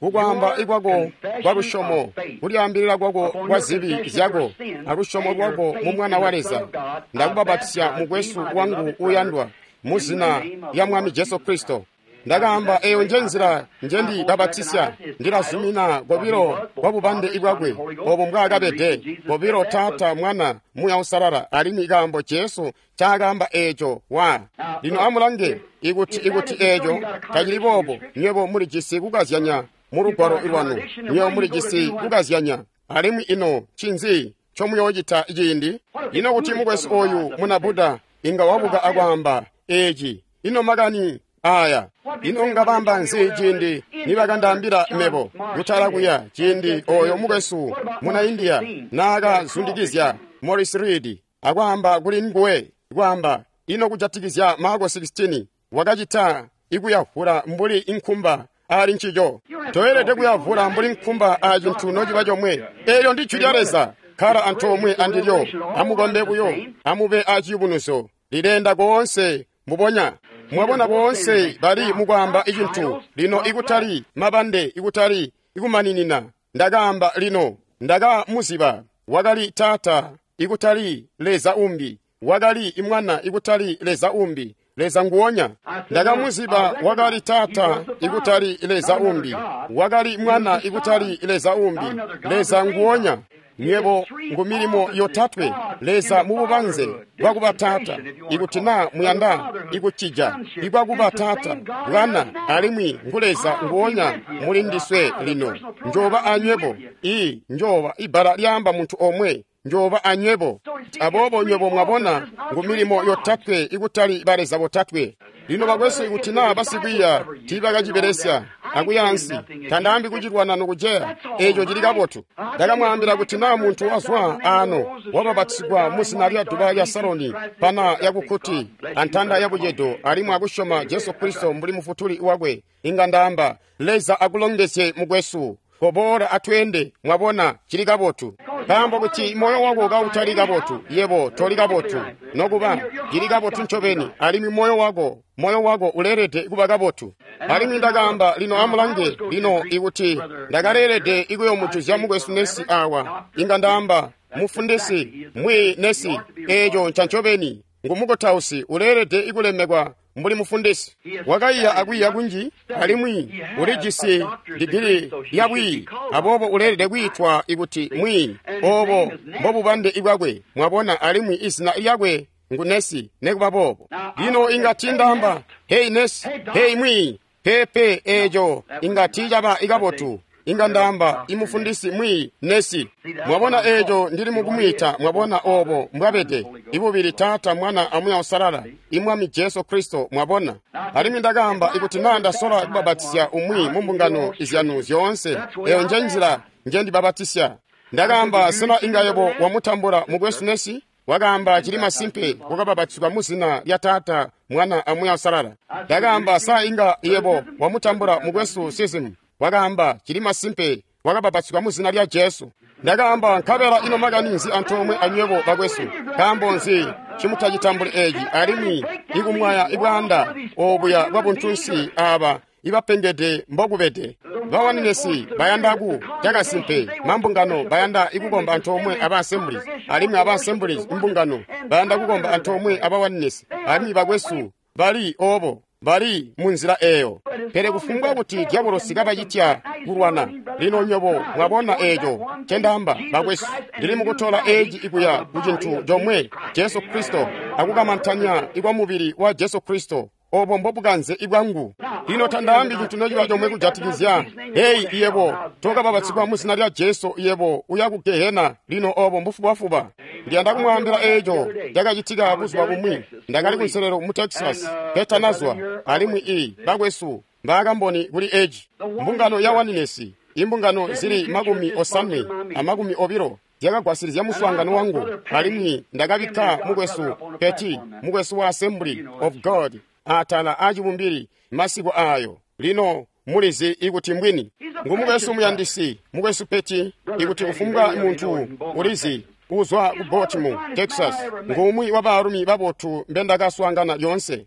Speaker 1: kukwaamba ikwako kwa lusyomo, kulyaambilila kwako kwa zibi zyako, alusyomo lwako mu Mwana wa Leza, ndakubabatisya mukwesu wangu uuyandwa muzina lya Mwami Jesu Kristo. Ndakaamba, eyo njenzila njendibabatisya, ndilazumina kobilo kwa bubande bwakwe obo mbwaakabede, kobilo Taata, Mwana, Muuya Uusalala, alimwi kaambo Jesu ncaakaamba eeco wa. Lino amulange, ikuti eeco tacili boobo, nywebo mulijisi kukazyanya mu lugwalo lwanu, nywebo mulijisi kukazyanya. Alimwi ino ncinzi ncomuyoocita ciindi? Ino kuti mukwesu oyu muna Buddha inga wabuka akwaamba eci? Ino makani aya? Ino ngabamba nzi ciindi nibakandaambila mebo kutala kuya ciindi oyo mukwesu muna India naakazundikizya Morris Reed akwaamba kuli nguwe kwaamba ino kujatikizya Marko 16 wakacita ikuyavula mbuli inkumba ali ncico. Toyelede kuyavula mbuli nkumba a cintu nociba comwe. Eelyo ndi jwi lya Leza. Kkala antoomwe andilyo. Amukombe buyo. Amube a ciyubunuzyo. Lilenda koonse mbubonya. Mwabona boonse bali mukwaamba icintu lino ikutali mabande ikutali ikumaninina. Ndakaamba lino ndakamuziba wakali Taata ikutali Leza umbi, wakali Mwana ikutali Leza umbi, Leza nguonya. Ndakamuziba wakali Taata ikutali Leza umbi, wakali Mwana ikutali Leza umbi, Leza nguonya. Nywebo ngu milimo yotatwe Leza mububanze bwakuba Taata, ikuti na muyanda ikucija ibwakuba Taata, Bwana alimwi ngu Leza nguonya muli ndiswe lino. Njoba anywebo, i njoba ibbala lyaamba muntu omwe, njoba anywebo. Aboobo nywebo mwabona ngu milimo yotatwe ikutali baleza botatwe. Lino bakwesu ikuti naa basikwiiya tiibakacibelesya akuyaansi, tandaambi kucilwana nokuceya, eeco cili kabotu. Ndakamwaambila kuti naa muntu wazwa aano wababatizigwa muzina lya duba lya Saloni pana yakukkuti antanda yabucedo alimwi akusyoma Jesu Kristo mbuli mufutuli wakwe, inga ndaamba Leza akulongezye mukwesu. Koboola atweende, mwabona cili kabotu. Nkaambo kuti moyo wako kautali kabotu, yebo toli kabotu. Nokuba cili kabotu ncobeni, alimwi moyo wako uleelede kuba kabotu. Alimwi ndakaamba lino amulange lino ikuti ndakaleelede ikuyomujuzya mukwesu nesi awa, inga ndaamba mufundisi mwi nesi, eeco nca ncobeni ngumukutausi uleelede ikulemekwa mbuli mufundisi. Wakaiya akwiiya kunji alimwi ulijisi digili lya bwiiyi, aboobo uleelede kwiitwa ikuti mwiiyi. Obo mbobubande bwakwe, mwabona, alimwi izina lyakwe ngu nesi nekuba boobo. Lino inga tiindaamba hei nesi, hei mwiiyi, pepe, eeco inga tiicaba ikabotu. Inga ndaamba imufundisi mwiiyi nesi. Mwabona eeco ndili mukumwiita, mwabona obo mbwabede ibubili Taata, Mwana aMuuya Uusalala, imwami Jesu Kristo, mwabona. Alimwi ndakaamba ikuti naa ndasola kubabatisya umwi mu mbungano izyanu zyoonse, eyo nje nzila njendibabatisya. Ndakaamba sena inga yebo wamutambula mukwesu nesi? Wakaamba cili masimpe wakababatizwa muzina lya Taata, Mwana aMuuya Uusalala. Ndakaamba sa inga yebo wamutambula mukwesu Sizimu? Wakaamba cili masimpe wakababatizwa muzina lya Jesu. Ndakaamba nkabela ino makani nzi antoomwe anywebo bakwesu? Nkaambo nzi cimutacitambuli eeci alimwi ikumwaya ibwaanda obuya bwabuntunsi aaba ibapengede mbokubede? Bawaninesi bayanda ku cakasimpe mambungano bayanda ikukomba antoomwe aba Assemblies, alimwi aba Assemblies imbungano bayanda kukomba antoomwe abawaninesi, alimwi bakwesu bali obo bali munzila eyo. Pele kufumbwa kuti diabolosi kabacitya kulwana, lino nywebo mwabona eeco ncendaamba bakwesu, ndili mukutola eeci ikuya ku cintu comwe, Jesu Kristo, akukamantanya ikwa mubili wa Jesu Kristo. Obo mbobukanze ibwangu. Lino tandaambi cintu nociba comwe kujatikizya heyi yebo tokababatizigwa muzina lya Jesu, yebo uya ku gehena. Lino obo mbufubafuba. Ndiyanda kumwaambila eeco cakacitika buzuba bumwi. Ndakali kunselelo mu Texas ketanazwa, alimwi bakwesu mbaakamboni kuli eci. Mbungano ya Waninesi, imbungano zili 80 na 20 zyakagwasilizya muswaangano wangu, alimwi ndakabikka mukwesu Peti, mukwesu wa Assembly of God, atala acibumbili masiku ayo. Lino mulizi ikuti mbwini ngumukwesu muyandisi mukwesu Peti, ikuti kufumbwa muntu ulizi uzwa ku Baltimore, Texas, ngumwi wa baalumi babotu mbendakaswaangana lyoonse.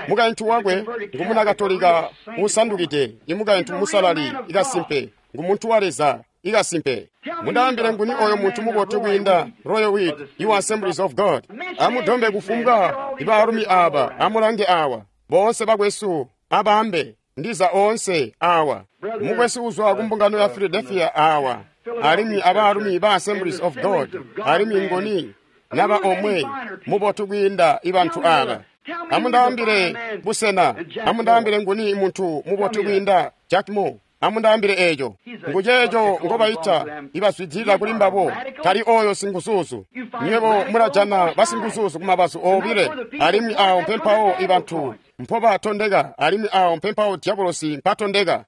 Speaker 1: Mukaintu wakwe ngumuna Katolika usandukide, imukaintu musalali ikasimpe, ngumuntu wa Leza ikasimpe. Mundaambile nguni oyo muntu mubotu kwiinda Royal Weed iwa Assemblies of God. Amudombe kufumbwa ibaalumi aaba, amulange awa boonse bakwesu abambe ndiza oonse awa. Mukwesu uzwa kumbungano ya Philadelphia awa, alimwi abaalumi ba Assemblies of God, alimwi ngoni naba omwe mubotu kwiinda ibantu aba. Amundaambile busena, amundaambile nguni muntu mubotu kwiinda Jack Moore. Amundaambile eeco. Nguceeco ngobaita ibazwidilila kuli mbabo, tali oyo singuzuzu. Nywebo mulajana basinguzuzu kumabazu obile, alimwi awo mpempawo ibantu mpobatondeka, alimwi awo mpempawo diabolosi mpatondeka.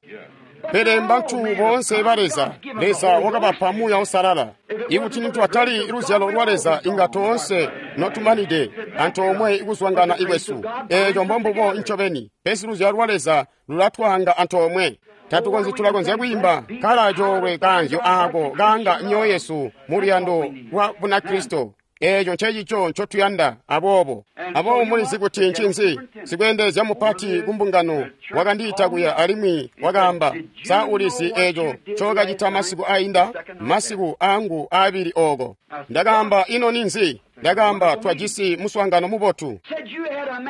Speaker 1: Pele mbantu boonse ba Leza, Leza wakabapa Muuya Uusalala. Ikuti nitwatali luzyalo lwa Leza, inga toonse notumanide antoomwe ikuzwangana ikwesu. Eeco mbombubo ncobeni, pesi luzyalo lwa Leza lulatwaanga antoomwe. Tatukonzyi, tulakonzya kwiimba kala coolwe kaanzyo aako kaanga myoyo yesu mu luyando lwa Bunakristo. Eeco ncecico ncotuyanda. Aboobo mulizi kuti ncinzi? Sikweendezya mupati kumbungano wakandiita kuya alimwi wakaamba, sa ulizi eeco ncookacita masiku ainda, masiku aangu aabili ooko? Ndakaamba, ino ninzi? Ndakaamba, twajisi muswaangano mubotu.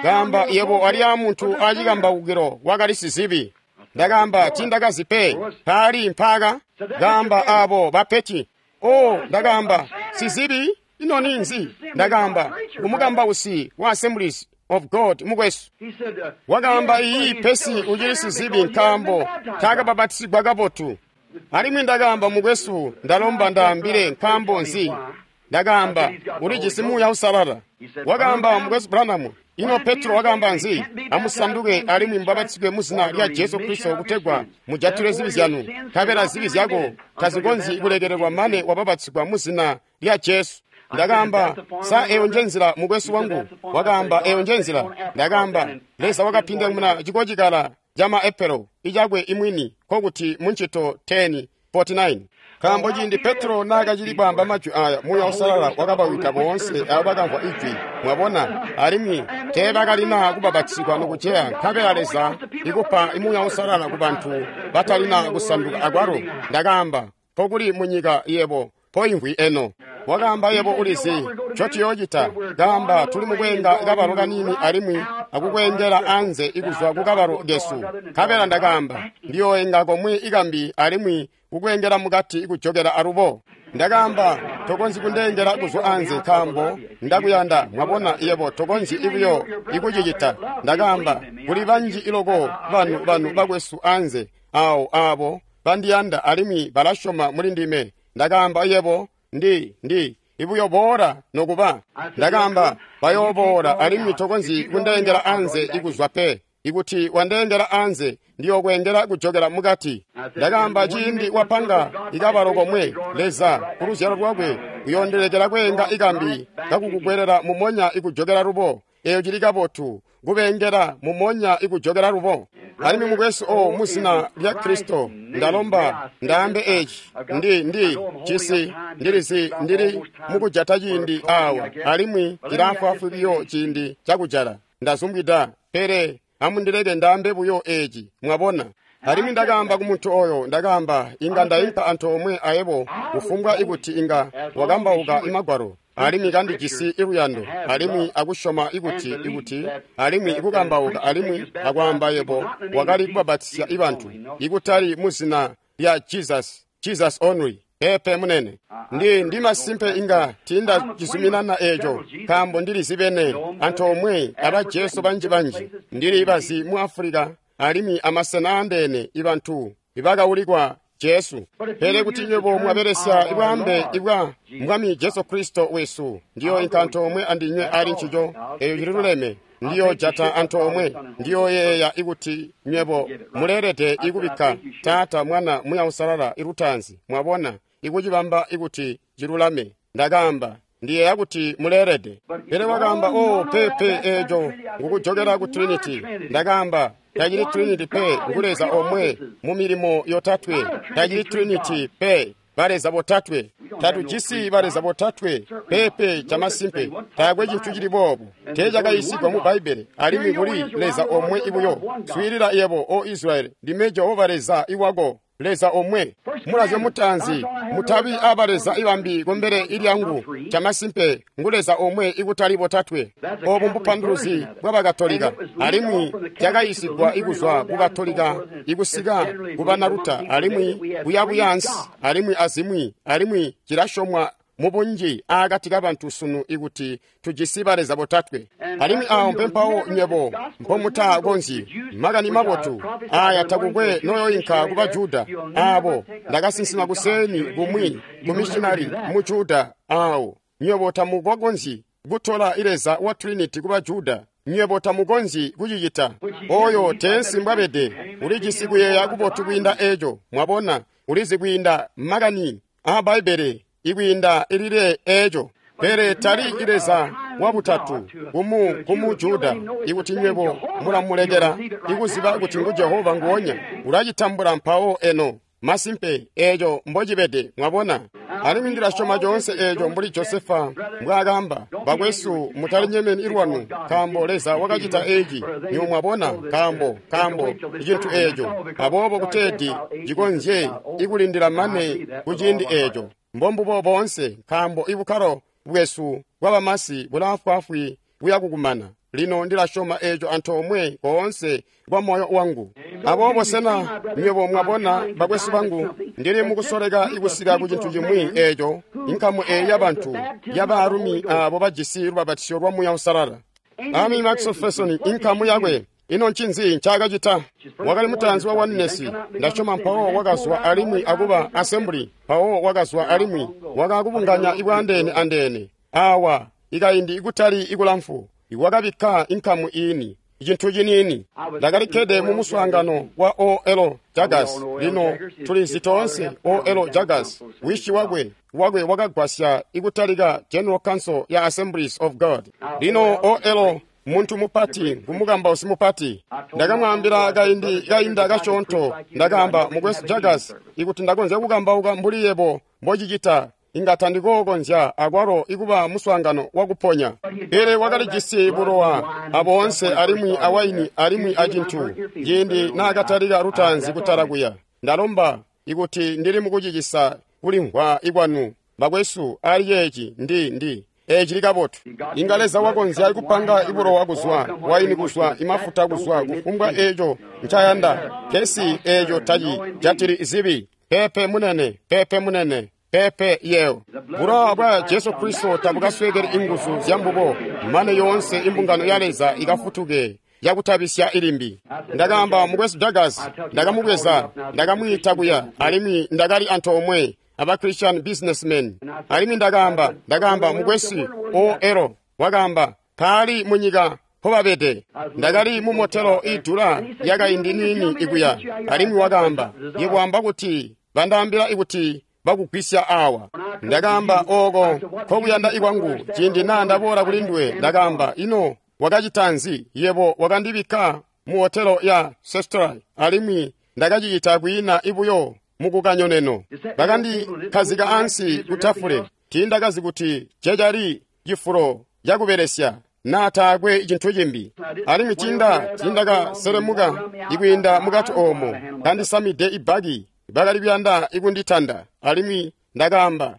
Speaker 1: Kaamba, yebo wali aamuntu aacikambawukilo wakali sizibi. Ndakaamba, tiindakazi pe, paali mpaaka. Kaamba, aabo bapeti. O, ndakaamba, sizibi? Ino ninzi? Ndakaamba, kumukambausi wa Assemblies of God mukwesu. Wakaamba, iyi pesi ucili sizibi nkaambo taakabapatizigwa kabotu. Alimwi ndakaamba, mukwesu, ndalomba ndaambile nkaambo nzi? Ndakaamba, ulijisi Muuya Uusalala. Wakaamba, mukwesu Branham, ino Petro wakaamba nzi? Amusanduke alimwi mubapatizigwe mu zina lya Jesu Kristo kutegwa mujatilwe zibi zyanu, nkabela zibi zyako tazikonzyi kulekelelwa mane wabapatizigwa mu zina lya Jesu. Ndakaamba, sa eyo nje nzila mukwesu wangu? Wakaamba, eyo nje nzila. Ndakaamba, Leza wakapindamuna cikocikala ca maepelo icakwe imwini, nkokuti muncito 10:49. Nkaambo ciindi Petro naakacili kwaamba majwi aya, Muuya Uusalala wakabawida boonse abo bakamvwa ijwi. Mwabona, alimwi teebakalina kubapatizigwa nokuceya, nkabela Leza ikupa Muuya Uusalala ku bantu batalina kusanduka akwalo. Ndakaamba, nkokuli munyika yebo mpoimvwi eno. Wakaamba, yebo ulizi ncotuyoocita. Kaamba, tuli mukweenga kabalo kaniini alimwi akukweengela anze ikuzwa kukabalo kesu. Nkabela ndakaamba, ndiyooenga komwe ikambi alimwi kukweengela mukati ikujokela alubo. Ndakaamba, tokonzyi kundeengela kuzwa anze nkaambo ndakuyanda. Mwabona, yebo tokonzyi ibuyo ikucicita. Ndakaamba, kuli banji iloko banu bakwesu anze awo aabo bandiyanda alimwi balasyoma muli ndime. Ndakaamba, yebo ndi ibuyo boola nokuba. Ndakaamba, bayooboola alimwi tokonzyi kundeengela anze ikuzwa pe. Ikuti wandeengela anze, ndiyokweengela kujokela mukati. Ndakaamba, ciindi wapanga ikabalo komwe, Leza kuluzyalo lwakwe uyoondelekela kweenga ikambi kakukukwelela mumonya ikujokela lubo. Eyo cili kabotu, kubeengela mumonya ikujokela lubo. Alimwi mukwesu o muzina lya Kristo, ndalomba ndaambe eci. Ndi cisi ndilizi ndili mukujata ciindi awa, alimwi cilaafwaafwi biyo ciindi cakujala. Ndazumbwida, pele amundileke ndaambe buyo eci, mwabona. Alimwi ndakaamba ku muntu oyo, ndakaamba, inga ndaimpa antoomwe ayebo kufumbwa ikuti inga wakambauka imagwalo, alimwi kandijisi iluyando, alimwi akusyoma ikuti alimwi ikukambauka alimwi akwaamba yebo wakali kubapatizya ibantu, ikutali mu zina lya Jesus, Jesus only. Pepe munene, ndi masimpe inga tiindacizuminana eeco, nkaambo ndilizibene antoomwe aba Jesu banji-banji. Ndili bazi mu Afulika alimwi amasena aandeene ibantu ibakaulikwa Jesu. Pele kuti nywebo mwabelesya ibwaambe ibwa Mwami Jesu Kristo wesu, ndiyoinka antoomwe andinywe ali ncico. Eyo cililuleme. Ndiyojata antoomwe. Ndiyoyeeya ikuti nywebo muleelede ikubikka Taata, Mwana, Muuya Uusalala ilutaanzi. Mwabona, ikucibamba ikuti cilulame. Ndakaamba, ndiyeeya kuti muleelede. Pele wakaamba, o pepe, eeco ngukujokela ku Trinity. Ndakaamba, tacili Trinity pe, ngu Leza omwe mu milimo yotatwe. Tacili Trinity pe, baleza botatwe. Tatujisi baleza botatwe pepe, camasimpe taakwe cintu cili boobo. Teecakayiisigwa mu Bbaibbele, alimwi kuli Leza omwe ibuyo. Swiilila yebo, o Israyeli, ndime Jehova Leza iwako, Leza omwe. Mulazyo mutaanzi, mutabi abaleza ibambi kumbele ilyangu. Camasimpe ngu Leza omwe ikutali botatwe. Obu mbupanduluzi bw'Abakatolika, alimwi cakayiisigwa ikuzwa ku Katolika ikusika ku Banaluta, alimwi kuyabuya ansi, alimwi azimwi, alimwi cilasyomwa mubunji aakati kabantu sunu ikuti tujisi baleza botatwe. Alimwi awo mpempawo nywebo mpomutakonzyi. Makani mabotu aya takukwe noyoyinka kuba Juda. Abo ndakasinsima kuseeni kumwi ku missionary mu Juda awo. Nywebo tamukonzyi kutola Leza wa Trinity kuba Juda. Nywebo tamukonzyi kucicita. Oyo teensi mbwabede. Ulijisi kuyeeya kubotu kwiinda eco. Mwabona, ulizi kwiinda makani a Bbaibbele ikwiinda ilile eco. Pele tali Leza wa butatu kumu Juda. Ikuti nywebo mulamulekela ikuziba kuti ngu Jehova nguonya, ulacitambula mpawo eno. Masimpe eco mbocibede, mwabona. Alimwi ndilasyoma coonse eco mbuli Josefa mbwaakamba, bakwesu mutalinyemeni ilwanu, nkaambo Leza wakacita eci. Nywebo mwabona, nkaambo icintu eco. Aboobo kuteeti cikonzye ikulindila mane kuciindi eco. Mbombubo boonse, nkaambo ibukkalo bwesu bwabamasi bulaafwaafwi buya kukumana. Lino ndilasyoma eco antoomwe koonse kwa moyo wangu. Aboobo sena nywebo mwabona, bakwesu bangu, ndili mukusoleka ikusika ku cintu cimwi eco, inkamu eyi yabantu yabaalumi abo bajisi lubabatisyo lwa Muuya Uusalala. Ami Maxwell inkamu yakwe, ino ncinzi ncaakacita? Wakali mutaanzi wa Oneness, ndasyoma mpawo wakazwa alimwi akuba Assembly, mpawo wakazwa alimwi wakakubunganya ibwaandeene andeene. Awa ikaindi ikutali ikulamfu wakabikka inkamu iini, icintu ciniini. Ndakalikkede mu muswaangano wa O.L. Jaggers. Lino tulizi toonse O.L. Jaggers, wishi wakwe wakagwasya ikutalika General Council ya Assemblies of God. Lino O.L. muntu mupati, ngumukambausi mupati. Ndakamwaambila kaindi kainda kasyoonto, ndakaamba, mukwesu Jaggers, ikuti ndakonzya kukambauka mbuli yebo mbocicita, inga tandikookonzya akwalo ikuba muswaangano wakuponya. Pele wakalijisi bulowa aboonse alimwi awaini alimwi acintu ciindi naakatalika lutaanzi kutala kuya. Ndalomba ikuti ndili mukucicisa kulimvwa ikwanu, bakwesu, ali ceeci ndi eci likabotu. Inga Leza wakonzya kupanga ibulowa kuzwa, waini kuzwa, imafuta kuzwa, kufumbwa eco ncayanda. Pesi eco taci jatili zibi. Pepe munene, pepe munene, pepe yeo. Bulowa bwa Jesu Kristo tabukaswekeli inguzu zyambubo, mane yoonse imbungano ya Leza ikafutuke yakutabisya ilimbi. Ndakaamba mukwesu Jaggers, ndakamubweza, ndakamwiita kuya, alimwi ndakali antoomwe aba Christian businessmen. Alimwi ndakaamba mukwesu O.L. wakaamba, kaali munyika mpobabede. Ndakali mu motelo idula yakaindi niini ikuya. Alimwi wakaamba, yebo wamba kuti bandaambila ikuti bakugwisya awa. Ndakaamba, oko nkokuyanda ikwangu. Ciindi naa ndaboola kuli nduwe, ndakaamba, ino wakacita nzi? Yebo wakandibikka mu hotelo ya Sestrai, alimwi ndakacicita kwiina ibuyo mukukanyoneno. Bakandikhazika ansi kutafule. Tiindakazi kuti cecali cifulo cakubelesya naa taakwe cintu cimbi. Alimwi tiindakaselemuka ikwiinda mukati oomo, kandisamide ibaki. Bakali kuyanda ikunditanda, alimwi ndakaamba,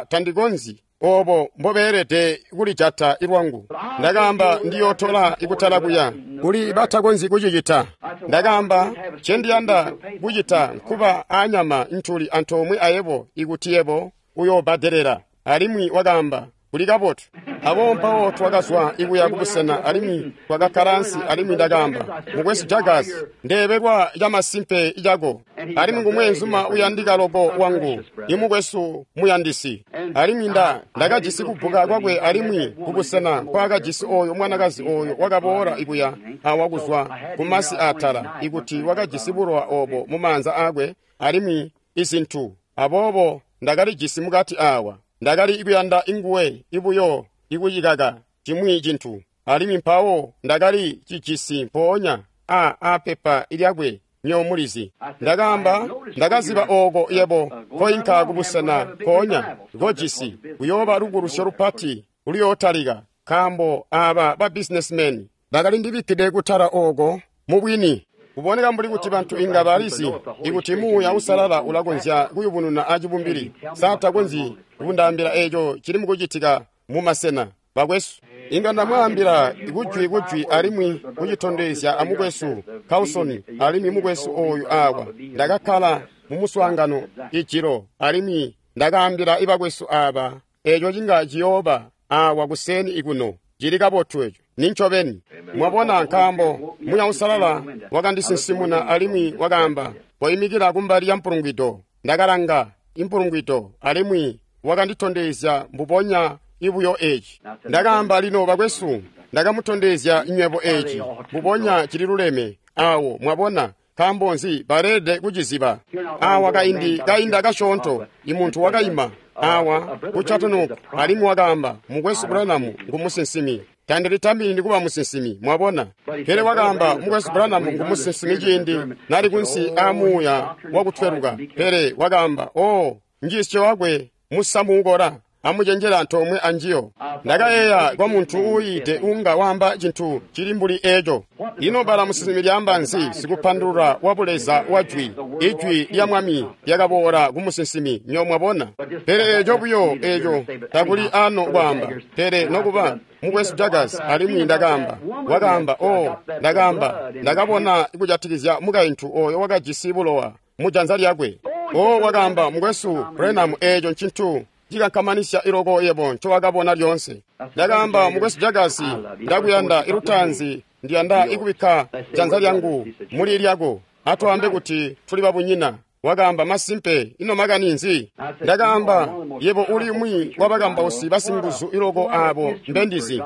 Speaker 1: tandikonzyi. Obo mbobeelede kulijata ilwangu. Ndakaamba, ndiyootola ikutala kuya kuli batakonzyi kucicita. Ndakaamba, ncendiyanda kucita nkuba aanyama ntuli antoomwe ayebo ikuti yebo uyoobadelela. Alimwi wakaamba, kuli kabotu. Aboobo mpawo twakazwa ikuya kubusena alimwi twakakkala ansi, alimwi ndakaamba, mukwesu Jaggers, ndeebelwa camasimpe cako. Alimwi ngumweenzuma uyandika loko wangu, imukwesu muyandisi. Alimwi ndakajisi kubbuka kwakwe alimwi kubusena nkwaakajisi oyo mwanakazi oyo wakaboola ikuya awa kuzwa kumasi aatala, ikuti wakajisi bulowa obo mumaanza aakwe alimwi izintu. Aboobo ndakalijisi mukati awa. Ndakali kuyanda inguwe ibuyo ikucikaka cimwi cintu, alimwi mpawo ndakali cijisi mpoonya a pepa lyakwe nywebo mulizi. Ndakaamba, ndakaziba ooko yebo koinka kubusena mpoonya kojisi kuyooba lukulusyo lupati luyootalika, nkaambo aaba ba businessmen bakali ndibikkide kutala ooko mubwini. Kuboneka mbuli kuti bantu inga balizi ikuti Muuya Uusalala ulakonzya kuyubununa acibumbili. Sa takonzyi kundaambila eco cili mukucitika mumasena, bakwesu? Inga ndamwaambila kujwi alimwi kucitondezya amukwesu Carlson alimwi mukwesu oyu awa. Ndakakkala mumuswaangano ijilo alimwi ndakaambila ibakwesu aaba eco cinga ciyooba awa kuseeni ikuno. Cili kabotu eco. Nincobeni. Mwabona, nkaambo Muuya Uusalala wakandisinsimuna alimwi wakaamba, koimikila kumbali ya mpulungwido. Ndakalanga impulungwido alimwi wakanditondezya mbubonya ibuyo eci. Ndakaamba, lino bakwesu, ndakamutondezya nywebo eci mbubonya cili luleme awo. Mwabona, nkaambo nzi baleelede kuciziba. Awa kaindi kainda kasyoonto, imuntu wakaima awa ku Chattanooga alimwi wakaamba, Mukwesu Branham ngumusinsimi. Tandilitamini kuba musinsimi, mwabona. Pele wakaamba, Mukwesu Branham ngumusinsimi ciindi nali kunsi aamuuya wakutweluka. Pele wakaamba, oh, njiisyo wakwe musamu ukola, amucenjela antoomwe anjiyo. Ndakayeeya kwa muntu uuyiide unga waamba cintu cili mbuli eco. Ino bala musinsimi lyaamba nzi? Sikupandulula wa buleza wa jwi. Ijwi lya Mwami lyakaboola ku musinsimi, nyo mwabona. Pele eco buyo eco takuli ano kwaamba. Pele nokuba Mukwesu Jaggers, alimwi ndakaamba, wakaamba, oh, ndakaamba, ndakabona kujatikizya mukaintu oyo wakajisi bulowa mu janza lyakwe. Oh, wakaamba, Mukwesu Branham, eco ncintu cikankamanisya iloko yebo ncowakabona lyoonse. Ndakaamba, Mukwesu Jaggers, ndakuyanda ilutaanzi, ndiyanda ikubikka janza lyangu muli lyako. Atwaambe kuti tuli babunyina. Wakaamba, masimpe, ino makani nzi? Ndakaamba, yebo uli umwi wabakambausi basinguzu iloko abo mbendizi.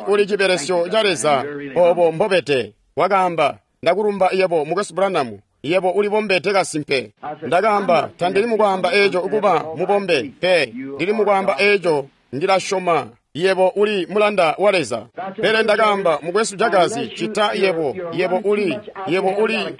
Speaker 1: Uli cibelesyo ca Leza obo mbobede. Wakaamba, ndakulumba yebo, Mukwesu Branham. Yebo ulibombede kasimpe. Ndakaamba, tandili mukwaamba eco kuba mubombe pe. Ndili mukwaamba eco ndilasyoma yebo uli mulanda wa Leza. Pele ndakaamba, Mukwesu Jaggers, cita yebo, yebo uli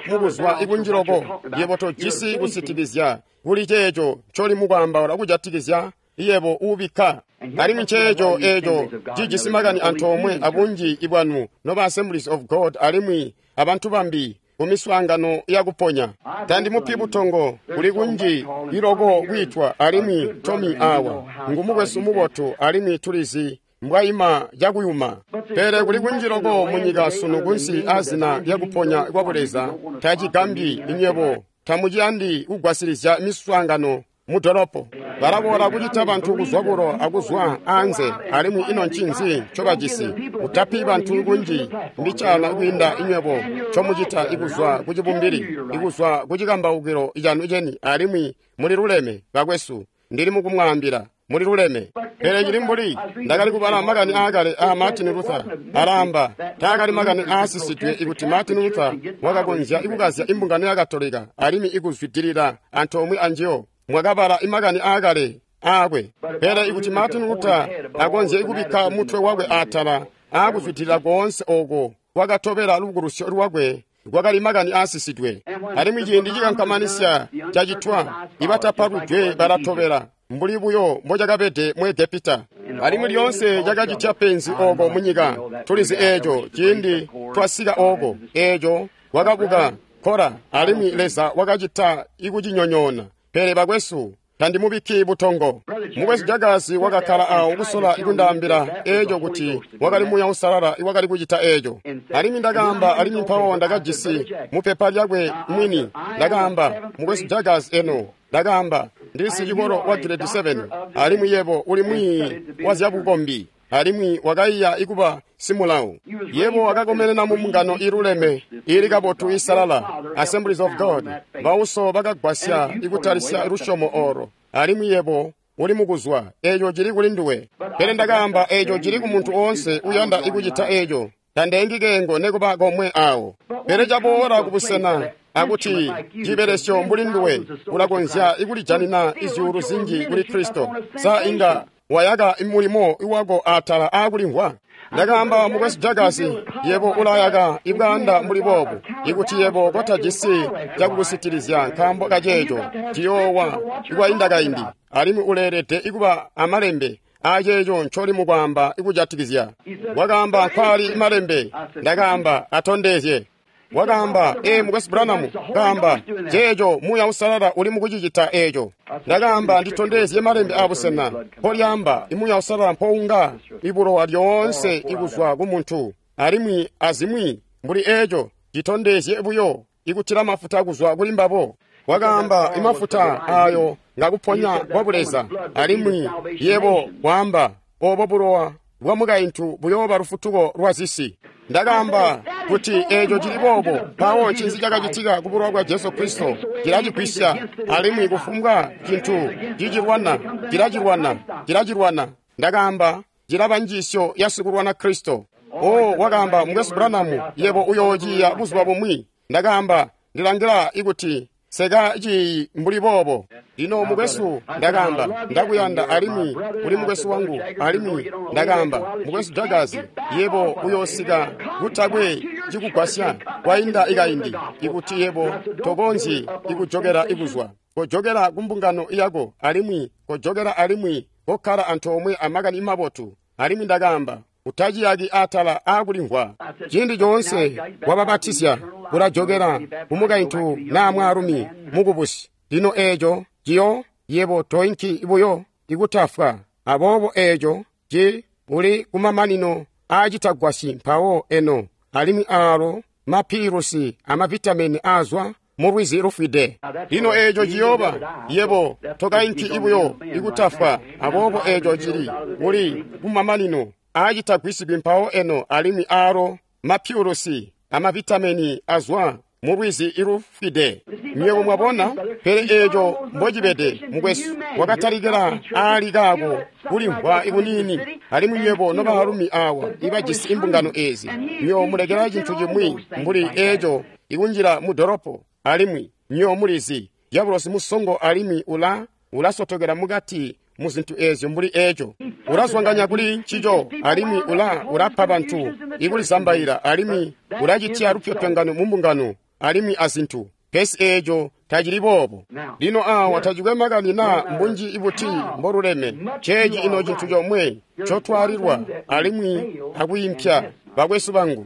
Speaker 1: mukuzwa ikunjiloko, yebo tojisi kusitikizya kuli ceeco ncoli mukwaambaula kujatikizya yebo ubikka. Alimwi nceeco eco cijisi makani antoomwe abunji ibwanu noba Assemblies of God alimwi abantu bambi kumiswaangano yakuponya. Tandimupi butongo, kuli kunji iloko kwiitwa, alimwi Tommy awa ngumukwesu mubotu alimwi tulizi mbwaima cakuyuma. Pele kuli kunji loko munyika sunu kunsi azina lyakuponya kwa buleza. Tacigambyi inywebo tamuciyandi kugwasilizya miswaangano mudolopo. Balaboola kucita bantu kuzwa kulo akuzwa anze, alimwi ino ncinzi ncobajisi? Utapi bantu kunji mbicana kwiinda inywebo ncomucita ikuzwa kucibumbili, ikuzwa kucikambaukilo canu ceni, alimwi muli luleme bakwesu. Ndili mukumwaambila, muli luleme. Pele cili mbuli ndakali kubala makani aakale aa Martin Luther. Alaamba taakali makani aasisidwe ikuti Martin Luther wakakonzya ikukazya imbungano ya Katolika alimwi ikuzwidilila antoomwe anjiyo. Mwakabala imakani aakale aakwe. Pele ikuti Martin Luther akonzye ikubikka mutwe wakwe atala aakuzwidilila koonse oko kwakatobela lubukulusyo lwakwe, kwakali makani aasisidwe. Alimwi ciindi cikankamanisya cacitwa, ibatapalwidwe balatobela mbuli buyo mbocakabede mu Egepita. Alimwi lyoonse cakacitya penzi oko munyika. Tulizi eeco ciindi twasika oko, eeco kwakabuka Kora, alimwi Leza wakacita ikucinyonyoona. Pele bakwesu, tandimubikki butongo. Mukwesu Jaggers wakakkala awo kusola ikundaambila eeco kuti wakali Muuya Uusalala iwakali kucita eeco. Alimwi ndakaamba, alimwi mpawo ndakajisi mupepa lyakwe mwini. Ndakaamba, Mukwesu Jaggers, eno ndakaamba, ndili sicikolo wa grade 7, alimwi yebo uli mwiiyi wa zyabukombi, alimwi wakaiya ikuba simulawu. Yebo wakakomenena mu mbungano iluleme ili kabotu isalala, Assemblies of God. Bauso bakagwasya ikutalisya lusyomo olo, alimwi yebo uli mukuzwa. Eco cili kuli nduwe. Pele ndakaamba, eco cili ku muntu oonse uyanda ikucita eco. Tandeengi keengo nekuba komwe awo. Pele caboola kubusena akuti cibelesyo mbuli nduwe ulakonzya ikulijanina izyuulu zinji kuli Kristo, sa inga wayaka mulimo wako atala aakulimvwa? Ndakaamba, Mukwesu Jaggers, yebo ulayaka ibwaanda mbuli boobu. Ikuti yebo kotajisi cakukusitilizya nkaambo kaceeco, ciyoowa ikwainda kaindi, alimwi uleelede ikuba amalembe aceeco ncoli mukwaamba ikujatikizya. Wakaamba, nkwali malembe. Ndakaamba, atondezye. Wakaamba, ee, Mukwesu Branham, kaamba, ceeco Muuya Uusalala uli mukucicita eeco. Ndakaamba, nditondezye malembe abusena mpolyaamba imuuya Uusalala mpounga ibulowa lyoonse ikuzwa ku muntu, alimwi azimwi mbuli eeco, citondezye buyo ikutila mafuta kuzwa kuli mbabo. Wakaamba, imafuta ayo nga kuponya kwa Buleza, alimwi yebo waamba obo bulowa bwa mukaintu buyooba lufutuko lwa zisi. Ndakaamba kuti eeco cili boobo, mpawo ncinzi cakacitika ku bulowa bwa Jesu Kristo? Cilacigwisya, alimwi kufumbwa cintu cicilwana, cilacilwana, cilacilwana. Ndakaamba cilaba njiisyo ya sikulwana Kristo. O, wakaamba, Mukwesu Branham, yebo uyoociya buzuba bumwi. Ndakaamba, ndilangila ikuti seka ciyi mbuli boobo. Lino mukwesu, ndakaamba, ndakuyanda alimwi uli mukwesu wangu, alimwi ndakaamba, mukwesu Jagazi, yebo uyoosika kutakwe cikugwasya kwainda ikaindi, ikuti yebo tokonzyi ikujokera ikuzwa. Kojokera ku mbungano yako, alimwi kojokera alimwi kokkala antoomwe amakani mabotu. Alimwi ndakaamba, utaciyaki atala aakulimvwa. Ciindi coonse wababatizya ulajokera kumukaintu naa mwaalumi mukubusi. Lino eeco ciyo yebo toinki buyo ikutafwa. Aboobo eeco ci uli kumamanino aacitagwasyi mpawo eno, alimwi aalo mapiilusi amavitamini aazwa mulwizi lufwide. Lino eeco ciyooba yebo tokainki buyo ikutafwa. Aboobo eeco cili uli kumamanino aacitagwisigwi mpawo eno, alimwi aalo mapiulosi amavitamini azwa mulwizi ilufwide. Nywebo mwabona? Pele eeco mbocibede, mukwesu, wakatalikila aali kaako kulimvwa ikuniini. Alimwi nywebo nobaalumi awa ibajisi imbungano eezi, nywebo mulekela cintu cimwi mbuli eeco ikunjila mu dolopo, alimwi nywebo mulizi dyabulosi musongo alimwi ulasotokela mukati mu zintu eezyo mbuli eeco. Ulazwanganya kuli ncico, alimwi ulapa bantu ikulizambaila, alimwi ulacitya lupyopyongano mu mbungano alimwi azintu. Pesi eeco tacili boobo. Lino awa tacikwe makani naa mbunji ibuti mboluleme. Ceeci ino cintu comwe ncotwalilwa alimwi akwiimpya, bakwesu bangu.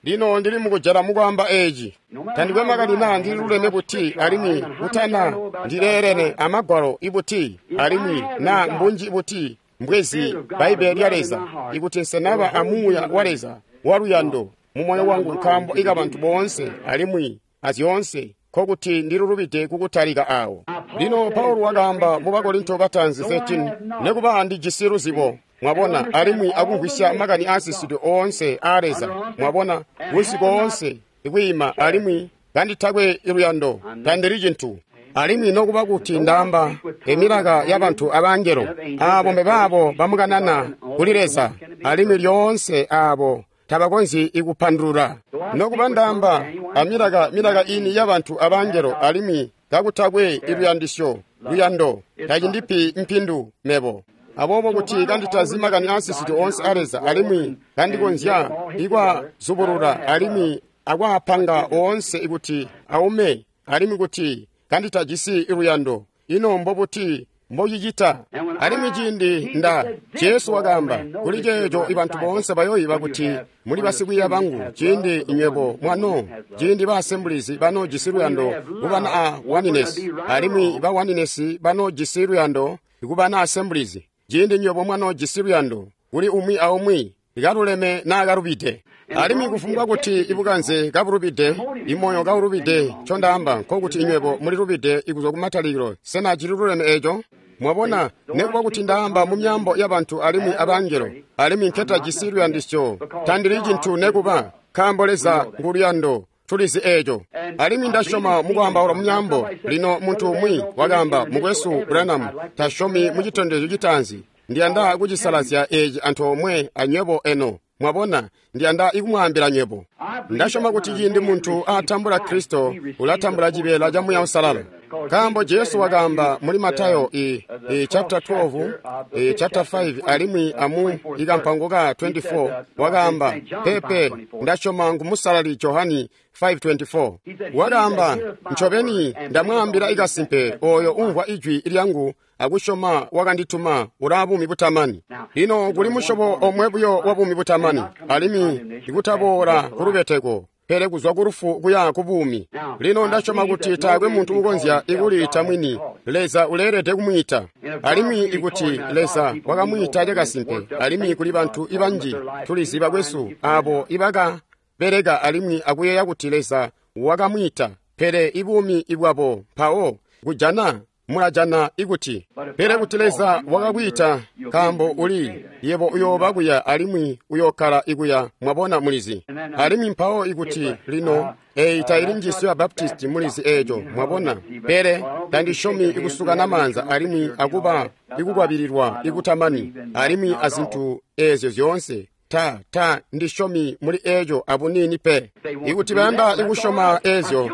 Speaker 1: Lino ndili mukujala mukwaamba eeci. Tandikwe makani naa ndililuleme buti, alimwi kutana ndileelene amagwalo ibuti, alimwi naa mbunji buti mbwezi Bbaibbele lya Leza, ikuti nsenaba amuuya wa Leza waluyando mu moyo wangu nkaambo ikabantu boonse alimwi azyoonse, nkokuti ndilulubide kukutalika awo. Lino Paulo wakaamba mu Bakorinto bataanzi 13, nekuba ndijisi luzibo, mwabona, alimwi akumvwisya makani aasisidwe oonse aa Leza, mwabona, kunsi koonse ikwiima, alimwi kanditakwe luyando, tandili cintu. Alimwi nokuba kuti ndaamba emilaka yabantu abangelo, aabo mbebaabo bamukanana kuli Leza, alimwi lyoonse aabo tabakonzyi ikupandulula. Nokuba ndaamba amilaka milaka ini yabantu abangelo, alimwi kakutakwe iluyandisyo luyando, tacindipi mpindu mebo. Aboobo kuti kanditazi makani aasisidwe oonse a Leza, alimwi kandikonzya ikwazubulula alimwi akwaapanga oonse ikuti aume, alimwi kuti kanditajisi luyando, ino mbobuti mbocicita? Alimwi ciindi Jesu wakaamba kuli ceeco ibantu boonse bayoiba kuti muli basikwiiya bangu, ciindi nywebo mwano, ciindi ba Assemblies banoojisi luyando kubana a Oneness, alimwi ba Oneness banoojisi luyando kubana Assemblies, ciindi nywebo mwanoojisi luyando kuli umwi aumwi, kaluleme naa kalubide. Alimwi kufumbwa kuti ibukanze kabulubide, imoyo kaulubide, ncondaamba nkokuti inywebo mulilubide ikuzwa kumatalikilo. Sena cililuleme eeco? Mwabona, nekuba kuti ndaamba mu myaambo yabantu alimwi abangelo, alimwi nketajisi luyandisyo, tandili cintu nekuba, nkaambo Leza nguluyando. Tulizi eeco. Alimwi ndasyoma mukwaambaula mu myaambo. Lino muntu umwi wakaamba, Mukwesu Branham tasyomi mu citondezyo citaanzi. Ndiyanda kucisalazya eeci antoomwe anywebo eno. Mwabona, ndiyanda ikumwaambila nywebo. Ndasyoma kuti ciindi muntu aatambula Kristo, ulatambula cibeela ca Muuya Uusalala. Nkaambo Jesu wakaamba muli Matayo chapter 12, chapter 5 alimwi amu ikampango ka 24, wakaamba, pepe, ndasyoma ngumusalali Johani 5:24. Wakaamba, ncobeni ndamwaambila ikasimpe, oyo umvwa ijwi lyangu akusyoma wakandituma ulaa buumi butamani. Lino kuli musyobo omwe buyo wa buumi butamani, alimwi ikutaboola kulubeteko, pele kuzwa ku lufu kuya ku buumi. Lino ndasyoma kuti taakwe muntu ukonzya ikuliita mwini. Leza uleelede kumwiita. Alimwi ikuti Leza wakamwiita cakasimpe, alimwi kuli bantu ibanji tulizi bakwesu aabo ibakabeleka alimwi akuyeeya kuti Leza wakamwiita, pele ibuumi bwabo mpawo Kujana mulajana ikuti pele kuti Leza wakakwiita nkaambo uli yebo uyooba kuya alimwi uyookkala ikuya, mwabona, mulizi. Alimwi mpawo ikuti lino eyi taili njiisyo ya Baptisti, mulizi eeco, mwabona. Pele tandisyomi ikusukana maanza alimwi akuba ikukwabililwa ikutamani alimwi azintu eezyo zyoonse. Ta ndisyomi muli eeco abuniini pe. Ikuti bayanda ikusyoma eezyo,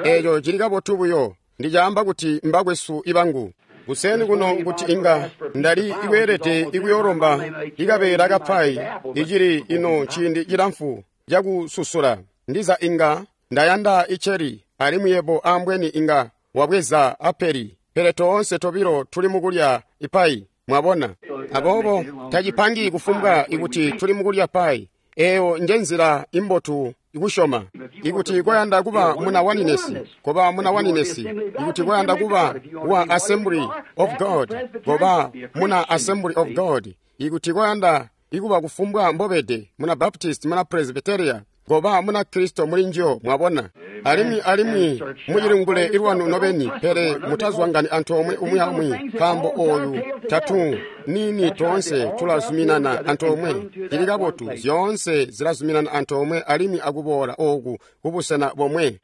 Speaker 1: eeco cili kabotu buyo. Ndicaamba kuti mbakwesu ibangu. Kuseni kuno kuti inga ndali ikweelede ikuyoolomba ikabeela kapayi icili ino ciindi cilamfu cakususula. Ndiza inga ndayanda iceri alimwi yebo ambweni inga wabweza apeli, pele toonse tobilo tuli mukulya ipayi, mwabona. Aboobo tacipangi kufumbwa ikuti tuli mukulya payi. Eyo njenzila imbotu ikusyoma. Ikuti koyanda kuba muna waninesi, koba muna waninesi. Ikuti koyanda kuba wa Assembly of God, koba muna Assembly of God. Ikuti koyanda ikuba kufumbwa mbobede, muna Baptist, muna Presbyteria, koba muna Kristo muli njiyo, mwabona. Alimwi mucilingule ilwanu nobeni, pele mutazwangani antoomwe umwi aumwi, nkaambo oyu tatu nini toonse tulazuminana antoomwe. Cili kabotu, zyoonse zilazuminana antoomwe alimwi akuboola ooku kubusena bomwe.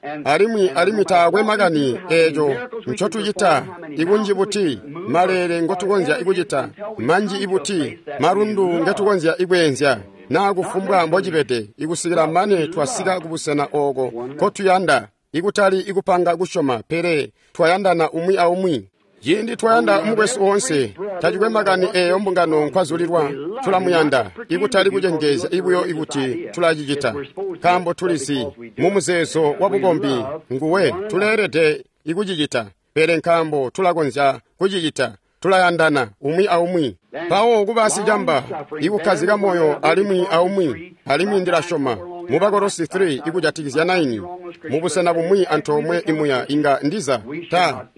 Speaker 1: Alimwi taakwe makani eeco ncotucita ikunji buti, maleele ngotukonzya ikucita, manji ibuti, malundu ngetukonzya ikweenzya, naa kufumbwa mbocibede, ikusikila mane twasika kubusena ooko nkotuyanda, ikutali ikupanga kusyoma, pele twayandana umwi aumwi. Ciindi twayanda mukwesu woonse, tacikwe makani eeyo mbungano nkwazulilwa, tulamuyanda, ikutali kucenjezya ibuyo ikuti tulacicita, nkaambo tulizi mumuzeezo wabukombi nguwe tuleelede ikucicita, pele nkaambo tulakonzya kucicita, tulayandana umwi aumwi. Mpawo kuba sicamba, ikukkazika moyo alimwi aumwi, alimwi ndilasyoma mu Bakolosi 3 ikujatikizya 9 mubusena bumwi antoomwe imuya inga ndiza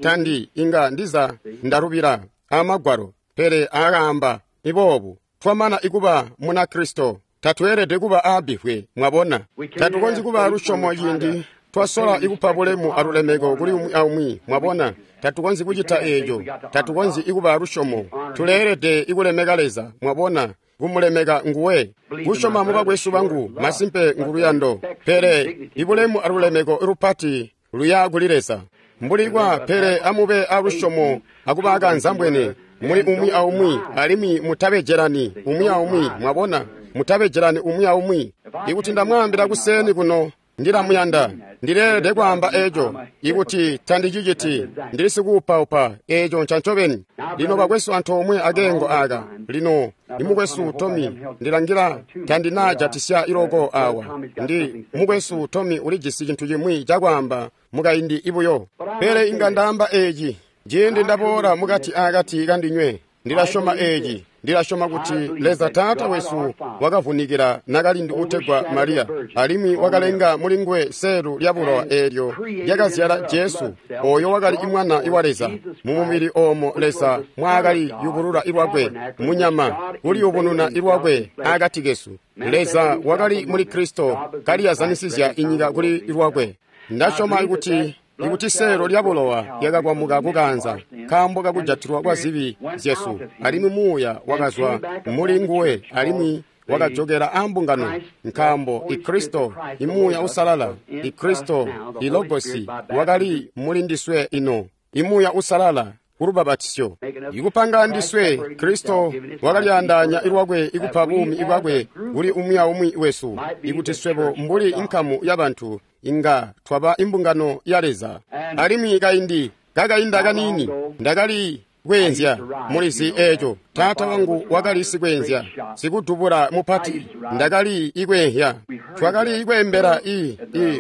Speaker 1: tandi inga ndiza ndalubila amagwalo, pele akaamba iboobu: twamana ikuba muna Kristo, tatweelede kuba aabifwe, mwabona. Tatukonzyi kuba lusyomo ciindi twasola ikupa bulemu alulemeko kuli umwi aumwi, mwabona. Tatukonzyi kucita eeco, tatukonzyi ikuba lusyomo. Tuleelede ikulemeka Leza, mwabona, kumulemeka nguwe. Kusyoma mubakwesu bangu masimpe nguluyando, pele ibulemu alulemeko lupati luya kuli Leza. Mbuli kwa pele amube alusyomo akuba akanzambwene muli umwi aumwi, alimwi mutabejelani umwi aumwi, mwabona, mutabejelani umwi aumwi. Ikuti ndamwaambila kuseni kuno ndilamuyanda, ndileelede kwaamba eeco. Ikuti tandiciciti, ndili sikuupaupa, eeco ncancobeni. Lino bakwesu antoomwe akeengo aaka, lino imukwesu Tomi ndilangila tandinaajatisya iloko awa. Ndi mukwesu Tomi ulijisi cintu cimwi cakwaamba mukaindi ibuyo, pele inga ndaamba eeci ciindi ndaboola mukati akati kandinywe. Ndilasyoma eeci, ndilasyoma kuti Leza Taata wesu wakavunikila nakalindu utegwa Mariya, alimwi wakalenga mulinguwe selu lyabulowa eelyo lyakazyala Jesu, oyo wakali imwana wa Leza. Mumubili oomo Leza mwaakali yubulula ilwakwe munyama, kuliyubununa ilwakwe akati kesu. Leza wakali muli Kristo kaliyazanisizya inyika kuli ilwakwe. Ndasyoma ikuti seelo lyabulowa lyakakwamuka kukanza nkaambo kakujatilwa kwa zibi zyesu, alimwi muuya wakazwa muli nguwe alimwi wakajokela ambungano, nkaambo Ikristo imuuya usalala, Ikristo ilogosi wakali muli ndiswe ino, imuuya usalala kulubabatisyo ikupanga ndiswe. Kristo wakalyaandaanya ilwakwe ikupa buumi ibwakwe kuli umwi aumwi wesu, ikuti swebo mbuli inkamu yabantu inga twaba imbungano ya Leza. Alimwi kaindi kakainda kaniini ndakali kweenzya, mulizi eeco, taata wangu wakali sikweenzya, sikudubula mupati. Ndakali ikweehya, twakali ikweembela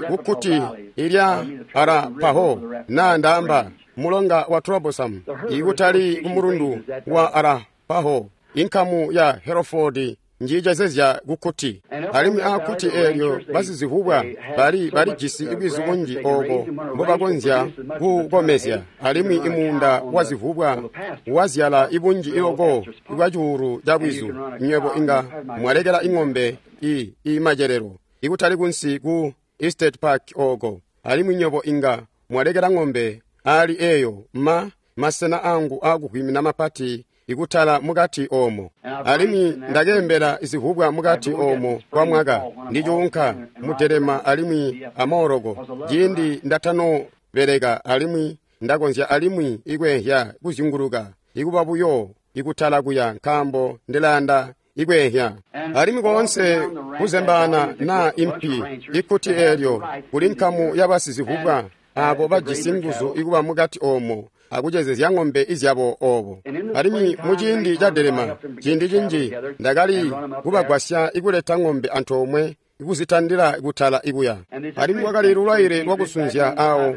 Speaker 1: kukkuti ilya Arapaho, naa ndaamba mulonga wa Troublesome, ikutali kumulundu wa Arapaho. Inkamu ya Hereford njiicezezya kukkuti, alimwi aakkuti eelyo basizivubwa balijisi ibwizu bunji ooko mbobakonzya kukomezya, alimwi imuunda wazivubwa wazyala ibunji iloko bwa cuulu ca bwizu. Nywebo inga mwalekela ing'ombe imacelelo ikutali kunsi ku Estate Park ooko, alimwi nywebo inga mwalekela ng'ombe ali eyo masena angu akuvwimina mapati ikutala mukati omo. Alimwi ndakembela zivubwa mukati omo kwa mwaka ndicuunka mudelema alimwi amooloko ciindi ndatanobeleka alimwi ndakonzya alimwi ikweehya kuzyunguluka ikuba buyo ikutala kuya nkaambo ndilayanda ikweehya. Alimwi koonse kuzembaana naa impi ikkuti eelyo kuli nkamu yabasizivubwa abo bajisi nguzu ikuba mukati omo akucezezya ng'ombe izyabo obo. Alimwi muciindi ca delema ciindi cinji ndakali kubagwasya ikuleta ng'ombe antoomwe ikuzitandila kutala ikuya. Alimwi kwakali lulaile lwakusunzya awo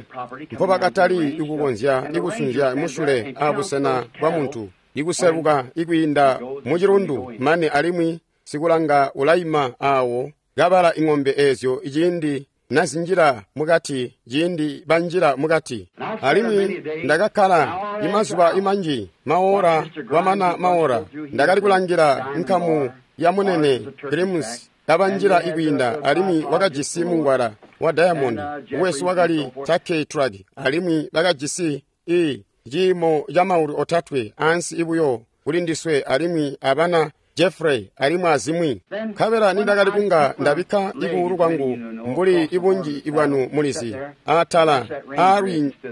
Speaker 1: mpobakatali ikukonzya ikusunzya musyule abusena bwa muntu ikuseluka ikwiinda mucilundu mane alimwi sikulanga ulaima awo kabala ing'ombe ezyo ciindi nazinjila mukati ciindi banjila mukati. Alimwi ndakakkala imazuba imanji maora kwamana maora ndakali kulangila nkamu ya munene Grims kabanjila ikwiinda alimwi wakajisi mungwala wa diamond wesu wakali Turkey Track alimwi bakajisi ciimo ca maulu otatwe ansi ibuyo kuli ndiswe alimwi abana Jeffrey alimwi azimwi. Nkabela nindakali kunga ndabikka ikuulu kwangu mbuli ibunji ibwanu mulizi atala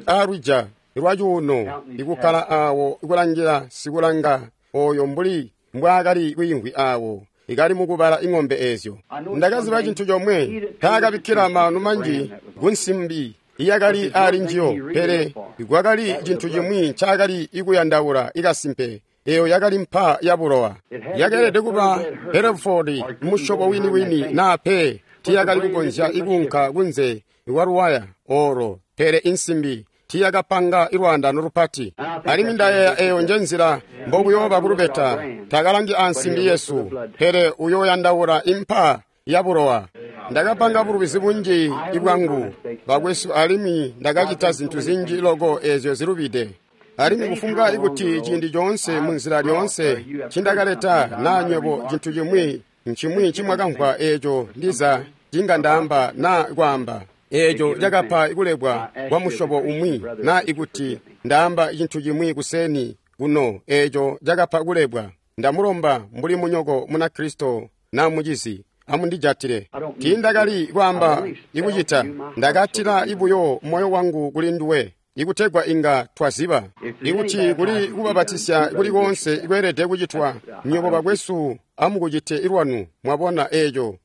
Speaker 1: aalwija lwacuuno ikukkala awo ikulangila sikulanga oyo mbuli mbwaakali kwiimvwi awo ikali mukubala ing'ombe ezyo. Ndakaziba cintu comwe taakabikkila maanu manji kunsimbi iyakali ali njiyo, pele kwakali cintu cimwi ncaakali ikuyandaula ikasimpe. Eyo yakali mpa ya bulowa. Yakeelede kuba Hereford musyobo wini-wini naa pe tiyakali kukonzya ikuunka kunze lwaluwaya olo, pele insimbi tiyakapanga ilwaandano lupati. Alimwi ndayeeya eyo njenzila mbokuyooba kulubeta. Takalangi ansimbi yesu, pele uyooyandaula impa ya bulowa. Ndakapanga bulubizi bunji ibwangu bakwesu alimwi ndakacita zintu zinji loko ezyo zilubide. Alimwi kufumbwa ikuti ciindi coonse munzila lyoonse ncindakaleta naa nywebo cintu cimwi ncimwi ncimwakamvwa eeco ndiza cinga ndaamba naa kwaamba eeco cakapa kulebwa kwa musyobo umwi naa ikuti ndaamba cintu cimwi kuseni kuno eeco cakapa kulebwa, ndamulomba mbuli munyoko Munakristo naa mucizi amundijatile. Tiindakali kwaamba ikucita, ndakatila ibuyo moyo wangu kuli nduwe ikutegwa inga twaziba ikuti kuli kubabatisya kuli koonse ikweelede kucitwa nywebo bakwesu amukucite ilwanu. Mwabona eeco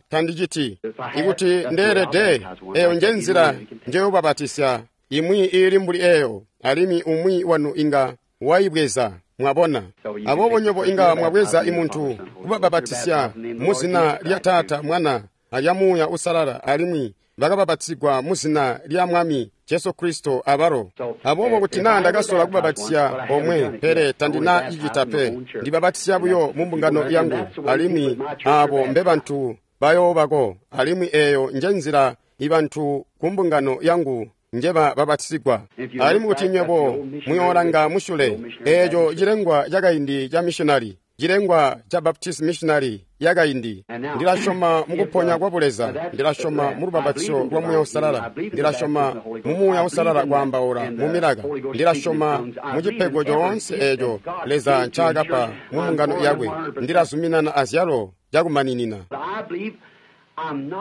Speaker 1: tandiciti. Ikuti ndeelede, eyo njenzila njeyobabatisya imwi iili mbuli eyo, alimwi umwi wanu inga waibweza. Mwabona? Aboobo nywebo inga mwabweza imuntu kubababatisya muzina lya Taata, Mwana alya Muuya Usalala, alimwi bakababatizigwa muzina lya Mwami Jesu Kristo abalo. Aboobo kuti naa ndakasola kubabatisya omwe, pele tandina cicita pe. Ndibabatisya buyo mu mbungano yangu, alimwi aabo mbe bantu bayoobako, alimwi eyo njenzila ibantu ku mbungano yangu njeba babatisigwa. Alimwi kuti nywebo muyoolanga musyule, eeco cilengwa cakaindi ca missionary, cilengwa ca Baptist missionary yakaindi. Ndilasyoma mukuponya kwa buleza, ndilasyoma mu lubapatizo lwa Muuya Uusalala, ndilasyoma mu Muuya Uusalala kwaambaula mu milaka, ndilasyoma mu cipego coonse eeco Leza ncaakapa mu mbungano yakwe, ndilazuminana azyalo cakumaninina.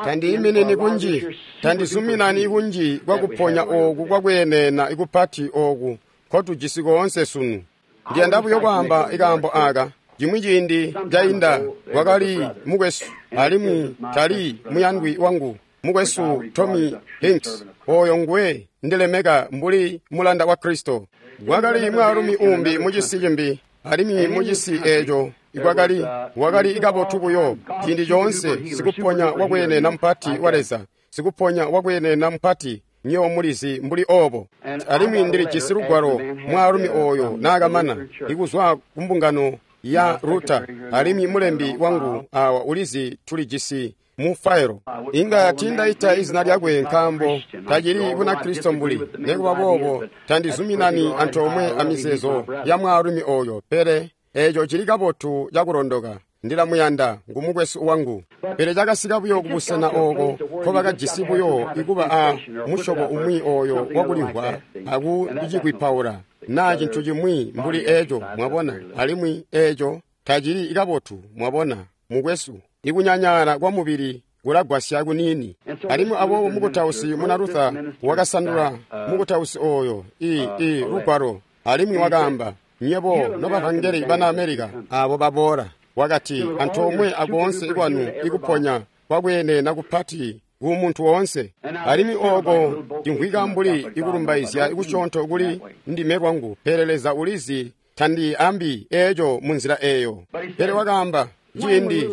Speaker 1: Tandiiminini kunji, tandizuminani kunji kwakuponya ooku kwakwenena ikupati ooku nkotujisi koonse sunu. Ndiyanda buyo kwaamba ikaambo aaka. Cimwi ciindi cainda kwakali mukwesu, alimwi tali muyandwi wangu, mukwesu Tommy Hinks, oyo ngwe ndilemeka mbuli mulanda wa Kristo. Kwakali mwaalumi umbi mucisi cimbi, alimwi mucisi eeco wakali kabotu buyo ciindi coonse, sikuponya wakwenena mupati wa Leza, sikuponya wakwenena mupati, nywebo mulizi mbuli obo. Alimwi ndilijisi lugwalo mwaalumi oyo naakamana ikuzwa kumbungano ya Ruta, alimwi mulembi wangu awa ulizi tulijisi mu failo. Inga tiindaita izina lyakwe nkaambo tacili Bunakristo mbuli, nekuba boobo tandizuminani antoomwe amizeezo ya mwaalumi oyo, pele eeco cili kabotu cakulondoka. Ndila muyanda, ngu mukwesu wangu. Pele cakasika buyo kubusena ooko nkobakajisi buyo ikuba a musyobo umwi oyo wakulimvwa akucikwipaula naa cintu cimwi mbuli eco, mwabona, alimwi eco tacili kabotu, mwabona, mukwesu. Ikunyanyaala kwa mubili kulagwasya kuniini. Alimwi aboobo mukutausi muna Luther wakasandula mukutausi oyo i lugwalo, alimwi wakaamba, nywebo nobavangeli bana America abo baboola, wakati, antoomwe akoonse kwanu ikuponya kwakwenena kupati ku muntu woonse. Alimwi ooko cimvwika mbuli ikulumbaizya kusyoonto kuli ndime lwangu, pele Leza ulizi tandiambi eco munzila eyo. Pele wakaamba,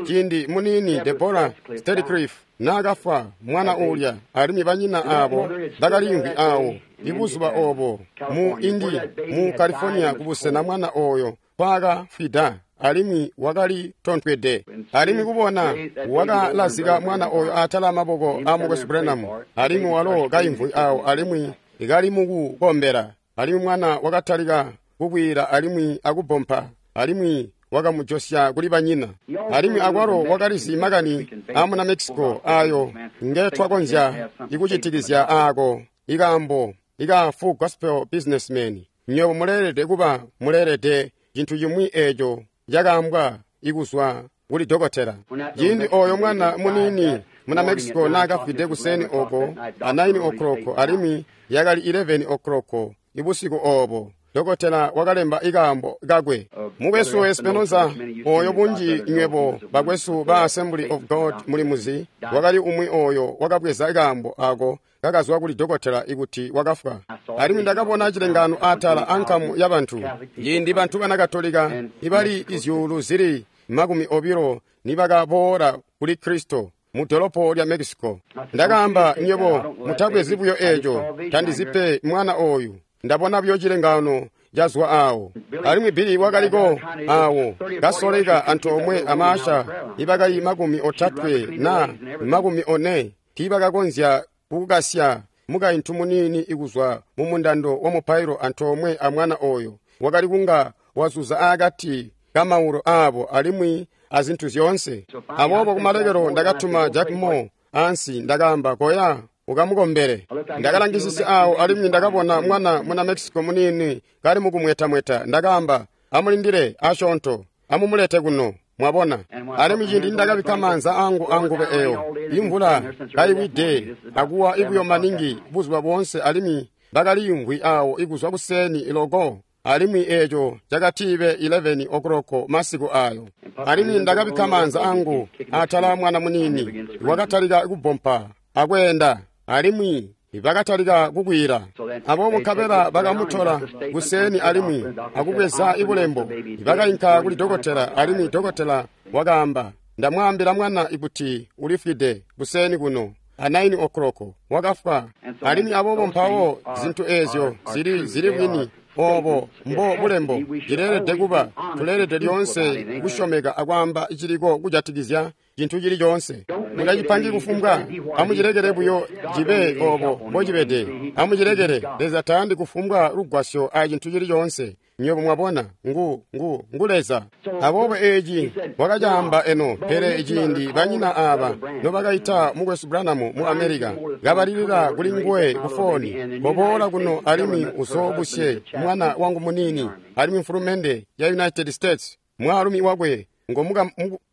Speaker 1: ciindi muniini Deborah Stedcliff naakafwa mwana ulya, alimwi banyina abo bakaliimvwi awo ibuzuba obo mu Indi mu California kubusena mwana oyo kwaakafwida, alimwi wakali tontwede. Alimwi kubona wakalazika mwana oyo atala amaboko a mukwesu Branham, alimwi walo kaimvwi awo alimwi kali mukukombela, alimwi mwana wakatalika kukwiila alimwi akubompa, alimwi wakamujosya kuli banyina. Alimwi akwalo wakalizi makani amuna Mexico ayo ngetwakonzya ikucitikizya aako ikaambo ika Full Gospel Businessman. Nywebo muleelede kuba muleelede cintu cimwi eco cakaambwa ikuzwa kuli dokotela. Ciindi oyo mwana muniini muna Mexico naakafwide kuseni oko a 9 o'clock, alimwi yakali 11 o'clock ibusiku obo, dokotela wakalemba ikaambo kakwe. Mukwesu Espinoza oyo bunji nywebo bakwesu ba Assembly of God mulimuzi, wakali umwi oyo wakabweza ikaambo ako kakazwa kuli dokotela ikuti wakafwa. Alimwi ndakabona cilengano atala ankamu ya bantu, ciindi bantu bana Katolika ibali izyuulu zili 20 nibakaboola kuli Kristo mu dolopo lya Mexico. Ndakaamba, nywebo mutabwezi buyo eco, tandizipe mwana oyu. Ndabona buyo cilengano cazwa awo. Alimwi Billy wakaliko awo kasoleka antoomwe amaasha ibakali 30 na 40 tiibakakonzya kukasya mukaintu muniini ikuzwa mu mundando wa mupailo antoomwe a mwana oyo wakali kunga wazuza akati kamaulu abo alimwi azintu zyoonse. Aboobo kumalekelo ndakatuma Jack Moore ansi, ndakaamba, koya ukamukombele. Ndakalangisisya awo alimwi ndakabona mwana muna Mexico muniini kali mukumwetamweta. Ndakaamba, amulindile asyoonto, amumulete kuno, mwabona. Alimwi ciindi ndakabikka maanza angu angube eyo, imvula kayiwide akuwa ibuyo maningi buzuba boonse, alimwi bakaliyumvwi awo ikuzwa kuseni iloko, alimwi eco cakatibe 11 o'clock masiku ayo. Alimwi ndakabikka maanza angu atala mwana muniini, wakatalika kubompa akweenda, alimwi bakatalika kukwiila. Aboobo nkabela bakamutola kuseni alimwi akubweza ibulembo, bakainka kuli dokotela, alimwi dokotela wakaamba, ndamwaambila mwana ikuti ulifwide kuseni kuno a 9 o'clock wakafwa. Alimwi aboobo mpawo zintu ezyo zili bwini obo mbo bulembo cileelede kuba, tuleelede lyoonse kusyomeka akwaamba ciliko kujatikizya cintu cili coonse. Mutacipangi kufumbwa, amucilekele buyo cibe obo mbocibede. Amucilekele. Leza tayandi kufumbwa lugwasyo a cintu cili coonse. Nywebo mwabona, ngu Leza. Aboobo eci wakacaamba eno, pele ciindi banyina aba nobakaita mukwesu Branham mu America, kabalilila kuli nguwe ku foni, koboola kuno alimwi uzoobusye mwana wangu munini, alimwi mfulumende ya United States, mwaalumi wakwe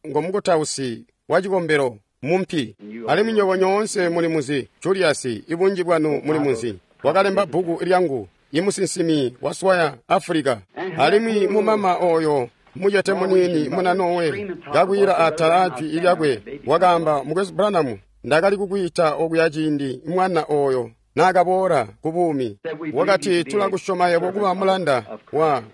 Speaker 1: ngomukutausi wa cikombelo mumpi. Alimwi nywebo nyoonse mulimuzi Julius, ibunji bwanu mulimuzi, wakalemba bbuku lyangu, imusinsimi waswaya Africa. Alimwi mumama oyo mucete muniini muna Norway kakwiila atala ajwi lyakwe, wakaamba, mukwesu Branham, ndakali kukwiita okuya ciindi mwana oyo naakaboola ku buumi. Wakati, tulakusyoma yebo kuba mulanda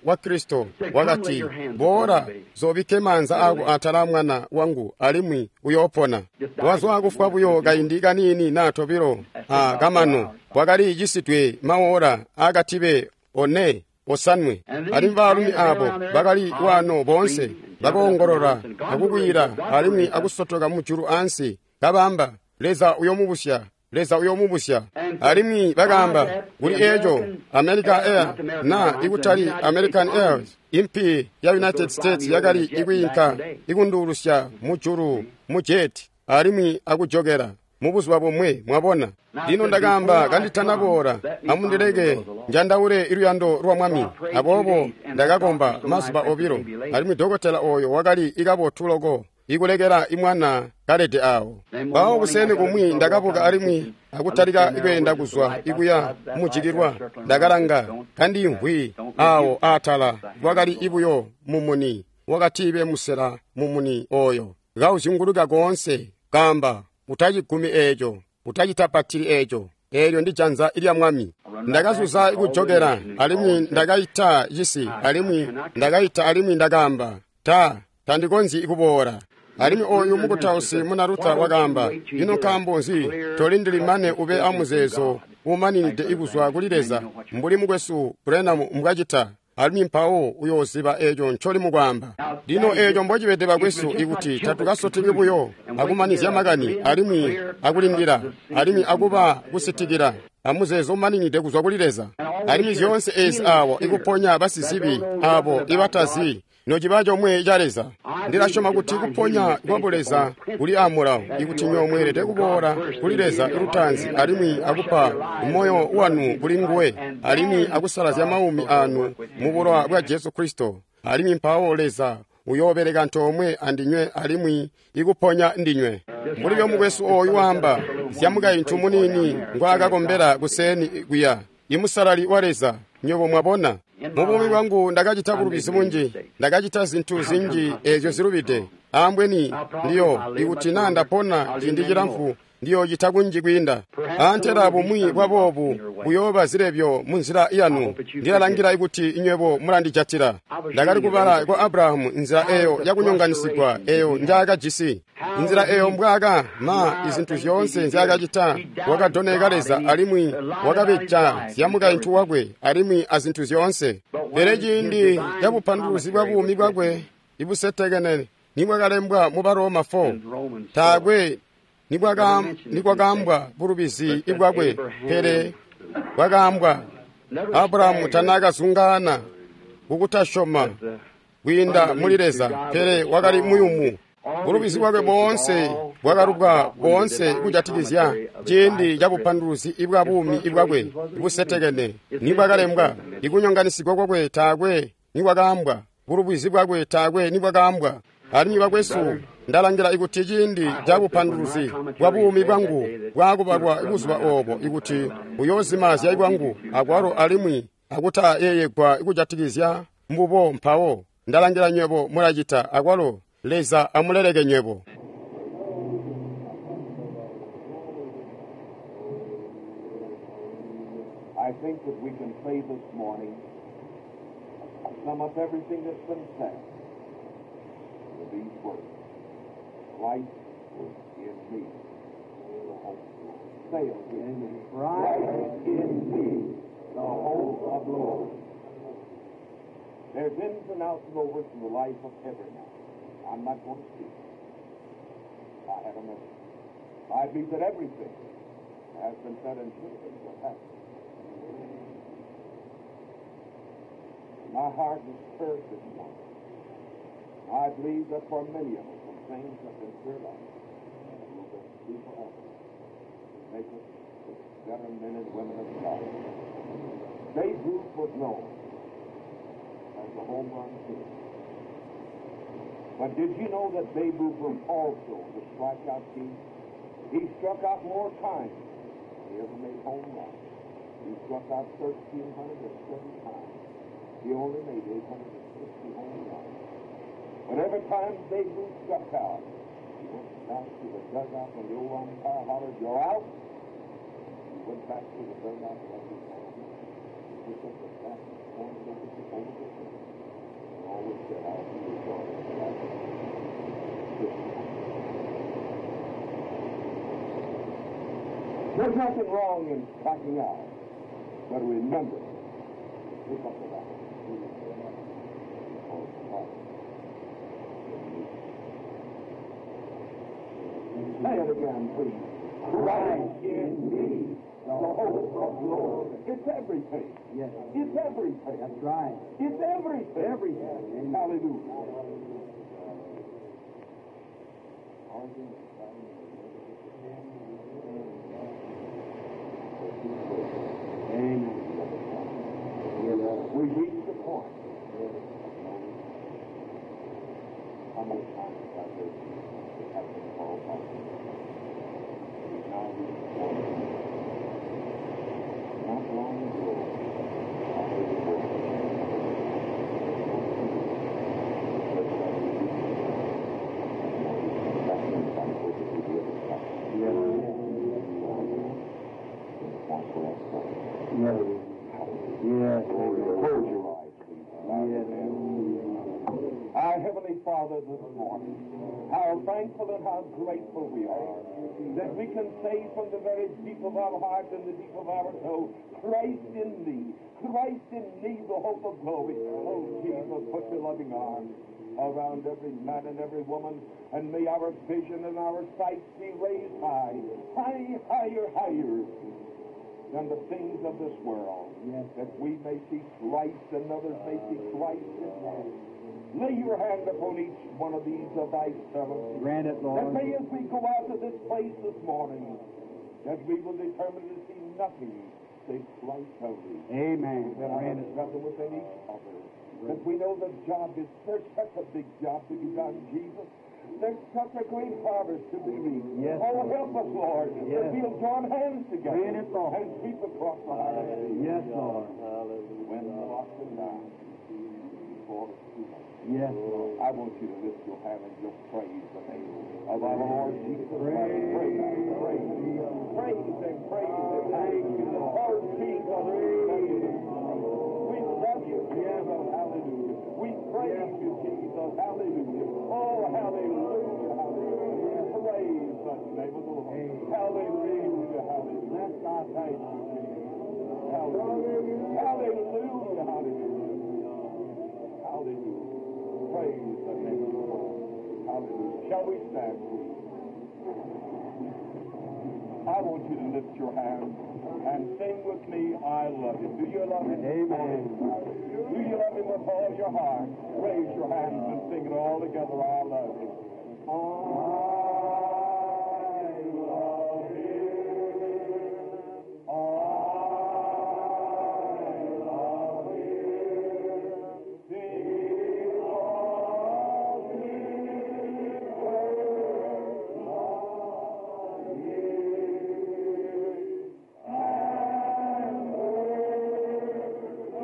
Speaker 1: wa Kristo. Wakati, boola zobikke maanza ako atala mwana wangu alimwi uyoopona. Wazwa kufwa buyo kaindi kaniini naa tobilo a kamano, wakali cisidwe mawola akatibe 4 5. Alimwi baalumi abo bakali wano boonse bakoongolola akukwiila alimwi akusotoka mujulu ansi, kabaamba, Leza uyomubusya, Leza uyomubusya. Alimwi bakaamba kuli eco America Air na ikutali American Airways, impi ya United States yakali ikwiinka ikunduulusya mujulu mu jet alimwi akujokela mubuzuba bomwe, mwabona. Lino ndakaamba kanditanaboola, amundileke njandaule luyando lwa Mwami. Aboobo ndakakomba mazuba obilo, alimwi dokotela oyo wakali ikabotu loko ikulekela imwana kalede awo. Mpawo kuseni kumwi ndakabuka alimwi akutalika kweenda kuzwa ikuya mujikilwa. Ndakalanga kandimvwi awo aatala, kwakali ibuyo mumuni wakatibe musela mumuni oyo kauzyunguluka koonse, kaamba, utacigumi eeco, utacitapatili eeco, eelyo ndi janza lya Mwami. Ndakazuza kujokela alimwi ndakaita cisi, alimwi ndakaita alimwi ndakaamba, tandikonzyi kuboola. Alimwi oyu mukutausi muna Luther wakaamba, ino nkaambo nzi tolindili mane ube amuzeezo umaninide ikuzwa kuli Leza mbuli mukwesu Branham mbwacita, alimwi mpawo uyooziba eeco ncoli mukwaamba. Lino eeco mbocibede bakwesu, ikuti tatukasoteki buyo akumanizya makani alimwi akulindila alimwi akuba kusitikila amuzeezo umaninide kuzwa kuli Leza. Alimwi zyoonse eezi awo ikuponya basizibi abo ibatazi nociba comwe ca Leza. Ndilasyoma kuti kuponya kwa Buleza kuli amulawo, ikuti nywebo mweelede kuboola kuli Leza lutaanzi alimwi akupa moyo wanu kuli nguwe, alimwi akusalazya maumi anu mu bulowa bwa Jesu Kristo, alimwi mpawo Leza uyoobeleka antoomwe andinywe alimwi ikuponya ndinywe. Mbuli mukwesu ooyu waamba zya mukaintu muniini ngwaakakombela kuseni kuya, imusalali wa Leza, nywebo mwabona. Mubuumi bwangu ndakacita bulubizi bunji, ndakacita zintu zinji eezyo zilubide. Ambweni ndiyo ikuti naa ndapona ciindi cilamfu ndiyocita kunji kwiinda. Antela bumwi bwa boobu buyooba zilebyo munzila yanu. Ndilalangila kuti inywebo mulandijatila. Ndakali kubala kwa Abrahamu nzila eyo yakunyonganisigwa eyo njaakajisi, nzila eyo mbwaaka ma izintu zyoonse nzyaakacita. Wakadoneka Leza alimwi wakabeja zya mukaintu wakwe alimwi azintu zyoonse. Pele ciindi cabupanduluzi bwa buumi bwakwe ibusetekene nibwakalembwa mu Baroma 4, taakwe nikwakaambwa bulubizi bwakwe, pele bwakaambwa Abrahamu tanaakazungaana kukutasyoma kwiinda muli Leza, pele wakali muyumu. Bulubizi bwakwe boonse bwakalubwa boonse kujatikizya ciindi cabupanduluzi bwa buumi bwakwe busetekene nibwakalembwa. Ikunyonganisigwa kwakwe taakwe nikwakaambwa, bulubizi bwakwe taakwe nibwakaambwa. Alimwi bakwesu, ndalangila ikuti ciindi cabupanduluzi bwa buumi bwangu bwaakubalwa buzuba oobo, ikuti uyoozimazya bwangu akwalo alimwi akutayeeyegwa kujatikizya mbubo, mpawo ndalangila nywebo mulacita akwalo. Leza amuleleke nywebo.
Speaker 3: I think that we can say this morning, sum up everything that's been said with these words: Christ in me, the hope of glory. Say it again. Christ in me, the hope of glory. There's ins and outs and overs in the life of every man. I'm not going to speak. I have a message. I believe that everything has been said and should have been said. Has. My heart is stirred this morning. I believe that for many of us, some things have been cleared up and will be forever. Make us better men and women of God. Babe Ruth was known as the home run king. But did you know that Babe Ruth was also the strikeout king? He struck out more times than he ever made home runs. He struck out 1,307 times. He only made 860 home runs. But every time Babe Ruth struck out, he went back to the dugout when the old umpire hollered, "You're out!" He went back to the dugout like he had. He picked up the bat and pointed over the fence. And always said, "I'll be your daughter." There's nothing wrong in striking out, but remember, pick up the bat. Because God is in you. Say it again, please. Christ in me, the hope of glory. It's everything.
Speaker 2: Yes.
Speaker 3: It's everything.
Speaker 2: That's right.
Speaker 3: It's everything.
Speaker 2: Everything.
Speaker 3: Hallelujah.
Speaker 2: Amen.
Speaker 3: We reach the point of no return. How many times have I heard people have been called by people? We now reach the point of no return. Not long ago, I heard a voice the church I was in, no return. That's when I spoke to the other side.
Speaker 2: Yes.
Speaker 3: In the point where I started.
Speaker 2: Yes. Yes.
Speaker 3: Close your eyes, please. Bow your
Speaker 2: Yes.
Speaker 3: heads. Our Heavenly Father, this morning, how thankful and how grateful we are that we can say from the very deep of our heart and the deep of our soul, Christ in me, Christ in me, the hope of glory. Oh, Jesus, put your loving arms around every man and every woman, and may our vision and our sight be raised high, high, higher, higher than the things of this world,
Speaker 2: Yes.
Speaker 3: that we may see Christ and others may see Christ in us. Lay your hand upon each one of these of thy servants.
Speaker 2: Grant it,
Speaker 3: That
Speaker 2: Lord.
Speaker 3: may, as we go out of this place this morning, that we will determine to see nothing save Christ only.
Speaker 2: Amen.
Speaker 3: That our
Speaker 2: Grant it.
Speaker 3: brother within each other. That we know the job is, there's such a big job to be done, Jesus. There's such a great harvest to be reaped.
Speaker 2: Yes,
Speaker 3: oh,
Speaker 2: Lord.
Speaker 3: help us, Lord,
Speaker 2: Yes.
Speaker 3: that we'll join hands together
Speaker 2: Grant it, Lord.
Speaker 3: and sweep across the harvest.
Speaker 2: Yes, Lord.
Speaker 3: When the lost and dying, before it's too late.
Speaker 2: Yes, Lord.
Speaker 3: I want you to lift your hand and just praise the name of our Lord Jesus Christ. Praise, praise, praise and praise and thank you. Oh, Jesus, we love you this morning. We love you, Jesus. Hallelujah. We praise you, Jesus. Hallelujah. Oh, hallelujah, hallelujah. Praise the name of the Lord. Hallelujah, hallelujah. Thank you, Jesus. Hallelujah, hallelujah, hallelujah. Hallelujah. Praise the name of the Lord. Hallelujah. Shall we stand, please? I want you to lift your hands and sing with me, I love you. Do you love him?
Speaker 2: Amen.
Speaker 3: Do you love him with all your heart? Raise your hands and sing it all together. I love him. I love him. I love him. Because he first loved me and purchased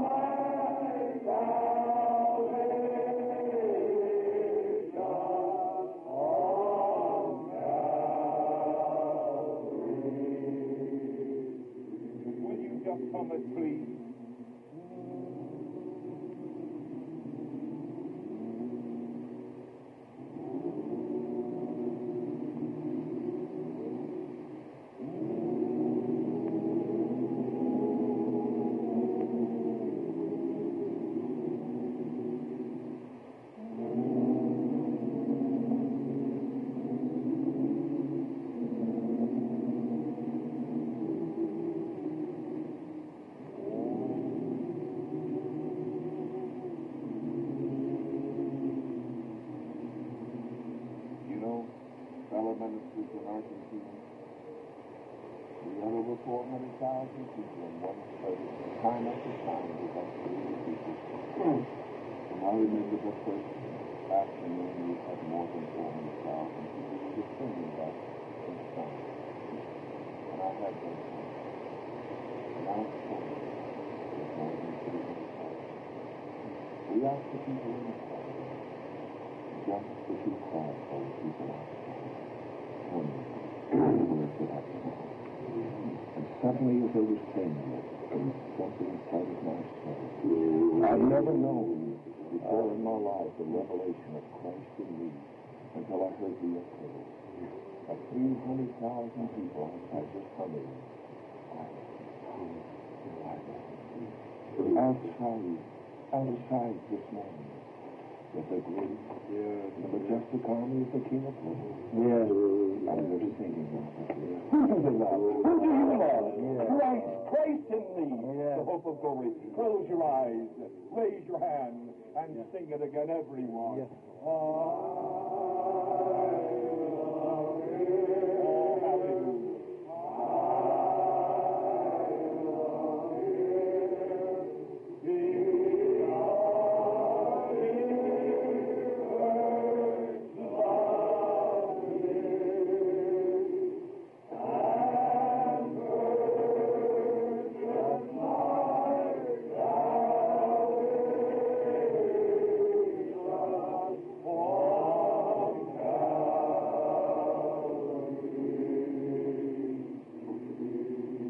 Speaker 3: my salvation on Calvary. Will you just come and please? You know, fellow ministers in Argentina, we had over 400,000 people in one service, time after time, we got through the people. And I remember the first afternoon we had more than 400,000 people. We were singing about in song. And I had them sing. And I spoke with more than 300,000. We asked the people inside just as you call for the people outside. Tell me, where could I go? And suddenly, as I was saying this, something inside of my soul. I've never known before in my life the revelation of Christ in me until I heard the echo of 300,000 people outside just coming. I love you. Outside, outside this morning, With the great and the majestic army of the King of Glory.
Speaker 2: Yes.
Speaker 3: And they're singing. Who do they love? Who do you love? Christ, Christ in thee,
Speaker 2: Yes.
Speaker 3: the hope of glory. Close your eyes, raise your hand, and sing it again, everyone.
Speaker 2: Yes.
Speaker 3: I love him. Oh, hallelujah.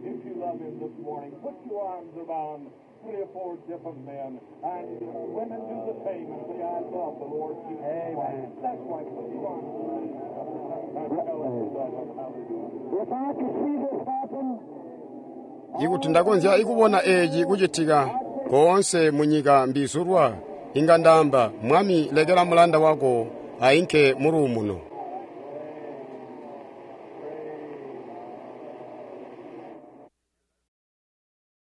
Speaker 3: If you love him this morning, put your arms around three or four different men, and women do the same and say, I love the Lord Jesus
Speaker 2: Amen.
Speaker 3: Christ. That's right. Put your arms around each other and tell him you love him. Hallelujah.
Speaker 2: If I could see this happen,
Speaker 1: Ikuti ndakonzya ikubona eeci kucitika koonse munyika mbizulwa, inga ndaamba, Mwami lekela mulanda wako ainke muluumuno.